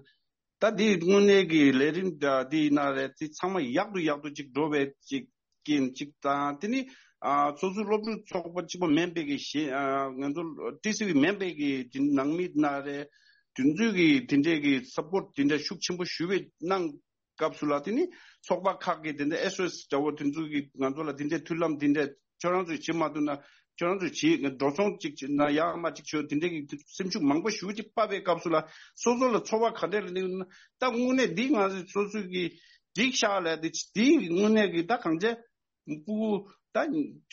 ད་འདི་དངོས་གནས་ཀྱི་ལས་རིམ་འདི་ཡིན་ན་རེད། དེ་ཚང་མ་ཡག་ཏུ་ཡག་ཏུ་ཅིག་འགྲོ་བའི་ཅིག་རྐྱེན་ཅིག་དང་། དེ་ནི་ཨ་སོ་སོའི་སློབ་ཕྲུག་ཚོགས་པ་གཅིག་པོ་མིན་པའི་གི་གཞན་ཨ་ང་ཚོ་ཊི་སི་ཝི་མིན་པའི་གི་དེ་ནང་མི་ཡིན་ན་རེད། དེ་ཚོས་གི་དེ་འདྲའི་གི་སབ་པོར་ཊི་དེ་འདྲ་ཤུགས་ཆེན་པོ་ཞུ་བའི་གནང་སྐབས་སུ་ལ། དེ་ནི་ཚོགས་པ་ཁག་གི་དེ་འདྲ་ཨེས་ཨོ་ཨེས་འདྲ་བོ་དེ་ཚོ་གི་ང་ཚོ་ལ་དེ་འདྲའི་མཐུན་ལམ་དེ་འདྲ་ཁྱོད་རང་ཚོས་བྱེད་མ་ཐུབ་ན་ཁྱོད་རང་ཚོས་བྱེད། འགྲོ་སོང་གཅིག་བྱེད་ན་ཡག་མ་གཅིག་བྱོས། དེ་འདྲའི་གི་སེམས་ཤུགས་མང་པོ་ཞེ་པོ་ཅིག་སྤར་བའི་སྐབས་སུ་ལ་སོ་སོ་ལ་ཚོར་བ་ག་འདྲ་ལ་སླེབས་ན། ད་དངོས་གནས་འདི་ང་ཚོས་སོ་སོའི་གི་འགྲིག་ཤག་ལབ་དེ་དེའི་དངོས་གནས་གི་ད་གང་བྱས་སྤུ་གུ་ད་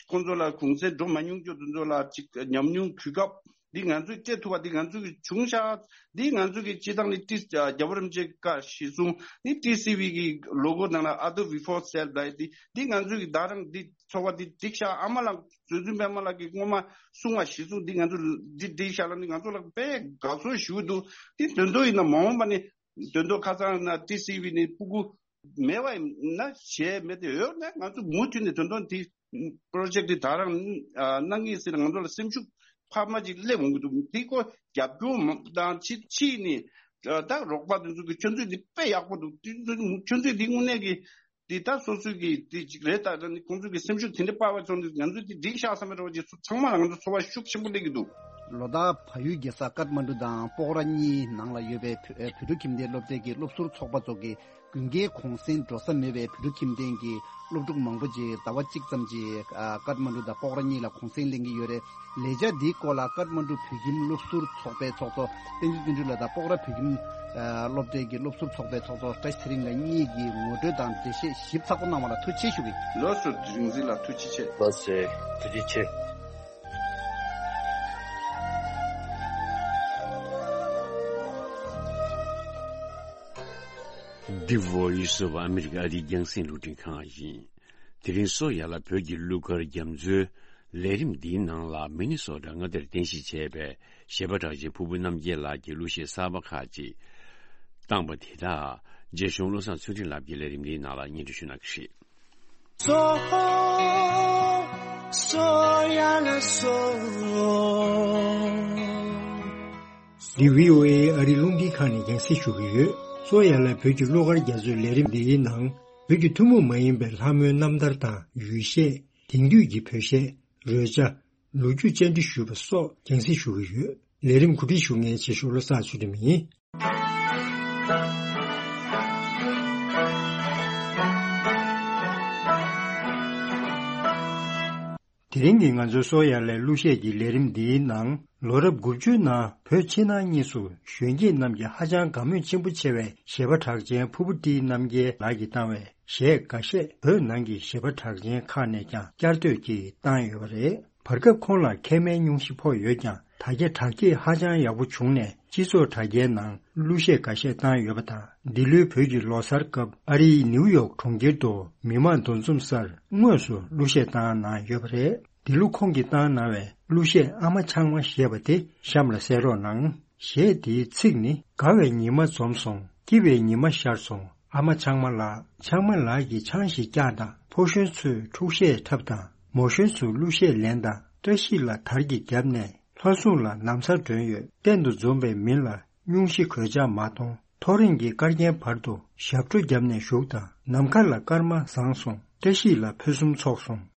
ཁོང་ཚོ་ལ་གུང་སེང་འགྲོ་མ་མྱོང་རྒྱུ་དེ་ཚོ་ལ་ཅིག་ཉམས་མྱོང་གོ་སྐབས་འདི་ང་ཚོས་སྤྲད་ཐུབ་པ་འདི་ང་ཚོ་གི་བྱུང་ཤག་འདི་ང་ཚོ་གི་སྤྱིར་བཏང་ནི་ཏི་རྒྱལ་བ་རིན་པོ་ཆེ་བཀའ་གཞིར་བཟུང་ནི་ཊི་སི་ཝི་གི་ལོ་གོ་ནང་ལ་Other We Fought Self ལབ་ཡ་འདི་འདི་ང་ཚོ་གི་ད་རང་འདི་ཚོར་བ་འདི་འགྲིག་ཤག་ཨ་མ་ལགས་བཟོ་ཚུལ་པད་མ་ལགས་ཀྱིས་སྔོན་མ་གསུང་བ་གཞིར་བཟུང་འདི་ང་ཚོ་འདི་འགྲིག་ཤག་ལ་ནི་ང་ཚོ་ལ་དཔེ་དགའ་ཚོར་ཞུ་འདུག་འདི་དོན་དུ་ཡིན་ན་མ་འོངས་པ་ནི་དོན་དུ་ཁ་སང་ན་ཊི་སི་ཝི་ནི་སྤུ་གུ་མེད་པ་ཡིན་ན་གཞས་མེད་དེ་ཡོད་ན་ང་ཚོ་མུ་མཐུད་ནས་དོན་དུ་འདི་པོ་རོ་ཇེག་འདི་ད་རང་གནང་གི་ཟེར་ང་ཚོ་ལ་སེམས་ཤུགས་འཕར་མ་ཅིག་སླེབས་འོང་གི་འདུག་འདི་ཀོ་རྒྱབ་སྐྱོར་དང་ཕྱི་ཕྱི་ནས་ད་རོགས་པ་དེ་ཚོ་གི་ཁྱོད་ཚོས་འདི་དཔེ་ཡག་པོ་འདུག་འདི་ཁྱོད་ཚོས་འདི་དངོས་གནས་ཀྱི་འདི་ད་སོ་སོའི་གི་འདི་ཅིག་རེད། ད་ནི་ཁོང་ཚོ་གི་སེམས་ཤུགས་དེ་འདྲ་སྤར་བ་བྱུང་འདུག་ང་ཚོས་འདི་འགྲིག་ཤག་བསམ་པའི་རོགས་ཀྱི་ཚོ་ཚང་མ་ལ་ང་ཚོ་ཚོར་བ་ཤུགས་ཆེན་པོ་སླེབས་ཀྱི་འདུག་ལོ་ལྟར་བལ་ཡུལ་རྒྱལ་ས་ཀཏ་མན་ཌུ་དང་པོག་ར་གཉིས་ནང་ལ་ཡོད་པའི་བོད་ཨ་བོད་ཕྲུག་ཁྱིམ་སྡེའི་སློབ་གྲྭའི་གི་སློབ་ཟུར་ཚོགས་པ་ཚོ་གི་དགུན་ཁའི་གུང་སེང་འགྲོ་ས་མེད་པའི་བོད་ཕྲུག་ཁྱིམ་སྡེའི་གི་སློབ་ཕྲུག་མང་པོ་ཅིག་ཟླ་བ་གཅིག་ཙམ་ཅིག་ཨ་ཀཏ་མན་ཌུ་དང་པོག་ར་གཉིས་ལ་གུང་སེང་ལེན་གྱི་ཡོད་རེད། ལས་འཆར་འདིའི་སྐོར་ལ་ཀཏ་མན་ཌུ་བོད་ཁྱིམ་སློབ་ཟུར་ཚོགས་པའི་ཚོགས་གཙོ་བསྟན་འཛིན་བརྩོན་འགྲུས་ལགས་དང་པོག་ར་བོད་ཁྱིམ་ཨ་སློབ་གྲྭའི་གི་སློབ་ཟུར་ཚོགས་པའི་ཚོགས་གཙོ་བཀྲ་ཤིས་ཚེ་རིང་ལགས་གཉིས་ཀྱིས་ངོ་སྤྲོད་དང་འགྲེལ་བཤད་ཞིབ་ཚགས་པོ་གནང་བ་ལ་ཐུགས་རྗེ་ཆེ་ཞུ་གི། ལགས་སོ། རིག་འཛིན་ལགས་ཐུགས་རྗེ་ཆེ། ལགས་སོ། ཐུགས་རྗེ་ཆེ། འདི་Voice of America ཨ་རིའི་རྒྱང་སྲིང་རླུང་འཕྲིན་ཁང་ཡིན། དེ་རིང་སོ་ཡ་ལ་བོད་ཀྱི་གླུ་གར་རྒྱ་མཚོའི་ལས་རིམ་འདིའི་ནང་ལ་མི་ནི་སོ་ཊ་མངའ་སྡེར་རྟེན་གཞི་བྱས་པའི་གཞས་པ་གྲགས་ཅན་ཕུར་བུ་རྣམ་རྒྱལ་ལགས་ཀྱིས་གླུ་གཞས་གསར་པ་ཁག་ཅིག་བཏང་པ་དེ་དག་རྗེ་གཞུང་བློ་བཟང་ཚུལ་ཁྲིམས་ལགས་ཀྱིས་ལས་རིམ་འདིའི་ནང་ལ་སྙན་སྒྲོན་ཞུ་གནང་གི་རེད། སོ་སོ་ཡ་ལ་སོ། འདི་བྷི་ཨོ་ཨེ་ཨ་རིའི་རླུང་འཕྲིན་ཁང་ནས་རྒྱང་སྲིང་ཞུ་གི་ཡོད། སོ་ཡ་ལ་བོད་ཀྱི་གླུ་གར་རྒྱ་མཚོའི་ལས་རིམ་འདིའི་ནང་བོད་ཀྱི་ཐུན་མོང་མ་ཡིན་པའི་ལྷ་མོའི་རྣམ་ཐར་དང་ཡུལ་གཞས། དེང་དུས་ཀྱི་བོད་གཞས། རོལ་ཆ། ལོ་རྒྱུས་བཅར་འདྲི་ཞུས་པ་སོགས་རྒྱང་སྲིང་ཞུ་གི་ཡོད། ལས་རིམ་གོ་སྒྲིག་ཞུ་མཁན་ཆེ་ཤོས་བློ་བཟང་ཚུལ་ཁྲིམས་ཡིན། དེ་རིང་གི་ང་ཚོའི་སོ་ཡ་ལའི་གླུ་གཞས་ཀྱི་ལས་རིམ་འདིའི་ནང་ལོ་རབས་དགུ་བཅུའི་ནང་བོད་ཕྱི་ནང་གཉིས་སུ་གཞོན་སྐྱེས་རྣམས་ཀྱིས་ཧ་ཅང་དགའ་མོས་ཆེན་པོ་ཆེ་བའི་གཞས་པ་གྲགས་ཅན་ཕུར་བུ་ཊི་རྣམ་རྒྱལ་ལགས་ཀྱིས་བཏང་བའི་གཞས་འགའ་ཤས་བོད་ནང་གི་གཞས་པ་གྲགས་ཅན་ཁག་ནས་ཀྱང་བསྐྱར་ཟློས་ཀྱིས་བཏང་ཡོད་པ་རེད། བར་སྐབས་ཁོང་ལ་མཁལ་མའི་སྙུང་གཞི་ཕོག་ཡོད་ཀྱང་དྲ་རྒྱ་དྲག་སྐྱེད་ཧ་ཅང་ཡག་པོ་བྱུང་ནས་སྤྱི་ཚོགས་དྲ་རྒྱའི་ནང་གླུ་གཞས་འགའ་ཤས་བཏང་ཡོད་པ་དང་། འདི་ལོའི་བོད་ཀྱི་ལོ་གསར་སྐབས་ཨ་རིའི་ནིའུ་ཡོག་གྲོང་ཁྱེར་དུ་མི་མང་འདུ་འཛོམས་སར་དངོས་སུ་གླུ་གཞས་བཏང་གནང་ཡོད་པ་རེད། འདི་ལོ་ཁོང་གིས་བཏང་གནང་བའི་གླུ་གཞས་ཨ་མ་ཆང་མ་ཞེས་པ་དེ་གཤམ་ལ་གསན་རོགས་གནང་། གཞས་དེའི་ཚིག་ནི། དགའ་བའི་ཉི་མ་འཛོམས་སོང་། སྐྱིད་པའི་ཉི་མ་ཤར་སོང་། ཨ་མ་ཆང་མ་ལགས། ཆང་མ་ལགས་ཀྱིས་ཆང་ཞིག་བཀྱག་དང་། ཕོ་གཞོན་ཚོས་འཁྲུག་གཞས་འཁྲབ་དང་། མོ་གཞོན་ཚོས་གླུ་གཞས་ལེན་དང་། བཀྲ་ཤིས་ལ་དར་གྱིས་བརྒྱབ་ནས་ལྷ་སྲུང་ལ་ན་བཟའ་སྒྲོན་ཡོད། གཏན་དུ་འཛོམས་པའི་མི་ལ་སྙུང་གཞི་གོད་ཆག་མ་གཏོང་། ཐོ་རེངས་ཀྱི་སྐར་རྒྱན་བར་དུ་ཞབས་བྲོ་བརྒྱབ་ནས་བཞུགས་དང་། ནམ་མཁའ་ལ་སྐར་མ་བཟང་སོང་། བཀྲ་ཤིས་ལ་ཕུན་སུམ་ཚོགས་སོང་།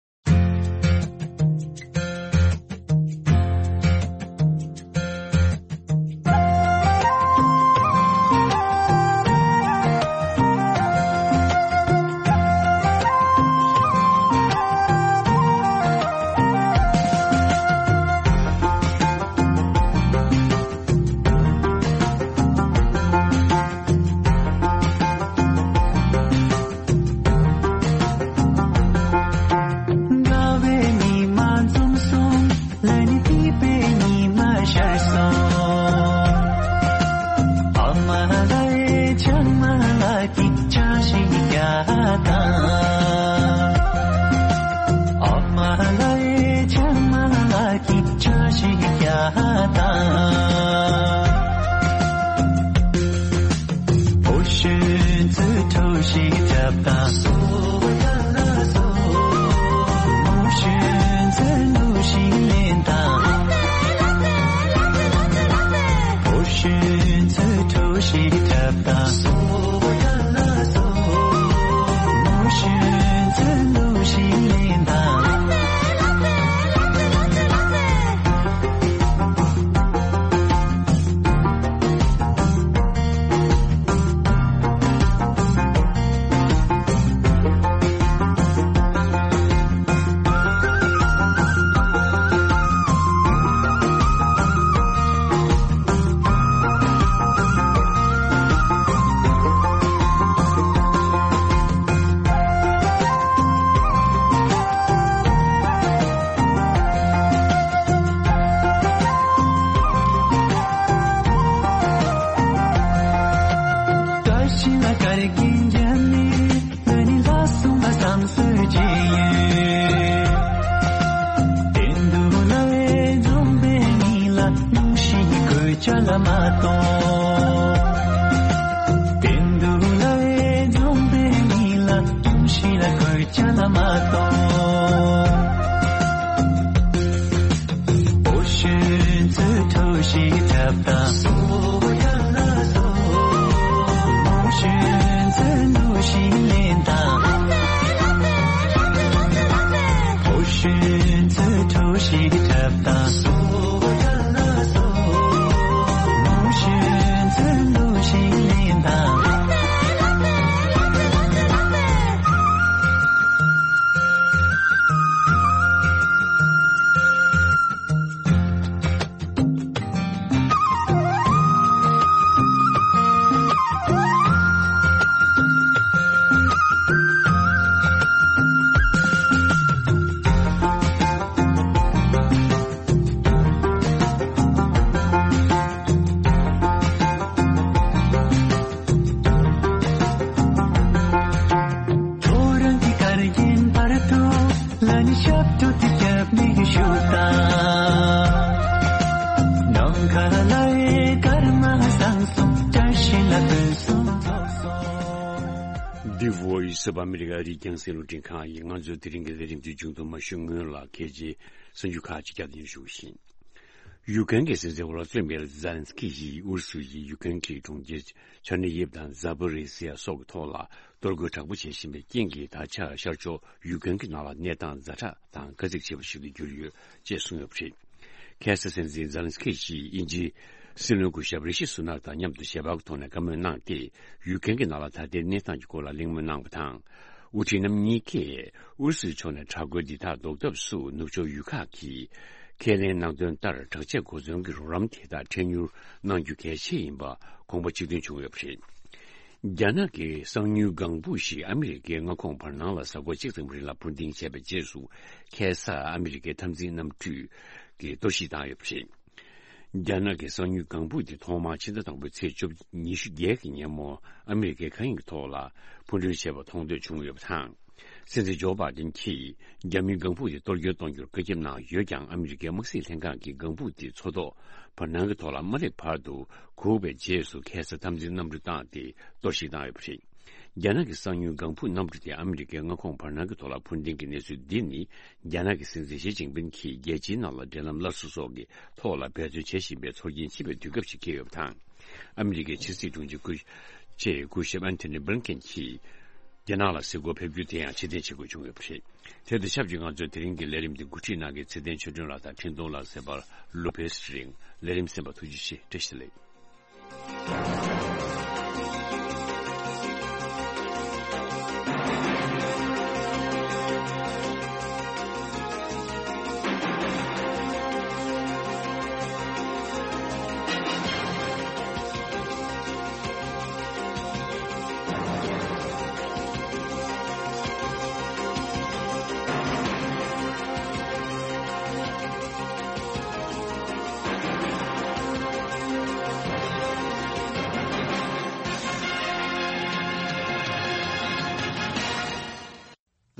The Voice of America རིགས་རྒྱང་སྲིང་རླུང་འཕྲིན་ཁང་ཡིན། ང་ཚོའི་དེ་རིང་གི་ལས་རིམ་འདི་མཇུག་ཏུ་མ་ཞུགས་སྔོན་ལ་གལ་ཆེའི་གསར་འགྱུར་ཁག་ཅིག་བསྐྱར་ཟློས་ཞུ་བཞིན། ཡུཀ་རེན་གྱི་སྲིད་འཛིན་ཝོ་ལོ་ཙི་མིར་ཛེ་ལན་སི་ཀི་ཡིས་ཨུ་རུ་སུ་ཡིས་ཡུཀ་རེན་གྱི་གྲོང་ཁྱེར་ཆར་ནི་ཡིབ་དང་ཛཱ་པོ་རི་སི་ཡ་སོགས་ཀྱི་ཐོག་ལ་གཏོར་རྒོལ་དྲག་པོ་བྱེད་བཞིན་པའི་རྐྱེན་གྱིས། ད་ཆ་ཤར་ཕྱོགས་ཡུཀ་རེན་གྱི་ནང་ལ་གནས་སྟངས་ཛ་དྲག་དང་དཀའ་ཚེགས་ཆེ་བ་ཞིག་ཏུ་གྱུར་ཡོད་ཅེས་གསུངས་ཡོད་པ་རེད། ཁ་སང་སྲིད་འཛིན་ཛེ་ལན་སི་ཀི་ཡིས་དབྱིན་ཇིའི་སྲིད་བློན་སྐུ་ཞབས་རི་ཤི་སུ་ནག་དང་མཉམ་དུ་ཞལ་པར་གྱི་ཐོག་ནས་བཀའ་མོལ་གནང་སྟེ། ཡུཀ་རེན་གྱི་ནང་ལ་ད་ལྟའི་གནས་སྟངས་ཀྱི་སྐོར་ལ་གླེང་མོལ་གནང་བ་དང་། དབུ་ཁྲིད་རྣམ་གཉིས་ཀས་ཨུ་རུ་སུའི་ཕྱོགས་ནས་དྲག་རྒོལ་འདི་དག་ཟློག་ཐབས་སུ་ནུབ་ཕྱོགས་ཡུལ་ཁག་གིས་ཁས་ལེན་གནང་དོན་ལྟར་དྲག་ཆས་གོ་མཚོན་གྱི་རོགས་རམ་དེ་དག་འཕྲལ་མྱུར་གནང་རྒྱུ་གལ་ཆེ་ཡིན་པ་དགོངས་པ་གཅིག་མཐུན་བྱུང་ཡོད་པ་རེད། རྒྱ་ནག་གི་གསང་ཉུལ་ལྒང་ཕུག་ཞིག་ཨ་མི་རི་ཀའི་མངའ་ཁོངས་བར་སྣང་ལ་གཟའ་འཁོར་གཅིག་ཙམ་རིང་ལ་འཕུར་ལྡིང་བྱས་པའི་རྗེས་སུ། ཁ་སང་ཨ་མི་རི་ཀའི་འཐབ་འཛིང་གནམ་གྲུས་ཀྱིས་གཏོར་བཤིག་བཏང་ཡོད་པ་རེད། རྒྱ་ནག་གི་གསང་ཉུལ་ལྒང་ཕུག་དེ་ཐོག་མར་ཕྱི་ཟླ་དང་པོའི་ཚེས་བཅུ་ཉི་ཤུ་བརྒྱད་ཀྱི་ཉིན་མོ་ཨ་མི་རི་ཀའི་མཁའ་དབྱིངས་ཀྱི་ཐོག་ལ་འཕུར་འགྲུལ་བྱས་པ་མཐོང་ཐོས་བྱུང་ཡོད་པ་དང་། སྲིད་འཛིན་ཇོ་བྷའི་ཏིན་གྱིས་རྒྱ་མིའི་ལྒང་ཕུག་དེ་གཏོར་སྐྱོན་གཏོང་རྒྱུར་བཀའ་ཁྱབ་གནང་ཡོད་ཀྱང་། ཨ་མི་རི་ཀའི་དམག་སྲིད་ལྷན་ཁང་གིས་ལྒང་ཕུག་དེ་མཚོ་ཐོག་བར་སྣང་གི་ཐོག་ལ་མ་སླེབས་བར་དུ་སྒུག་པའི་རྗེས་སུ་ཁ་སང་འཐབ་འཛིང་གནམ་གྲུ་བཏང་སྟེ་གཏོར་བཤིག་བཏང་ཡོད་པ་རེད། རྒྱ་ནག་གི་གསང་ཉུལ་ལྒང་ཕུག་གནམ་གྲུ་དེ་ཨ་མི་རི་ཀའི་མངའ་ཁོངས་བར་སྣང་གི་ཐོག་ལ་འཕུར་ལྡིང་གི་གནས་ཚུལ་འདི་ནི། རྒྱ་ནག་གི་སྲིད་འཛིན་ཞི་ཅིན་ཕིན་གྱིས་རྒྱལ་སྤྱིའི་ནང་ལ་འབྲེལ་ལམ་སླར་གསོ་སོགས་ཀྱི་ཐོག་ལ་འབད་བརྩོན་བྱེད་བཞིན་པའི་ཚོར་སྐྱེན་ཆེ་བའི་དུས་སྐབས་ཤིག་འཁེལ་ཡོད་པ་དང་། ཨ་མི་རི་ཀའི་ཕྱི་སྲིད་དྲུང་ཆེ་སྐུ་ཆེ་སྐུ་ཞབས་ཨན་ཐོ་ནི་བྷི་ལིན་ཀེན་གྱིས། རྒྱ་ནག་ལ་གཟིགས་སྐོར་ཕེབས་རྒྱུ་དེ་ཡང་ཕྱིར་འཐེན་བྱེད་དགོས་བྱུང་ཡོད་པ་རེད། དེ་དང་ཆབས་ཅིག་ང་ཚོས་དེ་རིང་གི་ལས་རིམ་འདི་འགོ་ཁྲིད་གནང་མཁན་ཚེ་བརྟན་ཆོས་སྒྲོན་ལགས་དང་འཕྲིན་གཏོང་ལག་ཟེར་བར་ལོ་པེ་སི་རིང་། ལས་རིམ་གསན་པར་ཐུགས་རྗེ་ཆེ། བཀྲ་ཤིས་བདེ་ལེགས།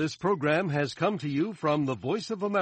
This program has come to you from the Voice of America.